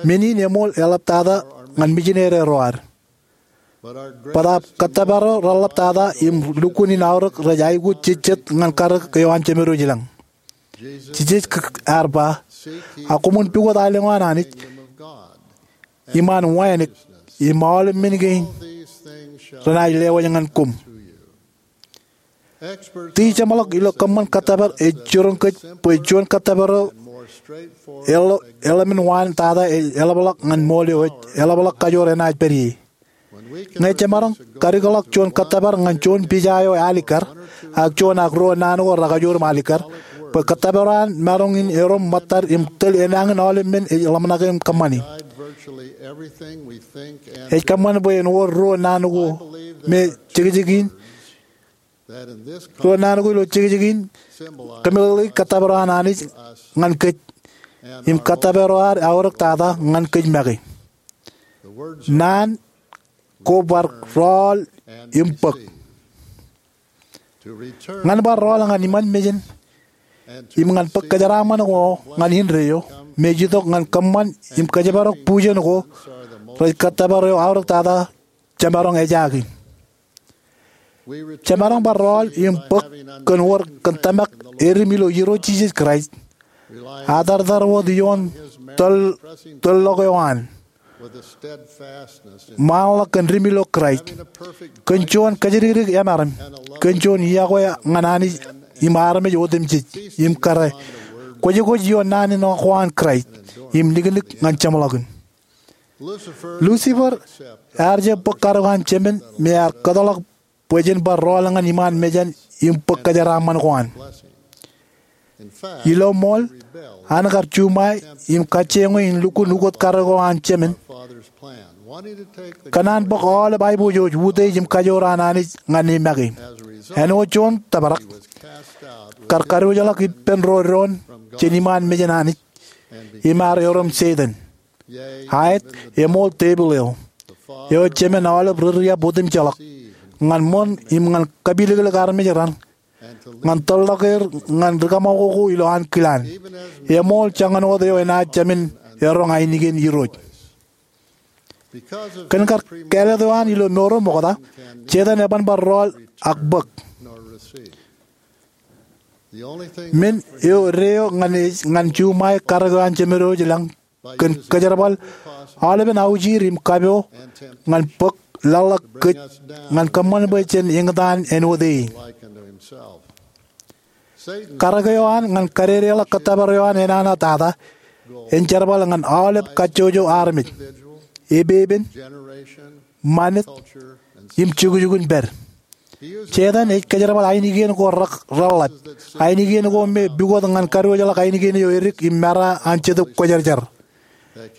Men in eṃool eḷaptata ñan mijinede ro ad. Bōtaab kōttōpar eo reḷaptata im lukkuun in aorōk rej aikuj jejjet ñan karōk eo an Jemed wōj ilañ. Jisōs ear ba, ak koṃwin pukot aelōñ eo an Anij, iṃaan wānōk, im aolep men kein renaaj lewōj ñan koṃ. Tijeṃḷọk ilo kōṃṃan kōttōpar ej jiroñ kōj bwe juon kōttōpar eo eḷap in wānōk tata ej eḷapḷọk ñan ṃool eo ej eḷapḷọk kajoor enaaj pād ie. Ñe jemaroñ kadikḷọk juon kōttōpar ñan juon pija eo alikkar, ak juon ak ruo naan ko rekajoor im alikkar, bwe kōttōpar eo an maroñ in erom ṃōttad im tōl enañin aolep men ej ḷōmṇake im kōṃṃani. Ej kōṃṃan bwe en wōr ruo naan ko me jekjek in, ruo naan ko ilo jekjek in kōmeḷeḷeiki kōttōpar eo an Anij ñan kōj, im kōttōpar eo ad aorōk tata ñan kōj make. Naan ko bar rọọl im bōk. Ñan bar rọọl ñan iṃaan mejān im ñan bōk kōjeraaṃṃan ko ñan indeeo, me ej itok ñan kōṃṃan im kōjparok bujen ko rej kōttōpar eo aorōk tata jemaroñ ejaake. Jemaroñ bar rọọl im bōk kōn wōr kōn tōmak edim ilo Irooj Jisōs Kraist, atartar wōt ioon tōl, tōllọk eo an ṃaanḷọk kōn dim ilo Kraist, kōn juon kōjatdikdik emaroñ, kōn juon iọkwe ñan Anij im armej otemjej, im kōrā, kwōjkwōj ioon naan in ko an Kraist im niknik ñan jeṃḷọkin. Lucifer ear jab bōk kadok an Jemān me ear kōtḷọk bwe jen bar rọọl ñan iṃaan mejān im bōk kōjeraaṃṃan ko an. Ilo ṃool, an kar juṃae im kajjioñ e in lukkuun ukot kadok eo an Jemān, kōn an bōk aolep aiboojoj, utiej im kajoor an Anij ñan e make. Āinwōt juon tōprak, kar kadiwōjḷọk ippān ro doon jān iṃaan mejān Anij im ear erom Setan, aet, eṃool tepil eo, eo Jemān aolep ri riab otemjeḷọk, ñan ṃōn im ñan kapilōklōk armej raṇ, ñan tōllọk er ñan ri kaṃakoko ilo ankilaan, eṃool joñan wōt eo enaaj jāmin eroñ ainikien Irooj. Kōn kar kāālōt eo an ilo mour eo ṃokta, Setan eban bar rọọl ak bōk. Men eo deeo ñan ej ñan juṃae kadok eo an Jemān wōj ilañ kōn kōjerbal aolepen aujir im kapo ñan bōk laḷḷọk kōj ñan kōṃṃan bwe jen eñtaan āinwōt e. Kadok eo an ñan kadedeḷọk kōttōpar eo an enana tata en jerbal ñan aolep kajjojo armej, epepen, ṃanit, im jukjuk in pād. Setan ej kōjerbal ainikien ko re, reḷḷap, ainikien ko me pukot ñan kadiwōjḷọk ainikien eo edik im mera an Jetōb Kwōjarjar,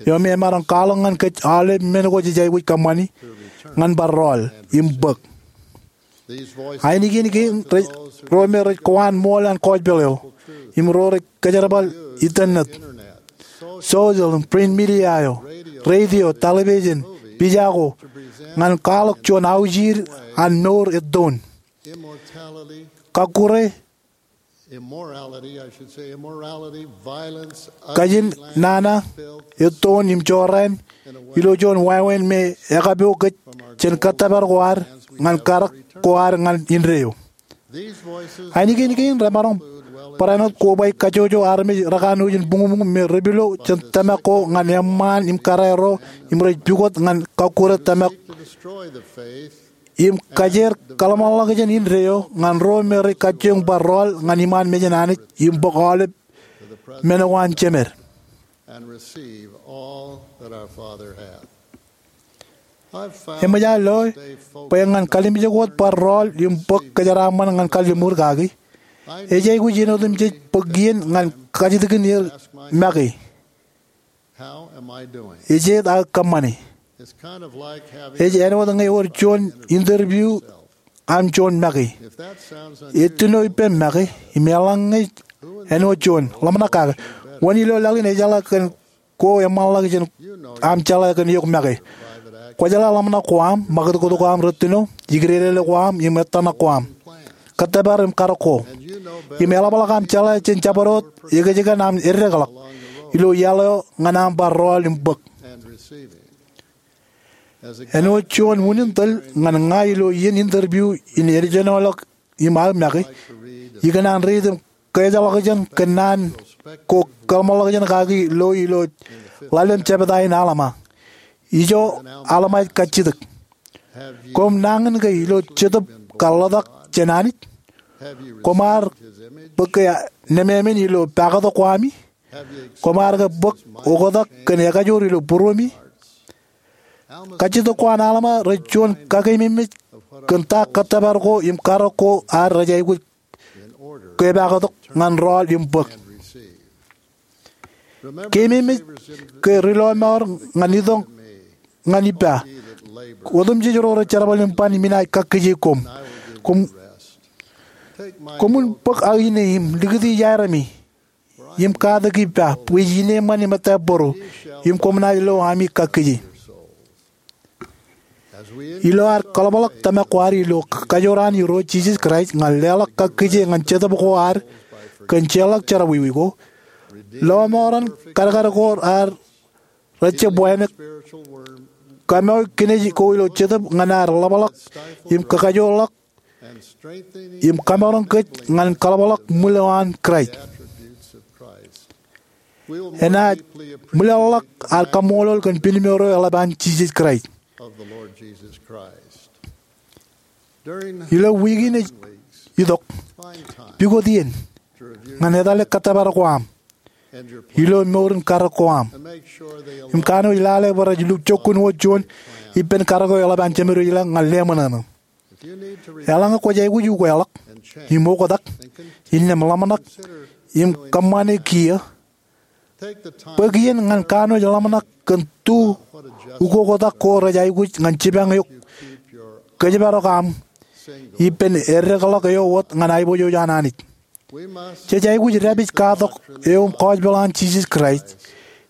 eo me emaroñ kwaḷọk ñan kōj aolep men ko jej aikuj kōṃṃani ñan bar rọọl im bōk. Ainikien kein ro me rej kowaan ṃool an gospel eo, im ro rej kōjerbal internet, social im print media eo, radio, television, pija ko, ñan kwaḷọk juon aujir an mour ettoon. Kakkure, kajin nana, ettoon im jorrāān, ilo juon wāween me ekapo kōj jān kōttōpar ko ad ñan kadok ko ad ñan indeeo. Ainikien kein remaroñ barāinwōt kobaik kajjojo armej rekanooj in buñbuñ me repilo jān tōmak ko ñan eṃṃaan im kōrā ro im rej pukot ñan kakkure tōmak im kajeer kōḷmānḷọkjeṇ indeeo ñan ro me rej kajjioñ bar rọọl ñan iṃaan mejān Anij im bōk aolep men ko an Jemān. Eṃōj aō loe bwe ñan kalimjek wōt bar rọọl im bōk kōjeraaṃṃan ñan kalliṃur kaki, ej aikuj in otemjej bōk iien ñan kajjitōkin er make. Ejeet aō kōṃṃane? Ej āinwōt ñe ewōr juon interview aṃ juon make. Etino ippem make im eḷaññe āinwōt juon, ḷōmṇak kake. Wōn ilo laḷ in ejeḷā kōn ko eṃṃanḷọk jān aṃ jeḷā kōn eok make? Kwōjeḷā ḷōmṇak ko aṃ, ṃakūtkūt ko aṃ rūttoṇo, ikdedele ko aṃ im ettōṇak ko aṃ, kōttōpar im kadok ko. Im eḷapḷọk aṃ jeḷā jān jabdewōt ekōjkan aṃ eddekḷọk. ilo iaḷ eo ñan aṃ bar rọọl im bōk. Āinwōt juon unin tōl ñan ña ilo iien interview in ejenoḷọk im aō make, ikōṇaan reitōm keejḷọkjeṇ kōn naan ko kōḷmānḷọkjeṇ kaki lo ilo ḷalem jebta in Alma. Ijo Alma ej kajjitōk: Koṃ nañinke ilo jetōb kaḷotak jān Anij? Koṃ ar bōk ke nemāmein ilo pakatok ko ami? Koṃ ar ke bōk oktak kōn ekajoor ilo būruemi? Kajjitōk ko an Alma rej juon kakeememej kōn ta kōttōpar ko im karōk ko ad rej aikuj kōpeaktok ñan rọọl im bōk. Keememej ke ri lọmọọr ñan itok ñan ippa. Otemjej ro rej jerbal im ban im inaaj kakkije koṃ. Koṃ, koṃwin bōk aō ine im likūti iaeremi im katak ippa, bwe ij ineeṃṃan im ettā bōro, im koṃ naaj lo ami kakkije. Ilo ad kaḷapḷọk tōmak ko ad ilo kajoor an Irooj Jisōs Kraist ñan leḷọk kakkije ñan jetōb ko ad kōn jeorḷọk jerọwiwi ko, lọmọọren kadkad ko ad rej jab wānōk, kōmọọr kinej ko ilo jetōb ñan ad ḷapḷọk im kakajoorḷọk im kamaroñ kōj ñan kaḷapḷọk ṃwil eo an Kraist. Enaaj ṃwilaḷḷọk ad kaṃṃoolol kōn pinmour eo eḷap an Jisōs Kraist. Ilo wiik in ej itok, pukot iien ñan etale kōttōpar ko aṃ ilo mour in karōk ko aṃ im kanooj lale bwe rej lukkuun wōt juon ippān karōk eo eḷap an Jemed eo ilañ ñan leṃōṇōṇō. Eḷaññe kwōj aikuj ukeḷọk im oktak, innām ḷōmṇak im kōṃṃane kiiō, bōk iien ñan kanooj ḷōmṇak kōn tu ukoktak ko rej aikuj ñan jipañ eok kōjparok aṃ ippān eddekḷọk eo wōt ñan aiboojoj an Anij. Jej aikuj dāpij katak eo im gospel an Jisōs Kraist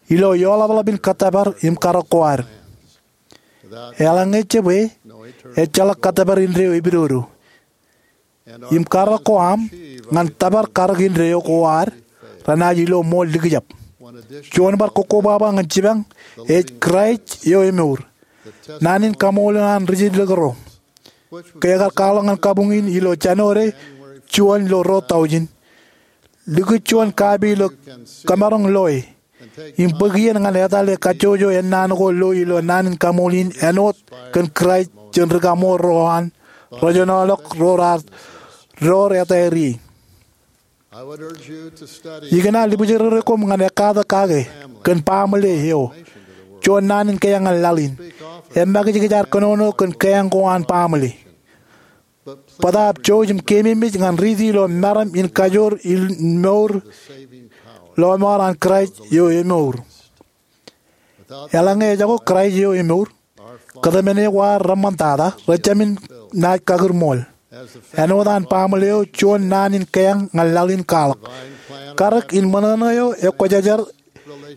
ilo eoḷapḷọp in kōttōpar im karōk ko ad. Eḷaññe jab e, ejjeḷọk kōttōpar indeeo epidodo. Im karōk ko aṃ ñan tōpar karōk indeeo ko ad renaaj ilo ṃool likjab. Juon bar kokkobaba ñan jipañ ej Kraist eo emour, naan in kaṃool eo an rijilōk ro, ke ekar kwaḷọk ñan kabuñ in ilo Jānwōde juon ilo ruo taujin. Likūt juon kapi ilo kōmaroñ loe im bōk iien ñan etale kajjojo ennaan ko lo ilo naan in kaṃool in āinwōt kōn Kraist jān ri kaṃool ro an rej jenoḷọk ro raar door etaer ie. Ikōṇaan libjeraere koṃ ñan ekkatak kake kōn baaṃle eo, juon naan in keeañ ñan laḷ in. Emakijkij ad kōnono kōn keeañ ko an baaṃle. Bōtaab jouj im keememej ñan riiti ilo meram in kajoor in mour lọmọọr an Kraist eo emour. Eḷaññe ejako Kraist eo emour, kōtmāne ko ad reṃṃantata rejāmin naaj kakūrṃool. Āinwōt an baaṃle eo, juon naan in keeañ ñan laḷ in kwaḷọk. Karōk in ṃōṇōṇō eo ekwōjarjar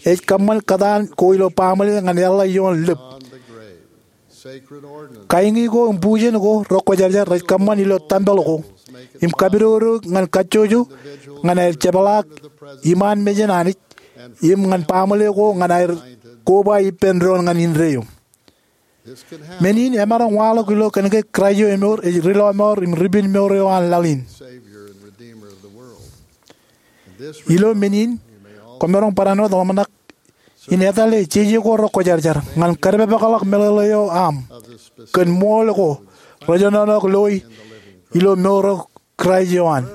ej kōṃṃan kōtaan ko ilo baaṃle ñan eḷḷā ioon lōb. Kaiñi ko im bujen ko rekwōjarjar rej kōṃṃan ilo tempel ko im kapidodo ñan kajjojo ñan aer jepḷaak iṃaan mejān Anij im ñan baaṃle ko ñan aer koba ippān doon ñan indeeo. Men in emaroñ waḷọk ilo kōnke Kraist eo emour ej ri lọmọọr im ripinmour eo an laḷ in. Ilo men in, kwōmaroñ barāinwōt ḷōmṇak in etale jeje ko rekwōjarjar ñan kōdepakḷọk meḷeḷe eo aṃ kōn ṃool ko rejenoḷọk loe ilo mour eo Kraist eo an.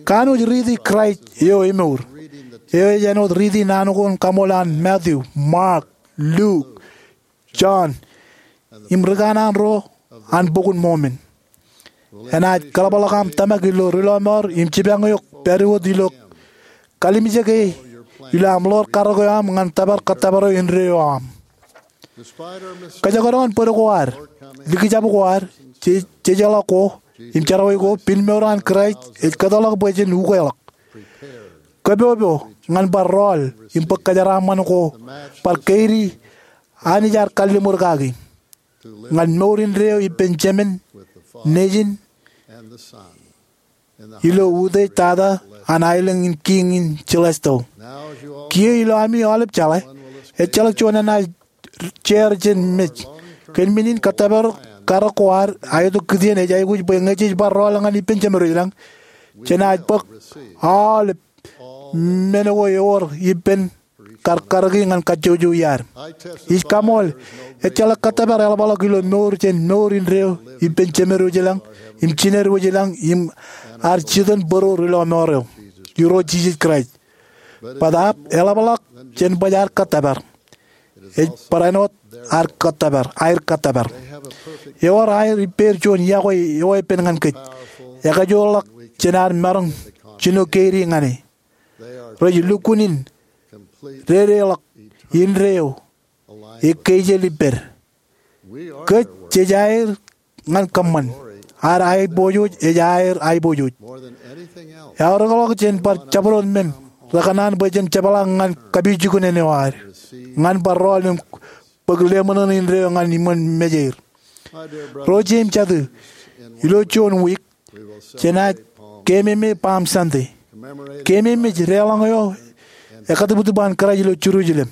Kanooj riiti Kraist eo emour, eo ej āinwōt riiti naan ko in kaṃool an Matthew, Mark, Luke, John, im ri kanaan ro an Bok in Mormon. Enaaj kaḷapḷọk aṃ tōmak ilo ri lọmọọr im jipañ eok pād wōt ilo kalimjeke ilo aṃ ḷoor karōk eo aṃ ñan tōpar kōttōpar eo indeeo aṃ. Kōjekdọọn bōd ko ad, likjab ko ad, je- jejeḷā ko, im jerọwiwi ko, pinmour an Kraist ej kōtḷọk bwe jen ukeḷọk. Kōpopo ñan bar rọọl im bōk kōjeraaṃṃan ko bar keidi Anij ad kalliṃur kaki ñan mour indeeo ippān Jemān, Nejin, ilo utiej tata an aelōñ in kiiñ in celestial. Kiiō ilo ami aolep jeḷā, ejjeḷọk juon enaaj jeer jān mej. Kōn men in kōttōpar karōk ko ad, aetok kitien ej aikuj bwe ñe jej bar rọọl ñan ippān Jemed wōj lañ, jenaaj bōk aolep men ko ewōr ippān kar karōki ñan kajjojo iaad. Ij kaṃool, ejjeḷọk kōttōpar eḷapḷọk ilo mour jān mour indeeo ippān Jemed wōj lañ im jined wōj lañ im ad jitōnbōro ri lọmọọr eo, Irooj Jisōs Kraist. Bōtaab eḷapḷọk jān baj ad kōttōpar. Ej barāinwōt ad kōttōpar, aer kōttōpar. Ewōr aer ippāer juon yokwe eweeppān ñan kōj, ekajoorḷọk jān ad maroñ jino keidi ñan e. Rej lukkuun in dedeḷọk indeeo ekkejel ippād. Kōj jej aer ñan kōṃṃan. Ad aiboojoj ej aer aiboojoj. Eaorōkḷọk jān bar jabdewōt men, rekōṇaan bwe jen jepḷaak ñan kapijuknen eo ad, ñan bar rọọl im bōk leṃōṇōṇō indeeo ñan iṃōn mej er. Ro jeiū im jatū, ilo juon wiik, jenaaj keememej Palm Sunday. Keememej deḷọñ eo ekatūptūp an Kraist ilo Jerusalem.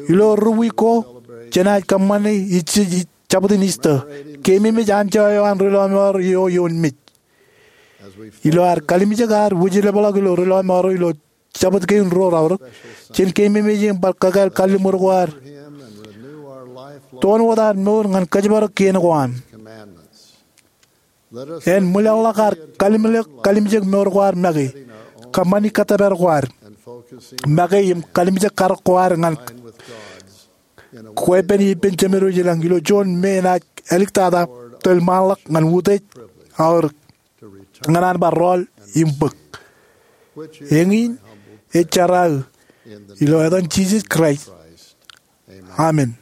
Ilo ri wiik ko, jenaaj kōṃṃane ij, ij, jabdewōt Easter. Keememej anjọ eo an ri lọmọọr eo ioon mej. Ilo ad kalimjek ad wūjlepḷọk ilo ri lọmọọr eo ilo Jabōt Kein ruo raorōk, jen keememej im bar kakāāl kalliṃur ko ad, toon wōt ad mour ñan kōjparok kien ko an. En ṃwilaḷḷọk ad kalimjek, kalimjek mour ko ad make, kōṃṃani kōttōpar ko ad make im kalimjek karōk ko ad ñan kwe pen ippān Jemed wōj lañ ilo juon me enaaj āliktata tōl ṃaanḷọk ñan utiej aorōk ñan an bar rọọl im bōk. Eñin ej jeraaō ilo etan Jisōs Kraist. Amen.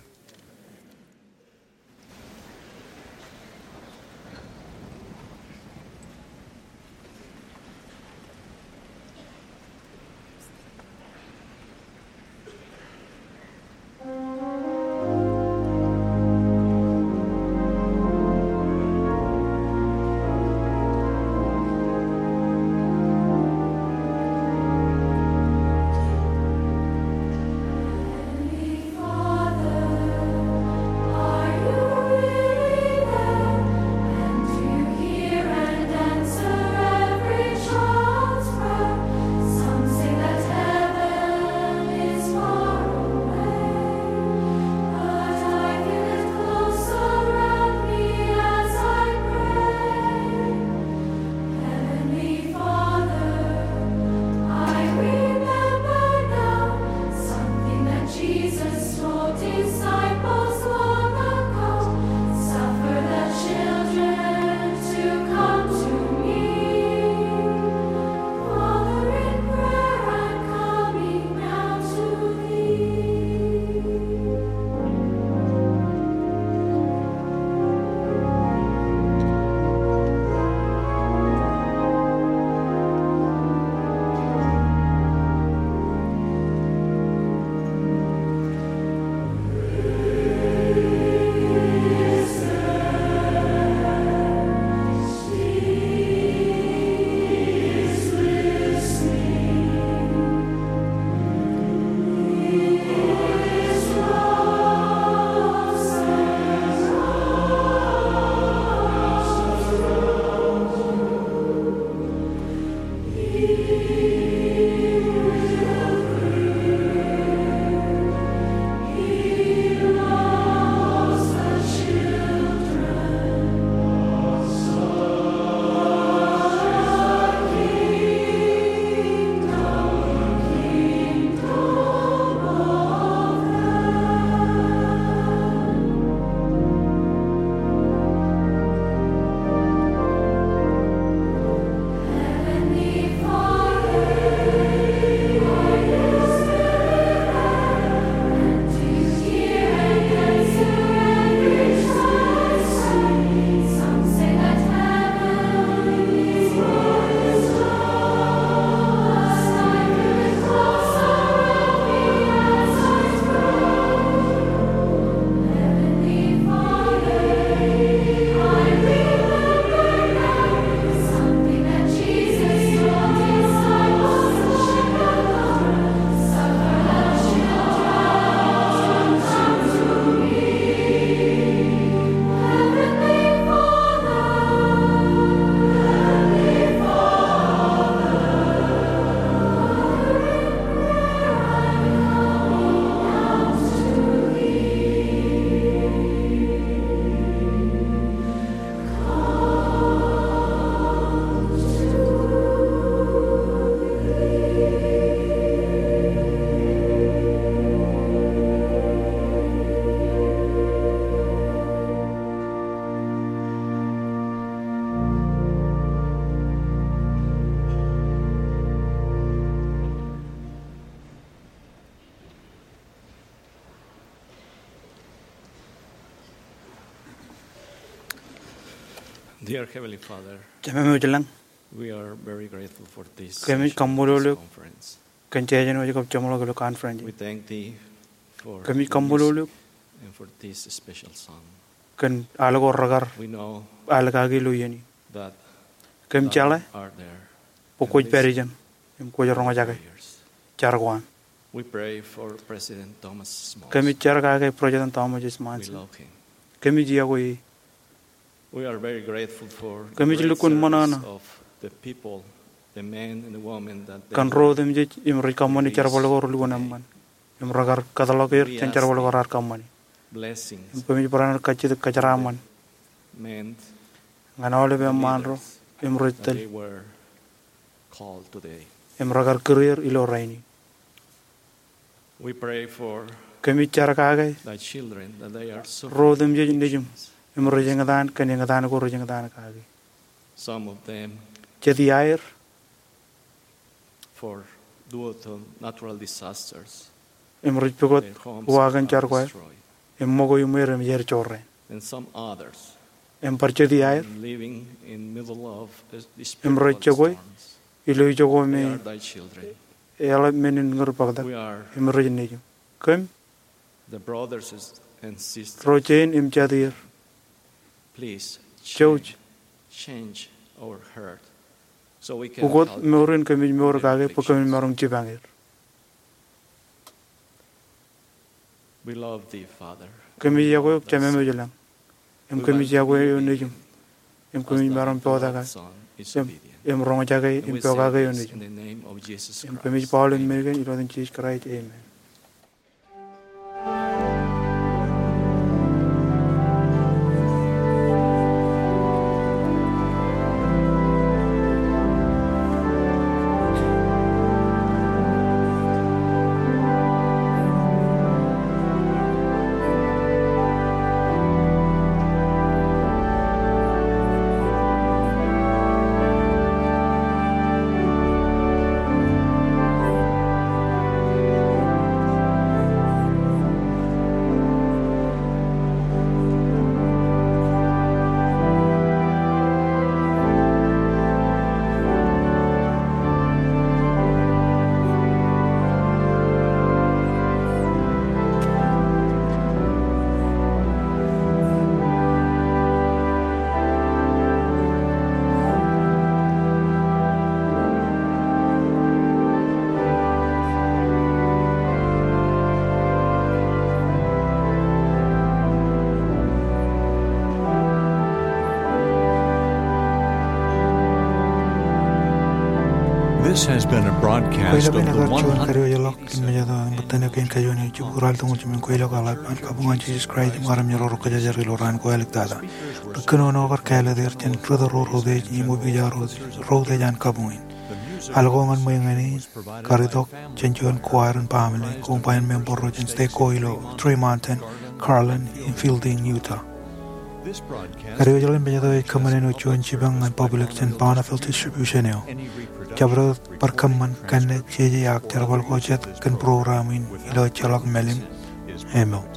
Dear Heavenly Father, Jemem eo ej lañ, we are very grateful for this kōmij special kaṃṃoolol eok conference. Kōn jeje eo ej kab jeṃḷọk ilo conference. We thank thee for Kōmij kaṃṃoolol eok and for this special song. Kōn al ko rekar We know al kaki ilo iien in. That Kōm thou jeḷā art there bwe kwōj and pād listen ijeṇ im kwōj roñjake prayers. Jar ko an. We pray for President Thomas Monson. Kōmij jar kake President Thomas S. We Monson. Love him. Kōmij iọkwe e. We are very grateful for the Kōmij great lukkuun ṃōṇōṇō service of the people, the men and the women that they kōn ro otemjej im rej kōṃṃane release jerbal ko relukkuun today. Eṃṃan. Im rekar kōtḷọk er jān jerbal ko raar kōṃṃane. Blessings Im kōmij barāinwōt kajjitōk kōjeraaṃṃan. Meant ñan aolep eṃṃaan ro leaders im rej that tōl. They were called today. Im rekar kūr er ilo rainin. We pray for Kōmij jar kake thy children that they are suffering ro otemjej nejiṃ im rej eñtaan kōn eñtaan ko rej eñtaan kaki. Some of them Jet iaer for due to natural disasters. Im rej pukot their homes uwaak in are jar ko aer. Destroyed. Im ṃōko iṃweer im iaer jorrāān. And some others Im bar jet iaer living in middle of a im rej spiritual jokwe storms. Ilo ijoko me They are thy children. Eḷap men in ñūr bōktak. We are im rej nejiṃ. Kōm the brothers and sisters. Ro jein im jatieer. Please jouj. Change, change our heart so we can ukot help mour in kōmij mour their kake bwe kōmij afflictions. Maroñ jipañ er. We love thee, Father. Kōmij iọkwe eok Jemem eo ej lañ. Im kōmij iọkwe eok nejiṃ. Im kōmij maroñ poktak eok. Im, im roñjake im pokake eok nejiṃ. Im kōmij ba aolep men kein ilo etan Jisōs Kraist. Amen. This has been a broadcast of the Kwōjeḷā ke ekar juon kadiwōjḷọk in mejāto eo an ṃōttan eo kein kajuon eo ej jibukwi ralitōñoul jāmin kweilọk eḷap an kabuñ an Jisōs Kraist im armej ro rej kōjajar ilo raan ko āliktata. Ri kōnono kar kāālōt er jān ri tōl ro routiej im opiija ro routiej an kabuñ in. Al ko ñan ṃweiuk ñan in kar itok jān juon koaer in baaṃle koṃ ba in member ro jān stek ko ilo Three Mountain, Garland, im Fielding, Utah. Kadiwōjḷọk in mejāto ej kōṃṃane ilo juon jipañ ñan public jān Bonneville Distribution eo. Jabdewōt bar kōṃṃan kanne jeje ak jerbal ko jet kōn program in ilo ejjeḷọk mālim email.